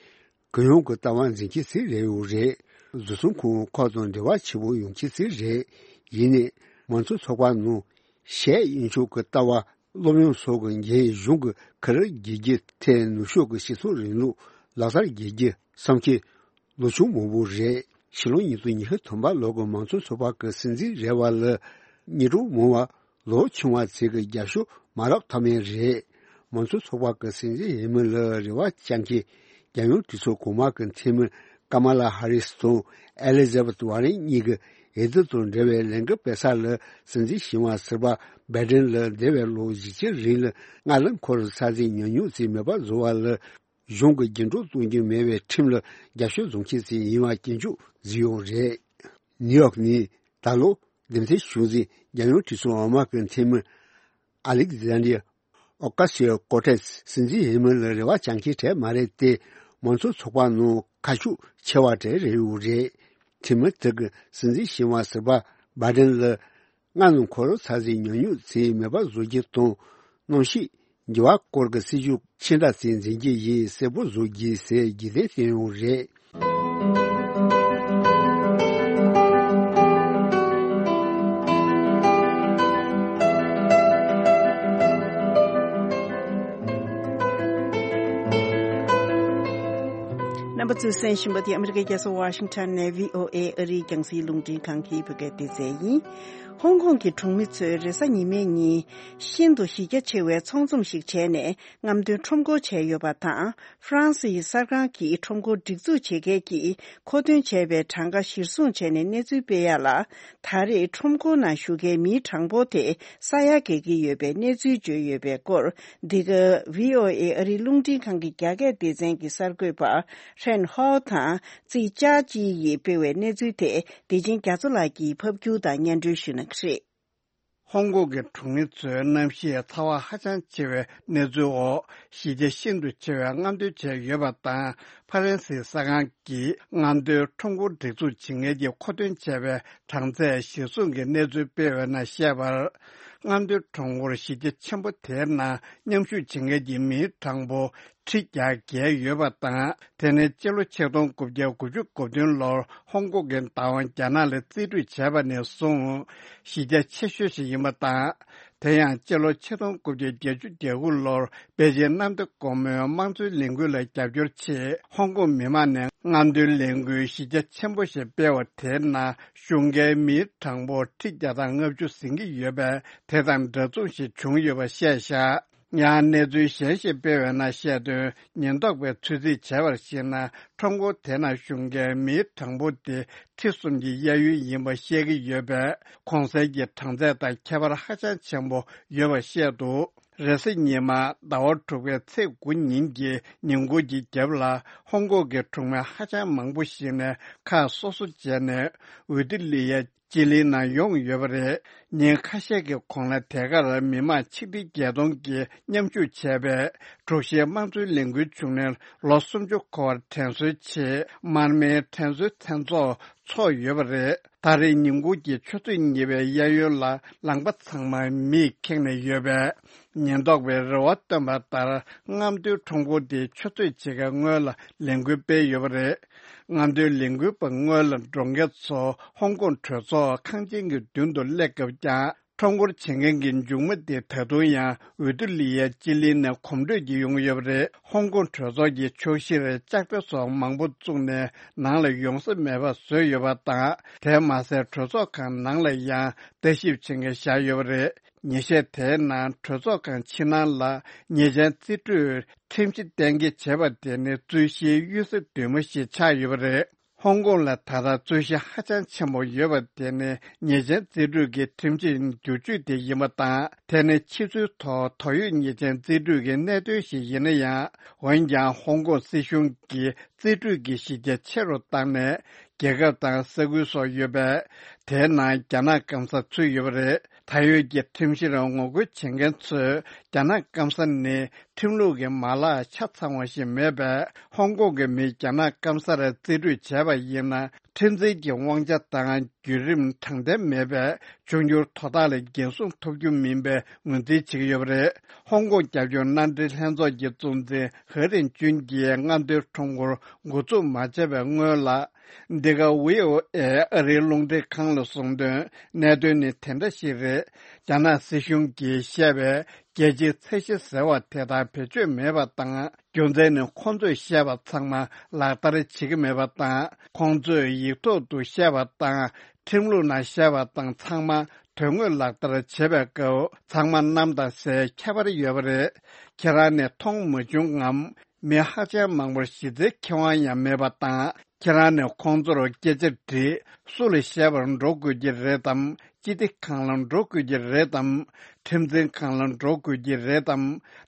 གུ་ཡངས་ཀྱི་ལྟ་བ་འཛིན་མཁན་ཞིག་རེད་ཡོད་རེད། བཟོ་ཚོང་ཁང་ཁག་དང་འབྲེལ་བ་ཆེ་པོ་ཡོང་མཁན་ཞིག་རེད། ཡིན་ནའི་མང་གཙོ་ཚོགས་པ་ནང་ཤེས་དབྱིན་ཕྱོགས་ཀྱི་ལྟ་བ་སློབ་ཡོན་སོགས་ཀྱི་འགན་གཞུང་གི་ཁུར་རྒྱག་རྒྱུ་ཐད་ནུབ་ཕྱོགས་ཀྱི་སྤྱི་ཚོགས་རིང་ལུགས་ལག་བསྟར་རྒྱག་རྒྱུ་བསམ་མཁན་ལོ་ཆུང་མང་པོ་རེད། ཕྱི་ལོ་ཉིས་སྟོང་ཉི་ཤུ་ཐོག་མ་ལོ་གི་མང་གཙོ་ཚོགས་པ་གི་སྲིད་འཛིན་རེ་བ་ལ་མི་འགྲོ་མང་བ་ལོ་ཆུང་བ་ཚོས་ཀྱི་རྒྱབ་སྐྱོར་མ་རག་ཐབས་མེད་རེད། མང་གཙོ་ཚོགས་པ་གི་སྲིད་འཛིན་འོས་མི་ལ་རེ་བ་བཅངས་མཁན་རྒྱལ་ཡོངས་གྲོས་ཚོགས་གོང་མ་གི་འཐུས་མི་ཀ་མ་ལ་ཧ་རིས་དང་ཨེ་ལི་ཛ་བེད་ཝར་རན་གཉིས་ཀྱི་འོས་བསྡུ་དང་འབྲེལ་བའི་ལས་འགུལ་སྤེལ་ས་ལ་སྲིད་འཛིན་ཞི་བ་ཟུར་པ་བྷའི་ཌེན་ལ་འདས་པའི་ལོ་བཞི་བཅུ་རིང་ལ་སྔར་ལ་འཁོར་ས་ཟིག་ཉོ་སྙོམས་བྱས་མེད་པ་བཟོ་བ་ལ། གཞུང་གི་རྒྱུན་སྒྲོག་གཏོང་རྒྱུ་མེད་པའི་ཁྲིམས་ལ་རྒྱབ་སྐྱོར་བཟོ་མཁན་ཞིག་ཡིན་པ་སྐྱོན་བརྗོད་བཟོས་ཡོད་རེད། ནིའུ་ཡོག་ནས་ད་ལོ་འདེམས་ཐོན་བྱུང་ཟིན་རྒྱལ་ཡོངས་གྲོས་ཚོགས་འོག་མ་གི་འཐུས་མི་ཨ་ལེག་ཛན་ཌར་ཨོ་ཀ་སི་ཡོ་ཀོ་ཏེས་སྲིད་འཛིན་འོས་མི་ལ་རེ་བ་བཅངས་མཁན་གྲས་མ་རེད་དེ། མང་གཙོ་ཚོགས་པ་ནང་ཁ་ཕྱོགས་ཆེ་བ་གྲས་རེད་ཡོད་རེད། འཐུས་མི་དེ་གིས་སྲིད་འཛིན་ཞི་བ་ཟུར་པ་བྷའི་ཌེན་ལ། སྔར་ནས་འཁོར་ས་ཟིག་ཉོ་སྙོམས་བྱས་མེད་པ་བཟོ་རྒྱུ་དང་། གནམ་གཤིས་འགྱུར་བ་སྐོར་གྱི་སྲིད་ཇུས་ཕྱི་འདྲ་ཅིག་འཛིན་རྒྱུ་ཡིན་གསལ་པོ་བཟོ་རྒྱུ་ཟེར་རྒྱུ་དེ་བསྟན་ཡོད་རེད། རྣམ་པ་ཚོས་གསན་བཞིན་པ་དེ་ཨ་མི་རི་ཀའི་རྒྱལ་ས་ཝ་ཤིང་ཊོན་ནས་བྷི་ཨོ་ཨེ་ཨ་རིའི་རྒྱང་སྲིང་རླུང་འཕྲིན་ཁང་གི་བོད་སྐད་སྡེ་ཚན་ཡིན། ཧོང་ཀོང་གི་གྲོང་མི་ཚོས་རེས་གཟའ་ཉི་མའི་ཉིན་ཤིན་ཏུ་གཞི་རྒྱ་ཆེ་བའི་ཚོགས་འཛོམས་ཤིག་བྱས་ནས་རྔམ་སྟོན་ཁྲོམ་སྐོར་བྱས་ཡོད་པ་དང་། ཧྥ་རན་སིའི་གསར་ཁང་གིས་ཁྲོམ་སྐོར་སྒྲིག་འཛུགས་བྱེད་མཁན་གྱིས་མཁོ་འདོན་བྱས་པའི་གྲངས་ཀ་གཞིར་བཟུང་བྱས་ནས་གནས་ཚུལ་སྤེལ་ཡ་ལ། ད་རེས་ཁྲོམ་སྐོར་ནང་ཞུགས་མཁན་མིའི་གྲངས་འབོར་དེ་ས་ཡ་བརྒལ་གྱི་ཡོད་པའི་གནས་ཚུལ་བརྗོད་ཡོད་པའི་སྐོར། འདི་ག་བྷི་ཨོ་ཨེ་ཨ་རིའི་རླུང་འཕྲིན་ཁང་གི་རྒྱ་སྐད་སྡེ་ཚན་གྱི་གསར་འགོད་པ་ཧྲན་ཧའོ་དང་ཙི་ཅཱ་ཅི་ཡིས་སྤེལ་བའི་གནས་ཚུལ་དེ་བདེ་ཆེན་རྒྱ་མཚོ་ལགས་ཀྱིས་ཕབ་སྒྱུར་དང་སྙན་སྒྲོན་ཞུ་གནང་གི་རེད། ཧོང་ཀོང་གི་གྲོང་མི་ཚོའི་གནམ་གཤིས་ཚ་བ་ཧ་ཅང་ཆེ་བའི་གནས་ཚུལ་འོག་གཞི་རྒྱ་ཤིན་ཏུ་ཆེ་བའི་རྔམ་སྟོན་བྱས་ཡོད་པ་དང་། ཕ་རན་སིའི་གསར་ཁང་གིས་རྔམ་སྟོན་ཁྲོམ་སྐོར་སྒྲིག་འཛུགས་བྱེད་མཁན་གྱིས་མཁོ་འདོན་བྱས་པའི་གྲངས་ཚད་གཞིར་བཟུང་གི་གནས་ཚུལ་སྤེལ་བའི་ནང་བཤད་པར། རྔམ་སྟོན་ཁྲོམ་སྐོར་གཞི་རྒྱ་ཆེན་པོ་དེའི་ནང་མཉམ་ཞུགས་བྱེད་མཁན་གྱི་མིའི་གྲངས་འབོར་ཁྲི་བརྒྱ་བརྒལ་ཡོད་པ་དང་། དེ་ནི་སྤྱི་ལོ་ཆིག་སྟོང་དགུ་བརྒྱ་དགུ་བཅུ་གོ་བདུན་ལོར་ཧོང་ཀོང་གི་བདག་དབང་རྒྱ་ནག་ལས་རྩིས་སྤྲོད་བྱས་པ་ནས་བཟུང་གཞི་རྒྱ་ཆེ་ཤོས་ཤིག་ཡིན་པ་དང་། དེ་ཡང་སྤྱི་ལོ་ཆིག་སྟོང་དགུ་བརྒྱ་བརྒྱད་ཅུ་གྱ་དགུ་ལོར་པེ་ཅིན་གནམ་བདེ་སྒོ་མོའི་དམངས་གཙོའི་ལས་འགུལ་ལ་རྒྱབ་སྐྱོར་ཆེད་ཧོང་ཀོང་མི་མང་ནས་རྔམ་སྟོན་ལས་འགུལ་གཞི་རྒྱ་ཆེན་པོ་ཞིག་སྤེལ་བ་དེའི་ནང་ཞུགས་མཁན་མིའི་གྲངས་འབོར་ཁྲི་བརྒྱ་དང་ལྔ་བཅུ་ཟིན་གྱི་ཡོད་པས། དེ་དང་འདྲ་མཚུངས་ཤིག་བྱུང་ཡོད་པ་བཤད་བཞག་ཡང་གནས་ཚུལ་གཞན་ཞིག་སྤེལ་བའི་ནང་བཤད་དོན། ཉེན་རྟོག་པས་ཚོད་རྩིས་བྱས་པར་གཞིགས་ན། ཁྲོམ་སྐོར་དེ་ནང་ཞུགས་མཁན་མིའི་གྲངས་འབོར་དེ་ཁྲི་གསུམ་གྱི་གཡས་གཡོན་ཡིན་པ་བཤད་ཀྱི་ཡོད་པས། གོང་གསལ་གྱི་གྲངས་ཚད་དང་ཁྱད་པར་ཧ་ཅང་ཆེན་པོ་ཡོད་པ་བཤད་འདུག་རེས་གཟའ་ཉི་མ་ཟླ་བ་དྲུག་པའི་ཚེས་དགུ་ཉིན་གྱི་ཉིན་གུང་གི་རྒྱབ་ལ་ཧོང་ཀོང་གི་གྲོང་མི་ཧ་ཅང་མང་པོ་ཞིག་ནས་ཁག་སོ་སོ་བྱས་ནས་འོས་བསྡུ་ལི་ཡ་ཅི་ལིའི་ནང་ཡོང་ཡོད་པ་རེད། ཉིན་ཁ་ཤས་ཀྱི་གོང་ལ་དེ་གར་མི་མང་ཆིག་ཁྲི་བརྒྱད་སྟོང་གིས་མཉམ་ཞུགས་བྱས་པའི་དྲུག་བཞིའི་དམངས་གཙོའི་ལས་འགུལ་བྱུང་ནས་ལོ་སུམ་ཅུ་འཁོར་བར་དྲན་གསོའི་ཆེད་མར་མེའི་དྲན་གསོའི་མཚན་ཚོགས་འཚོགས་ཡོད་པ་རེད། ད་རེས་ཉིན་གུང་གི་ཆུ་ཚོད་གཉིས་པའི་གཡས་གཡོན་ལ་ལམ་ཁ་ཚང་མ་མིས་ཁེངས་ནས་ཡོད་པས། ཉེན་རྟོག་པས་རེ་བ་བཏོན་པ་ལྟར་རྔམ་སྟོན་ཁྲོམ་སྐོར་དེ་ཆུ་ཚོད་ཕྱེད་ཀའི་སྔོན་ལ་ལས་འགུལ་སྤེལ་ཡོད་པ་རེད། རྔམ་སྟོན་ལས་འགུལ་པ་སྔོན་ལ་འགྲོ་མཁན་ཚོ་ཧོང་ཀོང་གྲོས་ཚོགས་ཁང་ཆེན་གྱི་མདུན་དུ་སླེབས་སྐབས་ཀྱང་ཁྲོམ་སྐོར་བྱེད་མཁན་གྱི་མཇུག་མ་དེ་ད་དུང་ཡང་འོས་བསྡུ་ལི་ཡ་ཅི་ལི་ནས་གོམ་བགྲོད་ཀྱིས་ཡོང་ཡོད་པ་རེད། ཧོང་ཀོང་གྲོས་ཚོགས་ཀྱི་ཕྱོགས་བཞིར་ལྕགས་རྟ་སོགས་མང་པོ་བཙུགས་ནས་ནང་ལ་ཡོང་ས་མེད་པ་བཟོས་ཡོད་པ་དང་། དེ་མ་ཟད་གྲོས་ཚོགས་ཁང་ནང་ལ་ཡང་ལྟ་ཞིབ་བྱེད་མཁན་བཞག་ཡོད་པ་རེད། ཉིན་ཤས་དེའི་ནང་གྲོས་ཚོགས་ཁང་ཕྱི་ནང་ལ་ཉེས་ཅན་རྩིས་སྤྲོད་ཁྲིམས་གཞི་གཏན་འཁེལ་བྱས་པ་དེ་ནི་རྩོད་གཞིའི་གཡུལ་ས་གདོད་མ་ཞིག་ཆགས་ཡོད་པ་རེད། ཧོང་ཀོང་ལ་ད་ལྟ་རྩོད་གཞི་ཧ་ཅང་ཆེན་པོ་ཡོད་པ་དེ་ནི་ཉེས་ཅན་རྩིས་སྤྲོད་ཀྱི་ཁྲིམས་གཞི་བསྒྱུར་བཅོས་དེ་ཡིན་པ་དང་། དེ་ནི་ཕྱི་ཚུལ་ཐོག་དོགས་ཡོད་ཉེས་ཅན་རྩིས་སྤྲོད་ཀྱི་གནད་དོན་ཞིག་ཡིན་ན་ཡང་། འོན་ཀྱང་ཧོང་ཀོང་སྲིད་གཞུང་གིས་རྩིས་སྤྲོད་ཀྱི་གཞི་རྒྱ་ཆེ་རུ་བཏང་ནས། རྒྱལ་ཁབ་དང་ས་ཁུལ་སོགས་ཡོད་པས། དེའི་ནང་རྒྱ་ནག་སྐམ་ས་ཚུད་ཡོད་པ་རེད། ད་ཡོད་ཀྱི་ཁྲིམས་གཞིར་ངོ་རྒོལ་བྱེད་མཁན་ཚོས་རྒྱ་ནག་སྐམ་ས་ནི་ཁྲིམས་ལུགས་ཀྱི་མ་ལག་ཆ་ཚང་བ་ཞིག་མེད་པས། ཧོང་ཀོང་གི་མིས་རྒྱ་ནག་སྐམ་སར་རྩིས་སྤྲོད་བྱས་པ་ཡིན་ན། ཁྲིམས་འཛིན་གྱི་དབང་ཆ་དང་བརྒྱུད་རིམ་དྲང་བདེན་མེད་པས། འབྱུང་འགྱུར་དོ་བདག་ལ་འགན་སྲུང་ཐོབ་རྒྱུ་མིན་པའི་ངོས་འཛིན་བྱེད་ཀྱི་ཡོད་པ་རེད། ཧོང་ཀོང་རྒྱབ་སྐྱོར་མནའ་འབྲེལ་ལྷན་ཚོགས་ཀྱི་གཙོ་འཛིན་ཧེ་རིན་ཅུན་གྱིས་རྔམ་སྟོན་ཁྲོམ་སྐོར་འགོ་འཛུགས་མ་བྱས་པའི་སྔོན་ལ། འདི་ག་ཝི་ཨོ་ཨེ་ཨ་རིའི་རླུང་འཕྲིན་ཁང་ལ་གསུངས་དོན། གནད་དོན་ནི་དེ་འདྲ་ཞིག་རེད། རྒྱ་ནག་སྲིད་གཞུང་གིས་བཤད་པའི་རྒྱལ་སྤྱིའི་ཚད་གཞི་ཟེར་བ་དེ་དག་བེད་སྤྱོད་མེད་པ་དང་། རྒྱུ་མཚན་ནི་ཁོང་ཚོས་བཤད་པ་ཚང་མ་ལག་བསྟར་བྱེད་ཀྱི་མེད་པ་དང་། ཁོང་ཚོས་ཡིག་ཐོག་ཏུ་བཤད་པ་དང་། ཁྲིམས་ལུགས་ནང་བཤད་པ་དང་ཚང་མ་དོན་དངོས་ལག་བསྟར་བྱེད་པའི་སྐབས། ཚང་མ་གནམ་དང་སའི་ཁྱད་པར་ཡོད་པ་རེད། ཁྱེད་རང་ནས་མཐོང་མ་བྱུང་ངམ། མི་ཧ་ཅང་མང་པོར་གཞི་རྩའི་ཁེ་དབང་ཡང་མེད་པ་དང་། ཁྱེད་རང་ནས་ཁོང་ཚོར་སྐད་ཆ་དྲིས། སུ་ལ་བཤད་པར་འགྲོ་དགོས་ཀྱི་རེད་དམ། སྤྱི་བདེ་ཁང་ལ་འགྲོ་དགོས་ཀྱི་རེད་དམ། ཁྲིམས་འཛིན་ཁང་ལ་འགྲོ་དགོས་ཀྱི་རེད་དམ།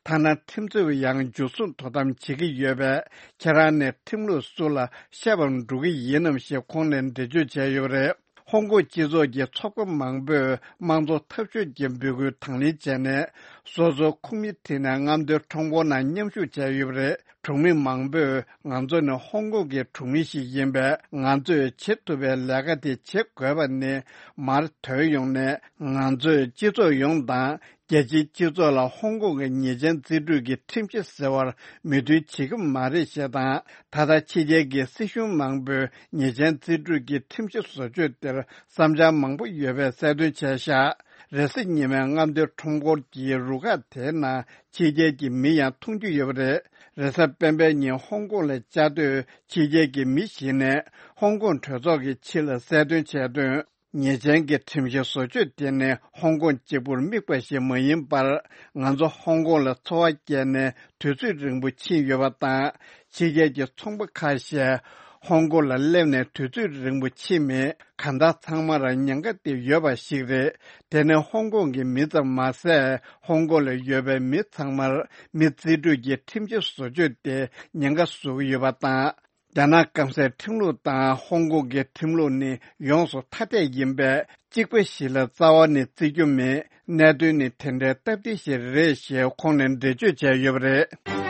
ཐ་ན་ཁྲིམས་རྩོད་པ་ཡང་འཇུ་བཟུང་དོ་དམ་བྱེད་ཀྱི་ཡོད་པས། ཁྱེད་རང་ནས་ཁྲིམས་ལུགས་སུ་ལ་བཤད་པར་འགྲོ་གི་ཡིན་ནམ་ཞེས་ཁོང་ནས་འགྲེལ་བརྗོད་བྱས་ཡོད་པ་རེད། ཧོང་ཀོང་སྤྱི་ཚོགས་ཀྱི་ཚོགས་པ་མང་པོས་དམངས་གཙོ་འཐབ་ཕྱོགས་ཀྱི་འབོད་སྐུལ་དང་ལེན་བྱས་ནས། སོ་སོའི་ཁོག་མིག་ཁྲིད་ནས་རྔམ་སྟོན་ཁྲོམ་སྐོར་ནང་མཉམ་ཞུགས་བྱས་ཡོད་པ་རེད། གྲོང་མི་མང་པོས་ང་ཚོ་ནི་ཧོང་ཀོང་གི་གྲོང་མི་ཞིག་ཡིན་པས། ང་ཚོས་བྱེད་ཐུབ་པའི་ལས་ཀ་དེ་བྱེད་དགོས་པ་ནི་མར་ཐོན་ཡོང་ནས། ང་ཚོས་སྤྱི་ཚོགས་ཡོངས་དང་རྒྱལ་སྤྱིའི་སྤྱི་ཚོགས་ལ་ཧོང་ཀོང་གི་ཉེས་ཅན་རྩིས་སྤྲོད་ཀྱི་ཁྲིམས་གཞི་ཟེར་བར་མོས་མཐུན་བྱེད་ཀྱི་མ་རེད་ཞེས་དང་། ད་ལྟ་ཕྱི་རྒྱལ་གྱི་སྲིད་གཞུང་མང་པོས་ཉེས་ཅན་རྩིས་སྤྲོད་ཀྱི་ཁྲིམས་གཞི་བཟོ་བཅོས་དེར་བསམ་འཆར་མང་པོ་ཡོད་པའི་གསལ་སྟོན་བྱས་ཤག་རེས་གཟའ་ཉི་མའི་རྔམ་སྟོན་ཁྲོམ་སྐོར་གྱི་རུ་ཁག་དེའི་ནང་ཕྱི་རྒྱལ་གྱི་མི་ཡང་མཐོང་རྒྱུ་ཡོད་པ་རེད། རེས་གཟའ་སྤེན་པའི་ཉིན་ཧོང་ཀོང་ལ་བཅའ་སྡོད་ཕྱི་རྒྱལ་གྱི་མི་ཞིག་ནས་ཧོང་ཀོང་གྲོས་ཚོགས་ཀྱི་ཕྱི་ལ་གསལ་སྟོན་བྱས་དོན། ཉེས་ཅན་གྱི་ཁྲིམས་གཞི་བཟོ་བཅོས་དེ་ནི་ཧོང་ཀོང་གཅིག་པུར་དམིགས་པ་ཞིག་མ་ཡིན་པར། ང་ཚོ་ཧོང་ཀོང་ལ་འཚོ་བ་སྐྱེལ་ནས་དུས་ཚོད་རིང་པོ་ཕྱིན་ཡོད་པ་དང་། ཕྱི་རྒྱལ་གྱི་ཚོང་པ་ཁ་ཤས་ཧོང་ཀོང་ལ་སླེབས་ནས་དུས་ཚོད་རིང་པོ་ཕྱིན་མེད། གང་ལྟར་ཚང་མར་ཉེན་ཁ་དེ་ཡོད་པ་ཞིག་རེད། དེ་ནི་ཧོང་ཀོང་གི་མི་ཙམ་མ་ཟད། ཧོང་ཀོང་ལ་ཡོད་པའི་མི་ཚང་མར་མི་རྩིས་སྤྲོད་ཀྱི་ཁྲིམས་གཞི་བཟོ་བཅོས་དེ་ཉེན་ཁ་བཟོ་གི་ཡོད་པ་དང་། རྒྱ་ནག་སྐམ་སའི་ཁྲིམས་ལུགས་དང་ཧོང་ཀོང་གི་ཁྲིམས་ལུགས་ནི་ཡོངས་སུ་ཐ་དད་ཡིན་པས། གཅིག་པ་ཞིག་ལ་རྩ་བ་ནས་བརྩི་རྒྱུ་མེད། གནད་དོན་ནི་དེ་འདྲའི་སྟབས་བདེ་ཞིག་རེད་ཞེས་ཁོང་ནས་འགྲེལ་བརྗོད་བྱས་ཡོད་པ་རེད།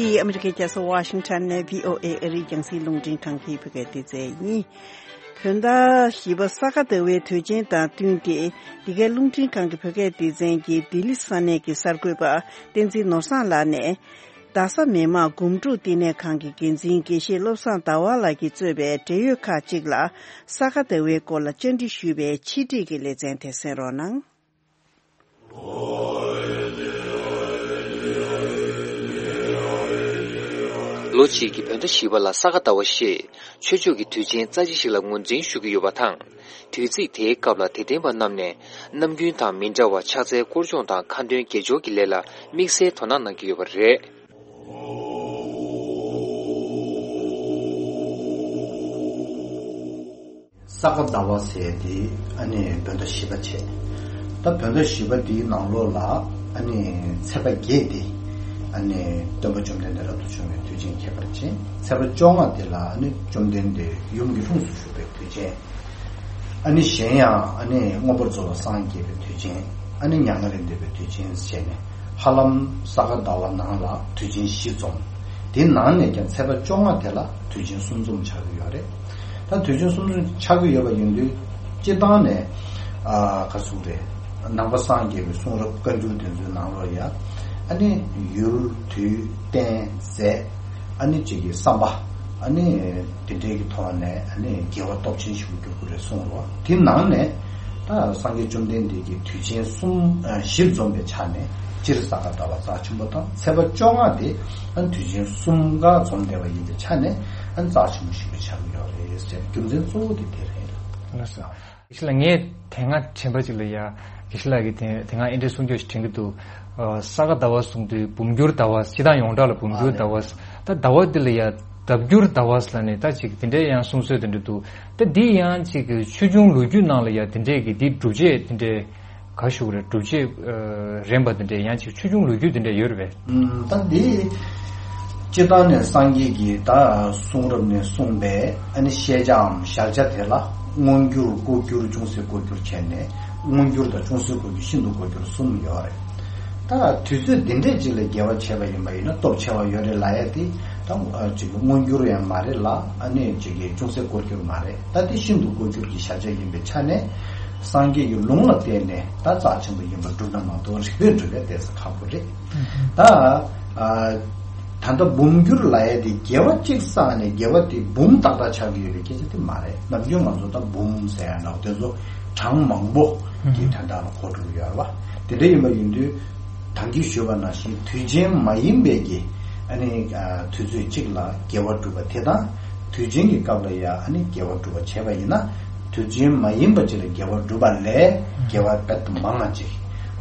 འདི་ཨ་མི་རི་ཀའི་རྒྱལ་ས་ཝ་ཤིང་ཊོན་ནས་བྷི་ཨོ་ཨེ་ཨ་རིའི་རྒྱང་སྲིང་རླུང་འཕྲིན་ཁང་གི་བོད་སྐད་སྡེ་ཚན་ཡིན། བོད་ཟླ་བཞི་པ་ས་ག་ཟླ་བའི་དུས་ཆེན་དང་བསྟུན་ཏེ། འདི་གའི་རླུང་འཕྲིན་ཁང་གི་བོད་སྐད་སྡེ་ཚན་གྱི་ལྡི་ལི་ས་གནས་ཀྱི་གསར་འགོད་པ་བསྟན་འཛིན་ནོར་བཟང་ལགས་ནས། རྡ་ས་མི་དམངས་སྒོམ་སྒྲུབ་བསྟི་གནས་ཁང་གི་འགན་འཛིན་དགེ་བཤེས་བློ་བཟང་ཟླ་བ་ལགས་ཀྱིས་གཙོས་པའི་འབྲེལ་ཡོད་ཁག་ཅིག་ལ་ས་ག་ཟླ་བའི་སྐོར་ལ་བཅར་འདྲི་ཞུས་པའི་ཕྱི་དྲིལ་གྱི་ལེ་ཚན་དེ་གསན་རོགས་གནང་། ལོ་གཅིག་གི་བོད་ཟླ་བཞི་པ་ལ་ས་ག་ཟླ་བ་ཞེས་ཆོས་ཕྱོགས་ཀྱི་དུས་ཆེན་རྩ་ཆེ་ཞིག་ལ་ངོས་འཛིན་ཞུ་གི་ཡོད་པ་དང་། དུས་ཚིགས་དེའི་སྐབས་ལ་དད་ལྡན་པ་རྣམས་ནས་ནམ་རྒྱུན་དང་མི་འདྲ་བར་ཕྱག་འཚལ་སྐོར་སྦྱོང་དང་ཁ་འདོན་དགེ་སྦྱོར་གྱི་ལས་ལ་དམིགས་བསལ་དོ་སྣང་གནང་གི་ཡོད་པ་རེད། ས་ག་ཟླ་བ་ཟེར་དེ་ཨ་ནི་བོད་ཟླ་བཞི་པ་བྱས། ད་བོད་ཟླ་བཞི་པ་དེའི་ནང་ལོགས་ལ་ཨ་ནི་ཚེས་པ་བརྒྱད་དེ་ཨ་ནི་སྟོན་པ་བཅོམ་ལྡན་འདས་རབ་ཏུ་བྱུང་བའི་དུས་ཆེན་ཁྱད་པར་ཅན། ཚེས་པ་བཅོ་ལྔ་དེ་ལ་ཨ་ནི་བཅོམ་ལྡན་འདས་ཡུམ་གྱི་ལྷུམས་སུ་ཞུགས་པའི་དུས་ཆེན། ཨ་ནི་གཞན་ཡང་ཨ་ནི་མངོན་པར་རྫོགས་པར་སངས་རྒྱས་པའི་དུས་ཆེན། ཨ་ནི་མྱ་ངན་ལས་འདས་པའི་དུས་ཆེན་བྱས་ནས་ཧ་ལམ་ས་ག་ཟླ་བ་ནང་ལ་དུས་ཆེན་བཞི་འཛོམས། དེའི་ནང་ནས་ཀྱང་ཚེས་པ་བཅོ་ལྔ་དེ་ལ་དུས་ཆེན་གསུམ་འཛོམས་ཆགས་ཀྱི་ཡོད་རེད། ད་དུས་ཆེན་གསུམ་འཛོམས་ཆགས་ཀྱི་ཡོད་པ་ཡིན་དུས་སྤྱིར་བཏང་ནས་ཨ་ག་ཟེར་དགོས་རེད། ནང་པ་སངས་རྒྱས་པའི་གསུང་རབ་བཀའ་འགྱུར་དེ་ཚོའི་ནང་ལོགས་ཡ་ཨ་ནི་ཡུལ་དུས་རྟེན་རྫས། ཨ་ནི་གཅིག་གི་བསམ་པ། ཨ་ནི་དེ་འདྲའི་གི་ཐོག་ནས་ཨ་ནི་དགེ་བ་སྟོབས་ཆེན་ཞིག་འགྱུར་གྱི་རེད་གསུངས་རོགས། དེ་ནང་ནས་ད་སངས་རྒྱས་བཅོམ་ལྡན་འདས་ཀྱི་དུས་ཆེན་གསུམ་ཨ་བཞི་འཛོམས་པའི་ཆ་ནས་སྤྱིར་ས་ག་ཟླ་བ་རྩ་ཆེན་པོ་དང་ཚེས་པ་བཅོ་ལྔ་དེ་ཨ་ནི་དུས་ཆེན་གསུམ་ཀ་འཛོམས་བསྡད་པ་ཡིན་པའི་ཆ་ནས་ཨ་ནི་རྩ་ཆེན་པོ་ཞིག་ཏུ་ཆགས་ཀྱི་ཡོད་རེད་ཟེར། རྒྱུ་མཚན་གཙོ་བོ་དེ་དེ་རེད། ལགས་སོ། དེ་ལ་ངས་དེ་སྔ་དྲན་པ་ཅིག་ལ་ཡ། དགེ་བཤེས་ལགས་ཀྱིས་དེ་དེ་སྔ་འདི་འདྲའི་གསུང་ཆོས་ཤིག་དྲན་གྱི་འདུག་ཨ་ས་ག་ཟླ་བ་གསུང་དུས་འབུམ་འགྱུར་ཟླ་བ། སྤྱིར་བཏང་ཡོངས་གྲགས་ལ་འབུམ་འགྱུར་ཟླ་བ། ད་ཟླ་བ་འདི་ལ་ཡ་ལྡབ་འགྱུར་ཟླ་བ་ཟེར་ནས་ད་ཅིག་དེ་འདྲའི་ཡང་གསུང་སྲོལ་དེ་འདྲ་འདུག་ད་འདི་ཡང་ཅིག་ཆོས་འབྱུང་ལོ་རྒྱུས་ནང་ལ་ཡ་དེ་འདྲའི་གི་འདི་སྒྲུབ་བྱེད་དེ་འདྲའི་ག་ཞུ་གི་རེད། སྒྲུབ་བྱེད་ཨ་རན་པ་དེ་འདྲའི་ཡང་ཅིག་ཆོས་འབྱུང་ལོ་རྒྱུས་དེ་འདྲ་ཡོད་རེད་པས། ཨུམ། ད་འདི་སྤྱིར་བཏང་ནས་སངས་རྒྱས་ཀྱི་ད་གསུང་རབ་ནས་གསུངས་པའི་ཨ་ནི་བཤད་བྱའམ་ཞལ་ཆ་དེ་ལ་མངོན་གྱུར་ལྐོག་གྱུར་ཅུང་ཟད་ལྐོག་གྱུར་བྱས་ནས་མངོན་གྱུར་དང་ཅུང་ཟད་ལྐོག་གྱུར་ཤིན་ཏུ་ལྐོག་གྱུར་གསུམ་ཡོད་རེད། ད་དུས་ཚོད་འདི་འདྲས་ཅིག་ལ་དགེ་བ་བྱས་པ་ཡིན་པ་ཡིན་ན་སྟོབས་ཆེ་བ་ཡོད་རེད་ལབ་ཡ་དེ་ད་ཅིག་མངོན་གྱུར་ཡང་མ་རེད་ལ། ཨ་ནི་ཅིག་གི་ཅུང་ཟད་ལྐོག་གྱུར་མ་རེད། ད་དེ་ཤིན་ཏུ་ལྐོག་གྱུར་གྱི་ཞལ་ཆ་ཡིན་པའི་ཆ་ནས་སངས་རྒྱས་ཀྱི་ལུང་ལ་བརྟེན་ནས་ད་རྩ་ཆེན་པོ་ཡིན་པར་སྒྲུབ་ན་མ་གཏོགས་རིགས་པས་སྒྲུབ་པའི་གཏད་ས་ཁག་པོ་རེད། ད་ཨ་ད་ལྟ་འབུམ་འགྱུར་ལབ་ཡ་དེ་དགེ་བ་གཅིག་བསགས་ནས་དགེ་བ་དེ་འབུམ་ཏག་ཏག་ཆགས་ཀྱི་ཡོད་པའི་སྐད་ཆ་དེ་མ་རེད། ནམ་རྒྱུན་ང་ཚོ་ད་འབུམ་ཟེར་ཡ་འདྲ་བོ་དེ་ཚོ་གྲངས་མང་པོ་གི་དོན་དག་ལ་གོ་འགྲོ་གི་ཡོད་རེད་བ། དེ་འདྲ་ཡིན་པ་ཡིན་དུས་ད་གིན་ཞུས་པ་ནང་བཞིན་དུས་ཆེན་མ་ཡིན་པའི་གི་ཨ་ནི་ཨ་དུས་ཚོད་གཅིག་ལ་དགེ་བ་སྒྲུབ་པ་དེ་དང་དུས་ཆེན་གྱི་སྐབས་ལ་ཡ་ཨ་ནི་དགེ་བ་སྒྲུབ་པ་བྱས་པ་ཡིན་ན། དུས་ཆེན་མ་ཡིན་པ་ཅིག་ལ་དགེ་བ་སྒྲུབ་པ་ལས་དགེ་བ་དཔེ་མང་ང་ཅིག་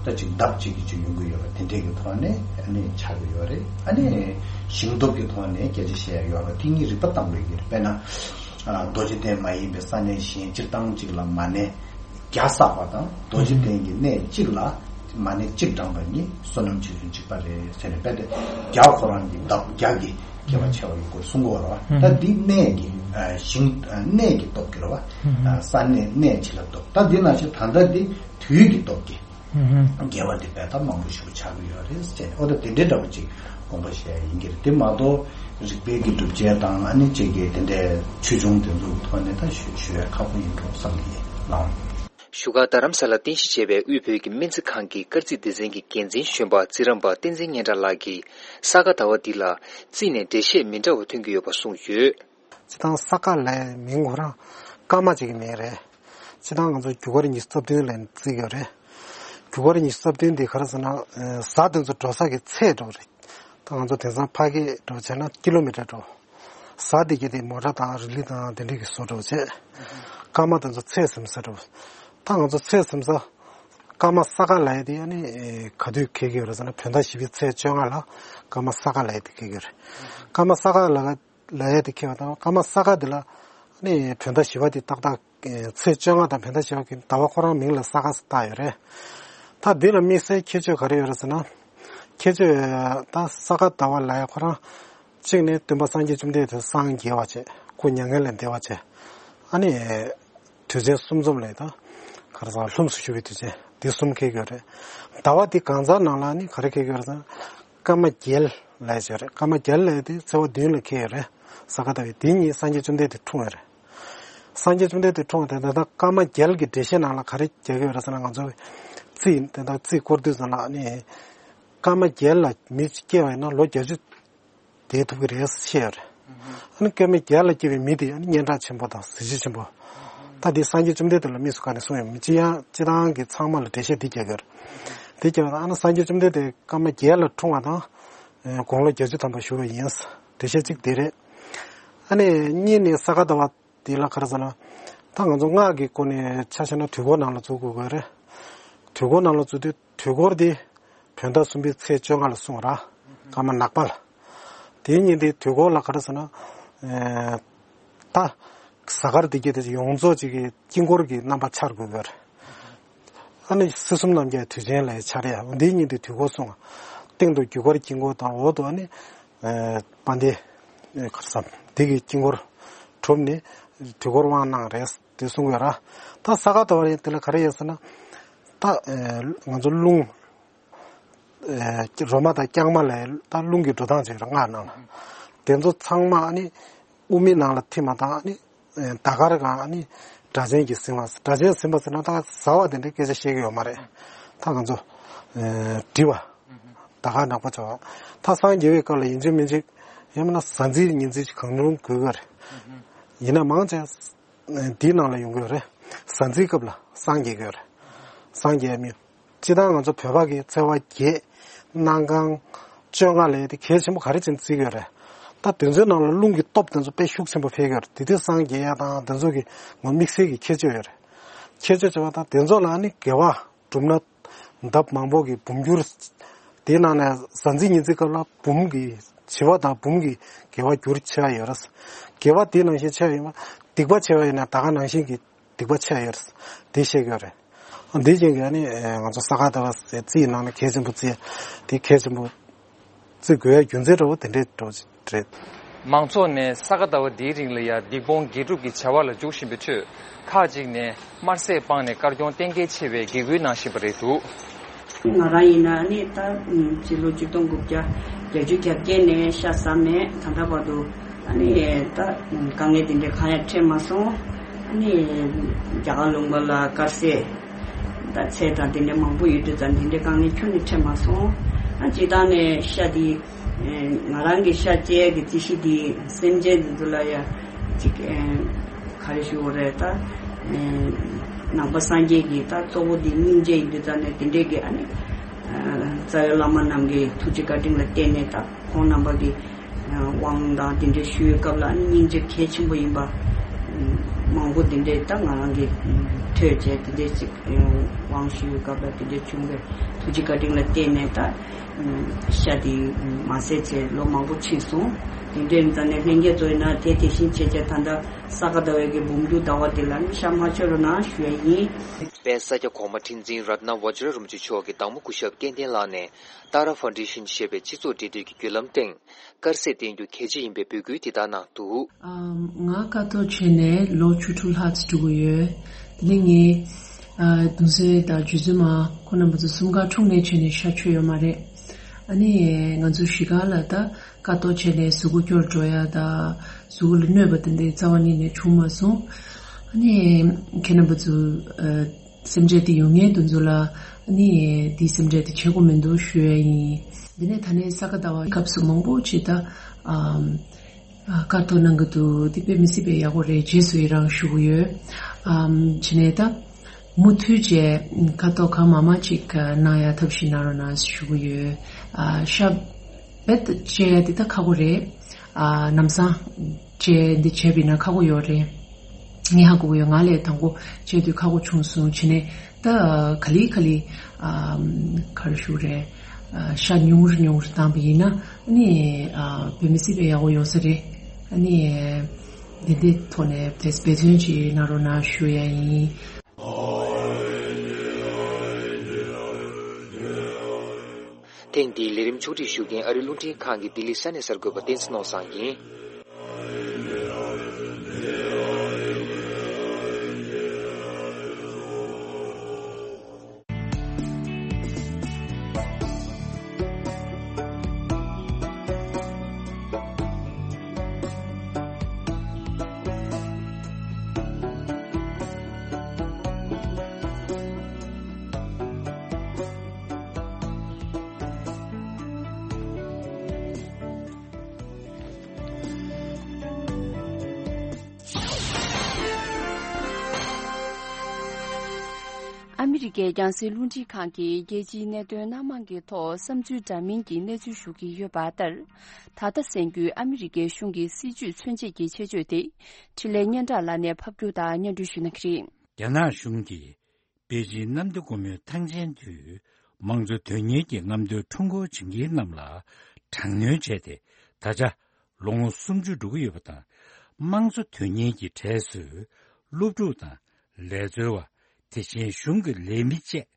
ད་ཅིག་ལྡབ་གཅིག་གི་ཅིག་ཡོང་གི་ཡོད་པ་དེ་འདྲས་ཀྱི་ཐོག་ནས་ཨ་ནི་ཆགས་ཀྱི་ཡོད་རེད། ཨ་ནི་ཞིང་སྟོབས་ཀྱི་ཐོག་ནས་སྐད་ཆ་བཤད་ཡ་ཡོད་རེད། དེ་གཉིས་རིགས་པ་བཏང་དགོས་ཀྱི་རེད། དཔེར་ན་ཨ་རྡོ་རྗེ་གདན་མ་ཡིན་པའི་ས་གནས་གཞན་སྤྱིར་བཏང་ཅིག་ལ་མ་ཎི་བརྒྱ་བསགས་པ་དང་རྡོ་རྗེ་གདན་གྱི་གནས་གཅིག་ལ་མ་ཎི་གཅིག་བགྲངས་པ་གཉིས་བསོད་ནམས་ཆེ་ཆུང་གཅིག་པ་རེད་ཟེར་ནས། དཔེ་དེ་བརྒྱ་ཁོ་རང་གི་ལྡབ་བརྒྱ་གི་ཁྱད་པར་ཆེ་བ་ཡོད་སྐོར་གསུང་གི་ཡོད་རེད་བ། ད་འདི་གནས་ཀྱི་ཨ་ཞིང་ཨ་གནས་ཀྱི་སྟོབས་ཀྱི་རེད་བ། ཨ་ས་གནས་གནས་ཆེ་ལ་སྟོབས། ད་འདི་ནང་བཞིན་ད་ལྟ་འདི་དུས་ཀྱི་སྟོབས་ཀྱི་དགེ་བ་འདི་དཔེ་ད་མང་པོ་ཞིག་ཆགས་ཀྱི་ཡོད་རེད་ཟེར་ནས། ཨོ་ད་དེ་འདྲའི་འདྲ་བོ་ཅིག་དགོངས་པ་བཞེས་ཡ་ཡིན་གྱི་རེད། དེ་མ་གཏོགས་རིག་པའི་གི་སྒྲུབ་བྱེད་དང་ཨ་ནི་ཅིག་གི་དེ་འདྲའི་ཆོས་འབྱུང་དེ་ཚོ་གི་ཐོག་ནས་ད་ཞུ་ཞུ་ཡ་ཁག་པོ་ཡིན་འགྲོ་བསམ་གྱི་ཡིན་ལགས། བཞུགས་སྒར་རྡ་རམ་ས་ལར་རྟེན་གཞི་བྱས་པའི་དབུས་བོད་ཀྱི་སྨན་རྩིས་ཁང་གི་སྐར་རྩིས་སྡེ་ཚན་གྱི་འགན་འཛིན་གཞོན་པ་རྩིས་རམས་པ་བསྟན་འཛིན་སྙན་གྲགས་ལགས་ཀྱིས་ས་ག་ཟླ་བ་འདི་ལ་རྩིས་ནས་འགྲེལ་བཤད་མི་འདྲ་བ་ཐོན་གྱི་ཡོད་པ་གསུངས་ཡོད། སྤྱིར་བཏང་ས་ག་ལབ་ཡའི་མིང་ཁོ་རང་སྐར་མ་གཅིག་གི་མིང་རེད། སྤྱིར་བཏང་ང་ཚོ་རྒྱུ་སྐར་ཉི་ཤུ་རྩ་བདུན་ལབ་ནས་བརྩི་གི་ཡོད་རེད། རྒྱུ་སྐར་ཉི་ཤུ་རྩ་བདུན་འདི་ག་རེ་ཟེར་ན་ཨ་གཟའ་དེ་ཚོ་འགྲོ་ས་གི་ཚད་འདྲ་བོ་རེད། ད་ང་ཚོ་དེང་སང་ཕ་གི་འདྲ་བོ་བྱས་ན་ཀི་ལོ་མི་ཊར་འདྲ་བོ། གཟའ་དེ་གི་དེ་མོ་ཊ་དང་རི་ལི་དང་དེ་འདྲས་ཀྱི་བཟོ་འདྲ་བོ་བྱས། སྐར་མ་དེ་ཚོ་ཚད་ཟིན་ས་འདྲ་བོ། ད་ང་ཚོ་ཚད་ཟིན་ས་སྐར་མ་ས་ག་ལབ་ཡ་དེ་ཨ་ནི་ག་དུས་འཁེལ་གྱི་ཡོད་རེད་ཟེར་ན་བོད་ཟླ་བཞི་པའི་ཚེས་བཅོ་ལྔ་ལ་སྐར་མ་ས་ག་ལབ་ཡ་དེ་འཁེལ་གྱི་ཡོད་རེད། སྐར་མ་ས་ག་ལབ་ལབ་ཡ་དེ་འཁེལ་བ་དང་སྐར་མ་ས་ག་དེ་ལ་ ནི་བོད་ཟླ་བཞི་པ་དེ་ཏག་ཏག་ཚེས་བཅོ་ལྔ་དང་བོད་ཟླ་བཞི་པ་གི་ཟླ་བ་ཁོ་རང་མིང་ལ་ས་ག་བཏགས་ཡོད་རེད། ད་འདི་ལ་དམིགས་བསལ་ཁྱད་ཆོས་ག་རེ་ཡོད་རེད་ཟེར་ན། ཁྱད་ཆོས་ད་ས་ག་ཟླ་བ་ལ་ཡ་ཁོ་རང་གཅིག་ནི་སྟོན་པ་སངས་རྒྱས་བཅོམ་ལྡན་འདས་སངས་རྒྱས་པ་བྱས། སྐུ་མྱ་ངན་ལས་འདས་པ་བྱས། ཨ་ནི་དུས་ཆེན་གསུམ་འཛོམས་ལས་ད་ག་རེ་ཟེར་ལྷུམས་སུ་ཞུགས་པའི་དུས་ཆེན་འདི་གསུམ་འཁེལ་གྱི་ཡོད་རེད། ཟླ་བ་འདི་གང་ཟག་ནང་ལ་ནི་ག་རེ་འཁེལ་གྱི་ཡོད་རེད་ཟེར་ན། སྐར་མ་བརྒྱད་ལ་ཡ་བྱས་རེད། སྐར་མ་བརྒྱད་ལ་ཡ་དེ་ཚེས་པ་བདུན་ལ་འཁེལ་ཡོད་རེད། ས་ག་ཟླ་བའི་དེ་ཉིད་སངས་རྒྱས་བཅོམ་ལྡན་འདས་འཁྲུངས་པ་རེད། སངས་རྒྱས་བཅོམ་ལྡན་འདས་འཁྲུངས་པ་དེ་ད་ལྟ་སྐར་མ་བརྒྱད་ཀྱི་འགྲེལ་བཤད་ནང་ལ་ག་རེ་རྒྱག་གི་ཡོད་རེད་ཟེར་ན། ང་ཚོ་རྩིས་དེ་ད་རྩིས་སྐོར་དུས་ཙམ་ལ་ནི་སྐར་མ་བརྒྱད་ལ་མི་སྐྱེ་བ་ཡིན་ན་ལོ་བརྒྱད་ཅུ་བསྡད་ཐུབ་ཀྱི་རེད་ཟེར་བཤད་ཡོད་རེད། ཨ་ནི་སྐར་མ་བརྒྱད་ལ་སྐྱེ་བའི་མི་དེ་ཨ་ནི་སྙན་གྲགས་ཆེན་པོ་དང་གཟི་བརྗིད་ཆེན་པོ། ད་འདི་སངས་རྒྱས་བཅོམ་ལྡན་འདས་ལ་དམིགས་སུ་བཀར་ནས་གསུངས་ཡོད་མི་སྤྱི་ཡང་སྤྱི་བཏང་གི་ཚང་མ་ལ་འགྲེལ་བཤད་འདི་རྒྱག་གི་ཡོད་རེད། འདི་རྒྱག་ན་ཨ་ནི་སངས་རྒྱས་བཅོམ་ལྡན་འདས་སྐར་མ་བརྒྱད་ལ་འཁྲུངས་པ་དང་། དགུང་ལོ་བརྒྱད་ཅུ་ཐམ་པ་བཞུགས་པ་ཡིན། འགྲེལ་བཤད་གཅིག་འདི་རེད། ཨ་ནི་གཉིས་ནི་ས་ག་ཟླ་བ་འདི་ལ་ག་རེ་ཟེར་ན། ད་ང་ཚོ་སྔགས་ཀྱི་སྒོ་ནས་ཆ་བཞག་ན་དུས་འཁོར་ནང་ལ་འཛུལ་དགོས་ཀྱི་རེད། དུས་འཁོར་ནང་ལ་འཛུལ་དུས་དུས་འཁོར་འདི་བོད་ཟླ་གསུམ་པའི་ཚེས་བཅོ་ལྔ་ལ་གསུངས་ར། སྐར་མ་ནག་པ་ལ། དེའི་ཉིན་དེའི་དུས་འཁོར་ལ་ག་རེ་ཟེར་ན། ད་གཟའ་སྐར་འདི་གྱད་དེ་ཡོངས་རྫོགས་ཅིག་གི་དཀྱིལ་འཁོར་གྱི་རྣམ་པ་འཆར་དགོས་ཀྱི་རེད། ཨ་ནི་སྲིད་གསུམ་རྣམ་རྒྱལ་དུས་ཆེན་ལ་འཆར་ཡ་འདིའི་ཉིན་དེ་དུས་འཁོར་གསུངས། སྟེང་དུ་རྒྱུ་སྐར་དཀྱིལ་འཁོར་དང་འོག་ཏུ་ཨ་ནི་དཔལ་ལྡན་ག་རེ་ཟེར་འདི་གི་དཀྱིལ་འཁོར་གྲུབ་ནས་དུས་འཁོར་དབང་གནང་རེད་དེ་གསུངས་ཡོད་ར། ད་ས་ག་ཟླ་བ་རེད། དེ་ལ་ག་རེ་ཡོད་ཟེར་ན། ད་ང་ཚོ་རླུང་རོ་མ་དང་རྐྱང་མ་ལ་ད་རླུང་གི་འགྲོ་སྟངས་བྱེད་ར་སྔགས་ནང་ལ། དེ་ཚོ་ཚང་མ་ཨ་ནི་དབུ་མའི་ནང་ལ་ཐིམ་པ་དང་ཨ་ནི། ཟླ་སྐར་གང་ནི་སྒྲ་གཅན་གྱིས་ཟིན་པ། སྒྲ་གཅན་ཟིན་པ་ཟེར་ན་ད་ཟ་བ་དེ་འདྲའི་སྐད་ཆ་བཤད་ཀྱི་ཡོད་མ་རེད། ད་ང་ཚོ་འབྲི་བ། ཟླ་སྐར་ནག་པོ་བྱ་བ། ད་སངས་རྒྱས་པའི་སྐབས་ལ་ཡིན་གཅིག་མིན་གཅིག་ཡང་མིན་ན་གཟའ་འཛིན་ཉི་འཛིན་གང་རུང་དགོས་ཀྱི་རེད། ཡིན་ན་མང་ཆེ་འདིའི་ནང་ལ་ཡོང་གི་ཡོད་རེད། གཟའ་འཛིན་སྐབས་ལ་སངས་རྒྱས་ཀྱི་ཡོད་རེད། སངས་རྒྱས་མི། སྤྱིར་བཏང་ང་ཚོ་བོད་པ་གི་ཚེས་པ་བརྒྱད། གནམ་གང་། བཅོ་ལྔ་ལས་དེ་གལ་ཆེན་པོ་ག་རེ་བྱས་ནས་བརྩི་གི་ཡོད་རེད། ད་དེ་ཚོའི་ནང་ལ་རླུང་གི་སྟོབས་དེ་ཚོ་དཔེ་ཤུགས་ཆེན་པོ་འཕེལ་གི་ཡོད་རེད། དེ་དུས་སངས་རྒྱས་ཡ་དང་དེ་ཚོ་གི་ངོ་དམིགས་བསལ་གྱི་ཁྱད་ཆོས་ཡོད་རེད། ཁྱད་ཆོས་བྱས་པ་དང་དེ་ཚོ་ལ་ནི་དགེ་བ་སྒྲུབ་ན་འདབ་མང་པོ་གི་འབུམ་འགྱུར། དེའི་ནང་ནས་གཟའ་འཛིན་ཉི་འཛིན་སྐབས་ལ་འབུམ་གྱི་བྱེ་བ་དང་འབུམ་གྱི་དགེ་བ་འགྱུར་ཆེ་བ་ཡོད་རེད། དགེ་བ་དེ་ནང་བཞིན་ཆེ་བ་ཡིན་པ། སྡིག་པ་ཆེ་བ་ཡིན་ན་ད་ག་ནང་བཞིན་གྱི། སྡིག་པ་ཆེ་ཡོད་རེད། དེ་བཤད་ཀྱི་ཡོད་རེད། འདི་བཞིན་གྱི་ཨ་ནི་ང་ཚོ་ས་ག་ཟླ་བ་ཟེར་རྩིས་ནང་ནས་གལ་ཆེན་པོ་བརྩི་དེ་གལ་ཆེན་པོ་བརྩི་དགོས་ཡ་རྒྱུ་མཚན་འདྲ་བོ་དེ་འདྲའི་འདྲ་བོ་ཅིག་རེད། མང་ཚོགས་ནས་ས་ག་ཟླ་བ་འདིའི་རིང་ལ་ཡ་སྡིག་སྤོང་དགེ་སྒྲུབ་ཀྱི་བྱ་བ་ལ་འཇུག་བཞིན་པའི་ཁྲོད། ཁག་ཅིག་ནས་དམར་ཟས་སྤངས་ནས་དཀར་གྱོང་གཏན་འཁེལ་བྱེད་པའི་དགེ་སྐུལ་གནང་བཞིན་པ་རེད་འདུག། ང་རང་ཡིན་ན་ནི་ད་ཕྱི་ལོ་ཆིག་སྟོང་དགུ་བརྒྱ་བརྒྱད་ཅུ་གྱ་བརྒྱད་ནས་ཤ་ཟ་མེད། ད་ལྟ་བར་དུ་ཨ་ནི་ད་དཀའ་ངལ་དེ་འདྲའི་གང་ཡང་འཕྲད་མ་སོང་། ཨ་ནི་རྒྱ་གར་ལུང་པ་ལ་དཀར་ཟས་ད་ཚལ་དང་དེ་འདྲ་མང་པོ་ཡོད་དུས་ཙང་དེ་འདྲའི་དཀའ་ངལ་ཁྱོན་ནས་འཕྲད་མ་སོང་། ཨ་སྤྱིར་བཏང་ནས་ཤ་དེ་ང་རང་གི་ཤ་བཅད་ཀྱི་རྩིས་གཞི་དེ་སེམས་ཅན་དེ་ཚོ་ལ་ཡ་ཅིག་ག་རེ་ཞུ་དགོས་རེད་ད། ནང་པ་སངས་རྒྱས་ཀྱི་ད་གཙོ་བོ་འདི་སྙིང་རྗེ་ཡིན་དུས་ཙང་ནས་དེ་འདྲས་ཀྱི་ཨ་ནི། རྩ་བའི་བླ་མ་རྣམས་ཀྱི་ཐུགས་རྗེ་བཀའ་དྲིན་ལ་བརྟེན་ནས་ད་ཁོང་རྣམ་པ་གི་དབང་དང་དེ་འདྲས་ཞུ་བའི་སྐབས་ལ་ཨ་ནི་སྙིང་རྗེ་གལ་ཆེན་པོ་ཡིན་པ་མང་པོ་དེ་འདྲས་ད་ང་རང་གི་ཐོས་བྱས་དེ་འདྲས་ཅིག་དབང་ཞུ་བའི་སྐབས་ལ་དེ་འདྲས་བྱུང་བའི་ཐུགས་རྗེ་བཀའ་དྲིན་ལ་བརྟེན་ནས་ད། ཤ་དེ་མ་ཟས་བྱས་ལོ་མང་པོ་ཕྱིན་སོང་། དེ་འདྲའི་ཙང་ནས་ལྷན་རྒྱས་ཚོ་ཡིན་ན་དེ་དེ་བཞིན་བྱས་བྱས་ད་ལྟ་ས་ག་ཟླ་བའི་གི་འབུམ་འགྱུར་ཟླ་བ་དེ་ལ་ནི་ཤ་མ་མཆོད་རོགས་གནང་ཞུ་ཡ་ཡིན། དཔལ་ས་སྐྱ་གོང་མ་ཁྲི་འཛིན་རཏྣ་བཛྲ་རིན་པོ་ཆེ་མཆོག་གི་བདག་མོ་སྐུ་ཞབས་སྐལ་ལྡན་ལགས་ནས་ཏཱ་ར་ཕའུན་ཌེ་ཤན་ཞེས་པའི་སྤྱི་ཚོགས་འབྲེལ་མཐུད་ཀྱི་བརྒྱུད་ལམ་སྟེང་དཀར་ཟས་བསྟེན་རྒྱུ་གལ་ཆེ་ཡིན་པའི་འབོད་སྐུལ་འདི་ལྟར་གནང་འདུག། ང་ཀ་ཏོག་བྱས་ནས་ལོ་བཅུ་དྲུག་ལྷག་ཙམ་འགྲོ་གི་ཡོད། དེ་ནས་ངའི་གདུང་སྲས་དང་རྗེ་བཙུན་མ་ཁོང་རྣམ་པ་ཚོ་གསུམ་ཀ་འཁྲུངས་ནས་བྱས་ནས་ཤ་མཆོད་ཡོད་མ་རེད། ཨ་ནི་ང་ཚོ་གཞིས་ཀ་ལ་ད་ཀ་ཏོག་བྱས་ནས་གཟུགས་པོ་སྐྱོ་རུ་འགྲོ་ཡ་ད་གཟུགས་པོ་ལ་གནོད་པ་དེ་འདྲའི་རྩ་བ་ཉིད་ནས་བྱུང་མ་སོང་། ཨ་ནི་ཁྱེད་རྣམ་པ་ཚོ་སེམས་ཅན་དེ་ཡོད་མཁན་དེ་ཚོ་ལ་ཨ་ནི་དེའི་སེམས་ཁྲལ་དེ་བྱེད་དགོས་མི་འདུག་ཞུ་ཡ་ཡིན། དེ་ནས་ད་ནས་ས་ག་ཟླ་བ་སྐབས་སུ་མང་པོ་ཅིག་ད་ཀ་ཏོག་གནང་གི་འདུག། དེ་དཔེ་མི་སྲིད་པའི་ཡག་པོ་རེད། རྗེས་སུ་ཡི་རང་ཞུ་གི་ཡོད། བྱས་ནས་ད་མུ་མཐུད་བྱས་ཀ་ཏོག་གང་མང་མང་ཅིག་གནང་ཡ་ཐབས་ཤིག་གནང་རོགས་གནང་ཞུ་གི་ཡོད། ཤ་རྦད་དེ་བཅད་ཡ་དེ་ད་ཁག་པོ་རེད། ལམ་སང་བཅད་འདི་བྱས་པ་ཡིན་ན་ཁག་པོ་ཡོད་རེད། ངས་ཧ་གོ་གི་ཡོད། ང་ལས་དང་པོ་བཅད་དུས་ཁག་པོ་བྱུང་སོང་། བྱས་ནས་ད་ག་ལེ་ག་ལེ་ག་རེ་ཞུ་རེད། ཤ་ཉུང་ངུར་ཉུང་ངུར་བཏང་པ་ཡིན་ན་ཨ་ནི་དཔེ་མི་སྲིད་པའི་ཡག་པོ་ཡོང་ས་རེད། ཨ་ནི་ དེ་འདི་ཐོག་ནས་དེ་འབད་བརྩོན་ཅིག་གནང་རོགས་གནང་ཞུ་ཡ་ཡིན། ཐེངས་འདིའི་ལས་རིམ་ཕྱོགས་སྒྲིག་ཞུ་མཁན་ཨ་རིའི་རླུང་འཕྲིན་ཁང་གི་ལྡི་ལི་ས་གནས་གསར་འགོད་པ་བསྟན་འཛིན་ནོར་བཟང་ཡིན། ཨ་མི་རི་ཀའི་རྒྱང་སྲིང་རླུང་འཕྲིན་ཁང་གིས་རྒྱལ་སྤྱིའི་གནད་དོན་སྣ་མང་གི་ཐོག་བསམ་ཚུལ་འདྲ་མིན་གྱི་གནས་ཚུལ་ཞུ་གི་ཡོད་པ་ལྟར། ད་ལྟ་གསན་རྒྱུའི་ཨ་མི་རི་ཀའི་གཞུང་གི་སྲིད་བྱུས་མཚོན་བྱེད་ཀྱི་ཆེད་བརྗོད་དེ། འཕྲིན་ལས་སྙན་གྲགས་ལགས་ནས་ཕབ་སྒྱུར་དང་སྙན་སྒྲོན་ཞུ་གནང་གི་རེད། རྒྱ་ནག་གཞུང་གིས་པེ་ཅིན་གནམ་བདེ་སྒོ་མོའི་ཐང་ཆེན་དུ་དམངས་གཙོ་དོན་གཉེར་གྱི་རྔམ་སྟོན་ཁྲོམ་སྐོར་བྱེད་མཁན་རྣམས་ལ་དྲག་གནོན་བྱས་ཏེ། ད་ཆ་ལོ་ངོ་སུམ་ཅུ་འགྲོ་གི་ཡོད་པ་དང་། དམངས་གཙོ་དོན་གཉེར་གྱི་གྲས་སུ་སློབ་ཕྲུག་དང་། ལས་འཚོལ་བ། དེ་བཞིན་གཞུང་གི་ལས་མི་བཅས་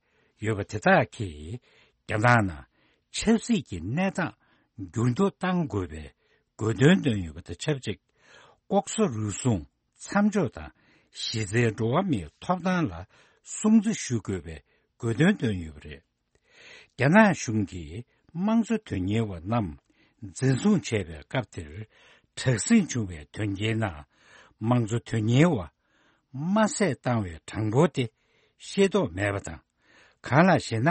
ཡོད་པ་དེ་དག་གིས། རྒྱ་ནག་ནང་ཆབ་སྲིད་ཀྱི་གནས་སྟངས་འགྱུར་ལྡོག་གཏང་དགོས་པའི་དགོས་འདུན་བཏོན་ཡོད་པ་དང་ཆབས་ཅིག། ལྐོག་ཟ་རུལ་སུངས་མཚམས་འཇོག་དང་། གཞི་རྩའི་འགྲོ་བ་མིའི་ཐོབ་ཐང་ལ་སྲུང་བརྩི་ཞུ་དགོས་པའི་དགོས་འདུན་བཏོན་ཡོད་པ་རེད། རྒྱ་ནག་གཞུང་གིས་དམངས་གཙོ་དོན་གཉེར་བ་རྣམས་འཛིན་བཟུང་བྱས་པའི་སྐབས་དེར། དྲག་ཟིང་བྱུང་བའི་དོན་རྐྱེན་ནང་། དམངས་གཙོ་དོན་གཉེར་བ་དམར་བསད་བཏང་བའི་གྲངས་འབོར་དེ་ཤེས་རྟོགས་མེད་པ་དང་། གང་ལགས་ཤེ་ན།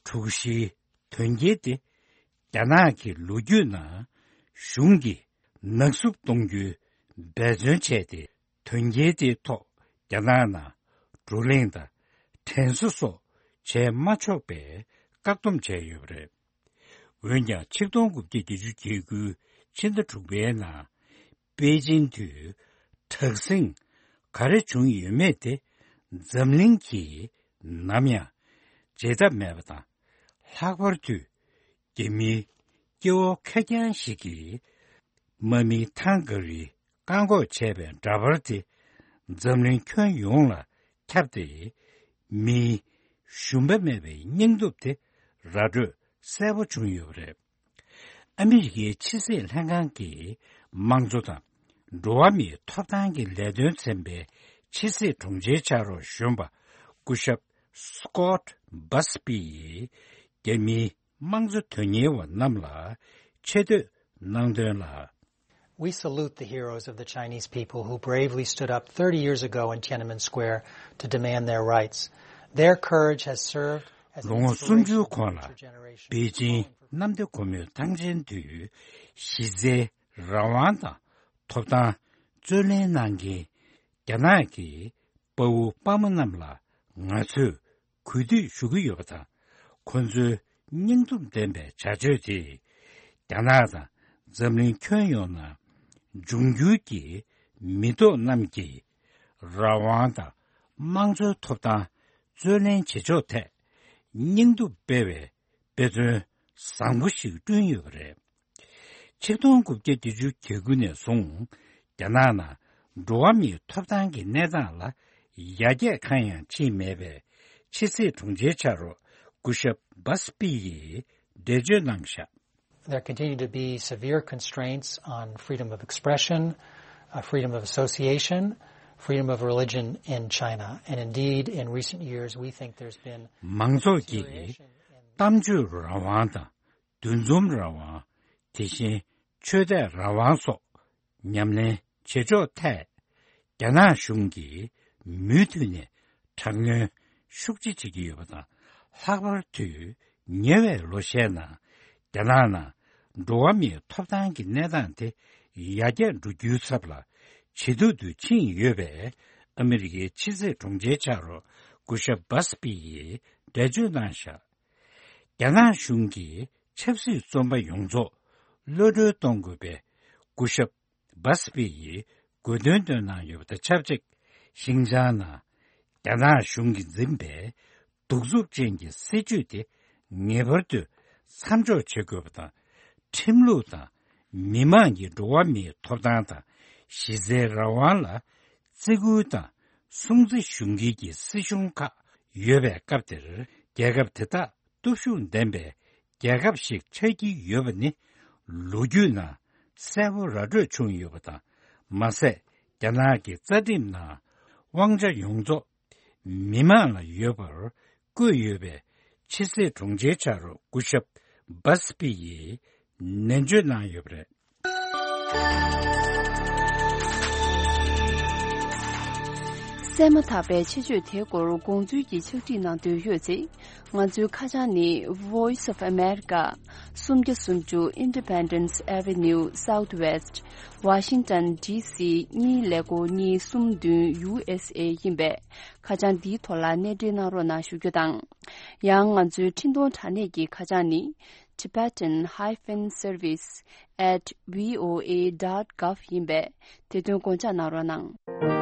དྲུག་བཞིའི་དོན་རྐྱེན་དེ། རྒྱ་ནག་གི་ལོ་རྒྱུས་ནང་གཞུང་གིས་ནག་བསུབ་གཏོང་རྒྱུའི་འབད་བརྩོན་བྱས་ཏེ། དོན་རྐྱེན་དེའི་ཐོག་རྒྱ་ནག་ནང་བགྲོ་གླེང་དང་དྲན་གསོ་སོགས་བྱས་མ་ཆོག་པའི་བཀག་སྡོམ་བྱས་ཡོད་པ་རེད། འོན་ཀྱང་ཆིག་སྟོང་དགུ་བརྒྱ་བརྒྱད་ཅུ་གྱ་དགུ་ཕྱི་ཟླ་དྲུག་པའི་ནང་པེ་ཅིན་དུ་དྲག་ཟིང་ག་རེ་བྱུང་ཡོད་མེད་དེ་འཛམ་གླིང་གིས་ནམ་ཡང་བརྗེད་ཐབས་མེད་པ་དང་། ལྷག་པར་དུ་རྒྱ་མིའི་སྐྱེ་བོ་ཁེར་རྐྱང་ཞིག་གིས་དམག་མི་ཐང་ག་རིའི་བཀག་འགོག་བྱས་པའི་འདྲ་པར་དེ་འཛམ་གླིང་ཁྱོན་ཡོངས་ལ་ཁྱབ་སྟེ། མིའི་ཞུམ་པ་མེད་པའི་སྙིང་སྟོབས་དེ་ར་སྤྲོད་གསལ་པོ་བྱུང་ཡོད་པ་རེད། ཨ་མི་རི་ཀའི་ཕྱི་སྲིད་ལྷན་ཁང་གི་དམངས་གཙོ་དང་འགྲོ་བ་མིའི་ཐོབ་ཐང་གི་ལས་དོན་ཚན་པའི་ཕྱི་སྲིད་དྲུང་ཆེའི་ཕྱག་རོགས་གཞོན་པ་སྐུ་ཞབས་Scott Busby ཡིས་རྒྱ་མིའི་དམངས་གཙོ་དོན་གཉེར་བ་རྣམས་ལ་ཆེ་བསྟོད་གནང་དོན་ལ། We salute the heroes of the Chinese people who bravely stood up thirty years ago in Tiananmen Square to demand their rights. Their courage has served as an inspiration to future generations. ལོ་ངོ་སུམ་ཅུའི་གོང་ལ་པེ་ཅིན་གནམ་བདེ་སྒོ་མོའི་ཐང་ཆེན་དུ་གཞི་རྩའི་རང་དབང་དང་ཐོབ་ཐང་རྩོད་ལེན་གནང་མཁན་རྒྱ་ནག་གི་དཔའ་བོ་དཔའ་མོ་རྣམས་ལ་ང་ཚོས་གུས་འདུད་ཞུ་གི་ཡོད་པ་དང་། ཁོ་ཚོའི་སྙིང་སྟོབས་ལྡན་པའི་བྱ་སྤྱོད་དེས་རྒྱ་ནག་དང་འཛམ་གླིང་ཁྱོན་ཡོངས་ནང་འབྱུང་འགྱུར་གྱི་མི་ཐོག་རྣམས་ཀྱིས་རང་དབང་དང་དམངས་གཙོའི་ཐོབ་ཐང་རྩོད་ལེན་བྱེད་ཕྱོགས་ཐད་སྙིང་སྟོབས་སྤེལ་བའི་དཔེ་མཚོན་བཟང་པོ་ཞིག་བསྐྲུན་ཡོད་པ་རེད། ཆིག་སྟོང་དགུ་བརྒྱ་བརྒྱད་ཅུ་གྱ་དགུ་ནས་བཟུང་རྒྱ་ནག་ནང་འགྲོ་བ་མིའི་ཐོབ་ཐང་གི་གནས་སྟངས་ལ་ཡར་རྒྱས་གང་ཡང་ཕྱིན་མེད་པའི་ཕྱི་སྲིད་དྲུང་ཆེའི་ཕྱག་རོགས་སྐུ་ཞབས་Busby ཡིས་འགྲེལ་བརྗོད་གནང་བཞག། There continue to be severe constraints on freedom of expression, uh, freedom of association, freedom of religion in China. And indeed, in recent years, we think there's been མང་ཚོགས་ཀྱི་deterioration in གཏམ་བརྗོད་རང་དབང་དང་འདུ་འཛོམས་རང་དབང་། དེ་བཞིན་ཆོས་དད་རང་དབང་སོགས་ཉམས་ལེན་བྱེད་ཕྱོགས་ཐད། རྒྱ་ནག་གཞུང་གིས་མུ་མཐུད་ནས་དྲག་གནོན་ཤུགས་ཆེ་བྱེད་ཀྱི་ཡོད་པ་དང་། ལྷག་པར་དུ་ཉེ་བའི་ལོ་ཤས་ནང་རྒྱ་ནག་ནང་འགྲོ་བ་མིའི་ཐོབ་ཐང་གི་གནས་སྟངས་དེ་ཡར་རྒྱས་འགྲོ་རྒྱུའི་ཚབ་ལ་ཇེ་སྡུག་ཏུ་ཕྱིན་ཡོད་པས། ཨ་མི་རི་ཀའི་ཕྱི་སྲིད་དྲུང་ཆེའི་ཕྱག་རོགས་སྐུ་ཞབས་Busby ཡིས་འགྲེལ་བརྗོད་གནང་བཞག། རྒྱ་ནག་གཞུང་གིས་ཆབ་སྲིད་བཙོན་པ་ཡོངས་རྫོགས་གློད་གྲོལ་གཏོང་དགོས་པའི་སྐུ་ཞབས་Busby ཡིས་དགོས་འདུན་བཏོན་གནང་ཡོད་པ་དང་ཆབས་ཅིག། ཤིན་ཅང་ནང་རྒྱ་ནག་གཞུང་གིས་འཛིན་པའི་གདུག་རྩུབ་ཅན་གྱི་སྲིད་བྱུས་དེ་ངེས་པར་དུ་མཚམས་འཇོག་བྱེད་དགོས་པ་དང་། ཁྲིམས་ལུགས་དང་མི་མང་གི་འགྲོ་བ་མིའི་ཐོབ་ཐང་དང་ གཞི་རྩའི་རང་དབང་ལ་བརྩི་བཀུར་དང་སྲུང་བརྩི་ཞུ་མཁན་གྱི་སྲིད་གཞུང་ཁག་ཡོད་པའི་སྐབས་དེར། རྒྱལ་ཁབ་དེ་དག་སྟོབས་ཤུགས་ལྡན་པའི་རྒྱལ་ཁབ་ཞིག་ཆགས་ཀྱི་ཡོད་པ་ནི་ལོ་རྒྱུས་ནང་གསལ་པོ་ར་སྤྲོད་བྱུང་ཡོད་པ་དང་། མ་ཟད། རྒྱ་ནག་གི་རྩ་ཁྲིམས་ནང་དབང་ཆ་ཡོངས་རྫོགས་མི་མང་ལ་ཡོད་པར་བཀོད་ཡོད་པའི་ཕྱི་སྲིད་དྲུང་ཆེའི་ཕྱག་རོགས་སྐུ་ཞབས་བྷ་སི་པི་ཡིས་ནན་བརྗོད་གནང་ཡོད་པ་རེད། གསན་མ་ཐག་པའི་ཆེད་བརྗོད་དེའི་སྐོར་དགོངས་ཚུལ་གྱི་ཕྱག་བྲིས་གནང་འདོད་ཡོད་ཚེ། ང་ཚོའི་ཁ་བྱང་ནི། Voice of America། སུམ་བརྒྱ་སུམ་ཅུ་Independence Avenue Southwest། Washington D C གཉིས་ཀླད་ཀོར་གཉིས་གསུམ་བདུན། U S A ཡིན་པས། ཁ་བྱང་འདིའི་ཐོག་ལ་གནས་འབྲེལ་གནང་རོགས་གནང་ཞུ་རྒྱུ་དང་། ཡང་ང་ཚོའི་འཕྲིན་གཏོང་དྲ་གནས་ཀྱི་ཁ་བྱང་ནི། Tibetan hyphen service at V O A dot gov ཡིན་པས། དེ་དོན་དགོངས་འཇགས་གནང་རོགས་གནང་།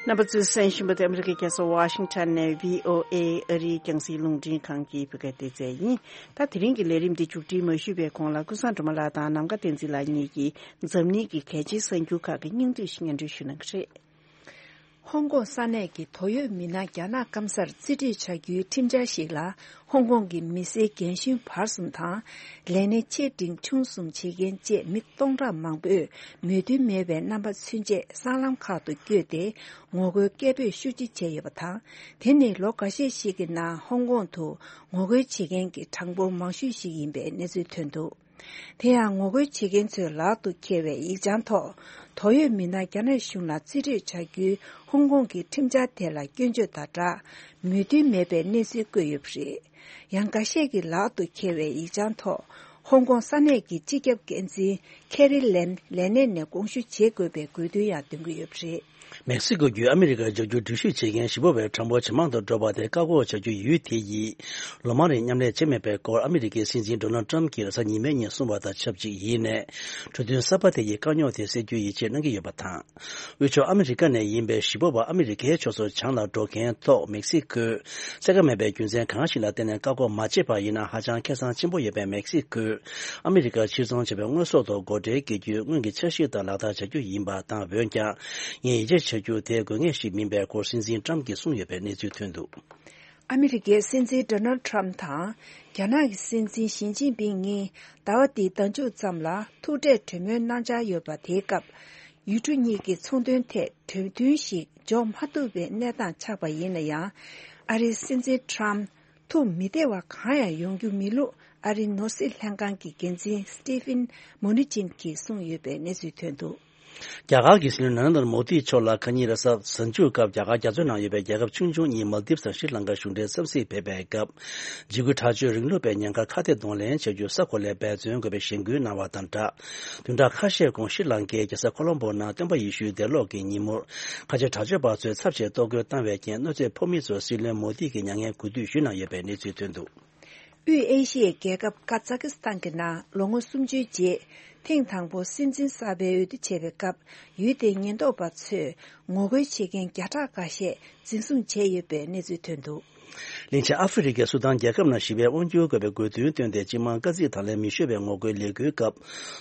རྣམ་པ་ཚོས་གསན་བཞིན་པ་དེ་ཨ་མི་རི་ཀའི་རྒྱལ་ས་ཝ་ཤིང་ཊོན་ནས་V O A ཨ་རིའི་རྒྱང་སྲིང་རླུང་འཕྲིན་ཁང་གི་བོད་སྐད་སྡེ་ཚན་ཡིན། ད་དེ་རིང་གི་ལས་རིམ་འདི་མཇུག་སྒྲིལ་མ་ཞུས་པའི་གོང་ལ་ཀུན་བཟང་སྒྲོལ་མ་ལགས་དང་ནམ་མཁའ་བསྟན་འཛིན་ལགས་གཉིས་ཀྱིས་འཛམ་གླིང་གི་གལ་ཆེའི་གསར་འགྱུར་ཁག་གི་སྙིང་བསྡུས་ཤིག་སྙན་སྒྲོན་ཞུ་གནང་གི་རེད། ཧོང་ཀོང་ས་གནས་ཀྱི་དོ་ཡོད་མི་སྣ་རྒྱ་ནག་སྐམ་སར་རྩིས་སྤྲོད་བྱ་རྒྱུའི་ཁྲིམས་འཆར་ཞིག་ལ། ཧོང་ཀོང་གི་མི་སེར་རྒན་གཞོན་བར་གསུམ་དང་། ལས་གནས་ཆེ་འབྲིང་ཆུང་གསུམ་བྱེད་མཁན་བཅས་མི་སྟོང་ཕྲག་མང་པོས་མོས་མཐུན་མེད་པའི་རྣམ་པ་ཚུན་ཆད་སྲང་ལམ་ཁག་ཏུ་བསྐྱོད་དེ། ངོ་རྒོལ་སྐད་འབོད་ཤུགས་ཆེ་བྱས་ཡོད་པ་དང་། དེ་ནི་ལོ་འགའ་ཤས་ཤིག་གི་ནང་ཧོང་ཀོང་དུ་ངོ་རྒོལ་བྱེད་མཁན་གྱི་གྲངས་འབོར་མང་ཤོས་ཤིག་ཡིན་པའི་གནས་ཚུལ་ཐོན་འདུག་དེ་ཡང་ངོ་རྒོལ་བྱེད་མཁན་ཚོའི་ལག་ཏུ་འཁེལ་བའི་ཡིག་བྱང་ཐོག་དོ་ཡོད་མི་སྣ་རྒྱ་ནག་གཞུང་ལ་རྩིས་སྤྲོད་བྱ་རྒྱུའི་ཧོང་ཀོང་གི་ཁྲིམས་འཆར་དེ་ལ་སྐྱོན་བརྗོད་དང་སྦྲགས། མོས་མཐུན་མེད་པའི་གནས་ཚུལ་བཀོད་ཡོད་པ་རེད། ཡང་འགའ་ཤས་ཀྱི་ལག་ཏུ་འཁེལ་བའི་ཡིག་བྱང་ཐོག་ཧོང་ཀོང་ས་གནས་ཀྱི་སྤྱི་ཁྱབ་འགན་འཛིན་ཁེ་རི་ལེམ་ལས་གནས་ནས་དགོངས་ཞུ་བྱེད་དགོས་པའི་དགོས་འདུན་ཡང་འདོན་གྱི་ཡོད་པ་རེད། མེག་སི་ཀོ་བརྒྱུད་ཨ་མི་རི་ཀར་འབྱོར་རྒྱུར་འགྲུལ་བཞུད་བྱེད་མཁན་ཞི་བ་བའི་གྲངས་འབོར་ཇེ་མང་དུ་འགྲོ་བ་དེ་བཀག་འགོག་བྱ་རྒྱུའི་ཡུལ་དེ་ཡིས་ལོ་མང་རིང་མཉམ་ལས་བྱས་མེད་པའི་སྐོར་ཨ་མི་རི་ཀའི་སྲིད་འཛིན་ཌོ་ནལ་ཊམ་གྱིས་རེས་གཟའ་ཉི་མའི་ཉིན་གསུངས་པ་དང་ཆབས་ཅིག་ཡིན་ནས། གྲོས་མཐུན་གསར་པ་དེ་ཡིས་དཀའ་རྙོག་དེ་སེལ་རྒྱུའི་ཡིད་ཆེས་གནང་གི་ཡོད་པ་དང་། དབུས་ཕྱོགས་ཨ་མི་རི་ཀ་ནས་ཡིན་པའི་ཞི་བ་བ་ཨ་མི་རི་ཀའི་ཕྱོགས་སུ་བྱང་ལ་འགྲོ་མཁན་ཐོག་མེག་སི་ཀོས་གསལ་ཁ་མེད་པའི་རྒྱུ་མཚན་གང་ཞིག་ལ་བརྟེན་ནས་བཀག་འགོག་མ་བྱས་པ་ཡིན་ན་ཧ་ཅང་ཁེ་བཟང་ཆེན་པོ་ཡོད་པས། མེག་སི་ཀོས་ཨ་མི་རི་ཀར་ཕྱིར་ཚོང་བྱེད་པའི་དངོས་ཟོག་ཐོག་སྒོ་ཁྲལ་བཀལ་རྒྱུའི་སྔོན་གྱི་འཆར་གཞི་ལྟར་ལག་བསྟར་བྱ་རྒྱུ་ཡིན་པ་དང་། འོན་ཀྱང་ངས་ཡིད་ཆེས་བྱ་རྒྱུ་དེ་དགོས་ངེས་ཤིག་མིན་པའི་སྐོར་སྲིད་འཛིན་ཊམ་གྱིས་གསུངས་ཡོད་པའི་གནས་ཚུལ་ཐོན་འདུག་ཨ་མི་རི་ཀའི་སྲིད་འཛིན་ཌོ་ནལ་ཊམ་དང་རྒྱ་ནག་གི་སྲིད་འཛིན་ཞི་ཅིན་ཕིང་གཉིས་ཟླ་བ་འདིའི་ཟླ་མཇུག་ཙམ་ལ་ཐུག་འཕྲད་གྲོས་མོལ་གནང་འཆར་ཡོད་པ། དེའི་སྐབས་ཡུལ་གྲུ་གཉིས་ཀྱི་ཚོང་དོན་ཐད་གྲོས་མཐུན་ཞིག་འཇོག་མ་ཐུབ་པའི་གནས་སྟངས་ཆགས་པ་ཡིན་ན་ཡང་། ཨ་རིའི་སྲིད་འཛིན་ཊམ་ཐུགས་མི་བདེ་བ་གང་ཡང་ཡོང་རྒྱུ་མེད་ལུགས་ཨ་རིའི་ནོར་སྲིད་ལྷན་ཁང་གི་འགན་འཛིན་སི་ཏི་ཕིན་མོ་ནི་ཅིན་གྱིས་གསུངས་ཡོད་པའི་གནས་ཚུལ་ཐོན་འདུག་རྒྱ་གར་གྱི་སྲིད་བློན་ན་རེན་དར་མོ་དི་མཆོག་ལ་ཁ་ཉིན་རེས་གཟའ་ཟིན་ཆུ་སྐབས་རྒྱ་གར་རྒྱ་མཚོའི་ནང་ཡོད་པའི་རྒྱལ་ཁབ་ཆུང་ཆུང་གཉིས་མལ་དིབ་དང་ཤྲི་ལང་ཀ་གཞུང་འབྲེལ་འཚམས་གཟིགས་ཕེབས་པའི་སྐབས། འཇིགས་སྐུལ་དྲག་སྤྱོད་རིང་ལུགས་པའི་ཉེན་ཁར་ཁ་གཏད་གདོང་ལེན་བྱ་རྒྱུ་ས་གོ་ལའི་འབད་བརྩོན་དགོས་པའི་གཞེན་སྐུལ་གནང་བ་དང་སྦྲགས། བདུན་ཕྲག་ཁ་ཤས་གོང་ཤྲི་ལང་ཀའི་རྒྱལ་ས་ཁོ་ལོམ་པོ་ནང་སྟོན་པ་ཡེ་ཤུའི་འདས་ལོག་གི་ཉིན་མོར་ཁ་ཆེ་དྲག་སྤྱོད་པ་ཚོས་ཚབས་ཆེའི་གཏོར་རྒོལ་བཏང་བའི་རྐྱེན་གནོད་འཚེ་ཕོག་མི་ཚོར་སྲིད་བློན་མོ་དི་གིས་མྱ་ངན་གུས་འདུད་ཞུས་གནང་ཡོད་པའི་གནས་ཚུལ་ཐོན་འདུག་དབུས་ཨེ་ཤི་ཡའི་རྒྱལ་ཁབ་ཀ་ཛ་ཀི་སི་ཐན་གྱི་ནང་ལོ་ངོ་སུམ་ཅུའི་རྗེས་ཐེངས་དང་པོ་སྲིད་འཛིན་གསར་པའི་འོས་བསྡུ་བྱས་པའི་སྐབས། ཡུལ་དེའི་ཉེན་རྟོག་པ་ཚོས་ངོ་རྒོལ་བྱེད་མཁན་བརྒྱ་ཕྲག་ཁ་ཤས་འཛིན་བཟུང་བྱས་ཡོད་པའི་གནས་ཚུལ་ཐོན་འདུག་གླིང་ཆེན་ཨ་ཧྥེ་རི་ཁའི་སུ་དཱན་རྒྱལ་ཁབ་ནང་ཞི་བའི་དབང་སྒྱུར་དགོས་པའི་དགོས་འདུན་བཏོན་ཏེ། སྤྱི་དམངས་དཀའ་ཚེགས་དང་ལེན་མི་ཤོར་བའི་ངོ་རྒོལ་ལས་འགུལ་སྐབས།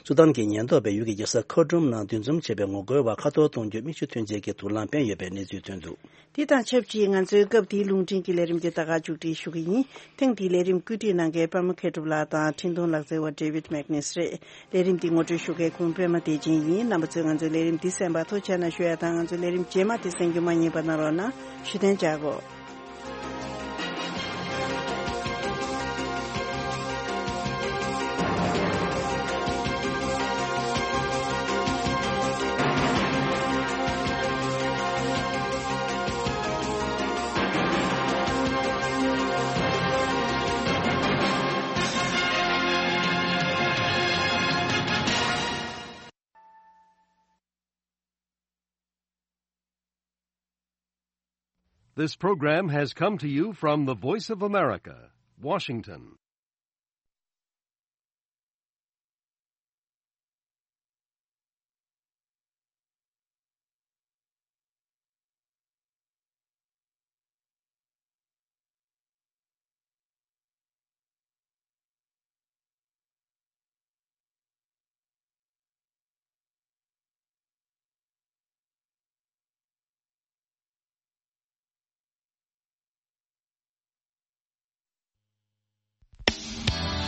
སུ་དཱན་གྱི་ཉེན་རྟོག་པས་ཡུལ་གྱི་རྒྱལ་ས་ཁར་ཏུམ་ནང་འདུ་འཛོམས་བྱས་པའི་ངོ་རྒོལ་བ་ཁ་འཐོར་གཏོང་རྒྱུ་མིག་ཆུ་ཐོན་རྗེས་ཀྱི་དུག་རླངས་སྤེལ་ཡོད་པའི་གནས་ཚུལ་ཐོན་འདུག་དེ་དང་ཆབས་ཅིག་ང་ཚོའི་སྐབས་དེའི་རླུང་འཕྲིན་གྱི་ལས་རིམ་དེ་ད་ག་མཇུག་སྒྲིལ་ཞུ་གི་ཡིན། ཐེངས་འདིའི་ལས་རིམ་བཀོད་སྒྲིག་གནང་མཁན་པདྨ་མཁས་གྲུབ་ལགས་དང་འཕྲིན་གཏོང་ལག་རྩལ་བ་ཌེ་ཝིད་མེག་ནེས་རེད། ལས་རིམ་འདི་ངོ་སྤྲོད་ཞུ་མཁན་ཁོང་པད་མ་བདེ་ཆེན་ཡིན། རྣམ་པ་ཚོས་ང་ཚོའི་ལས་རིམ་འདི་གསན་པར་ཐུགས་རྗེ་ཆེ་གནང་ཞུ་ཡ་དང་། ང་ཚོའི་ལས་རིམ་རྗེས་མ་དེ་གསན་རྒྱུ་མ་བསྙེལ་བ་གནང་རོགས་གནང་། ཞུ་གཏན་འཇགས་གོ། This program has come to you from the Voice of America, Washington.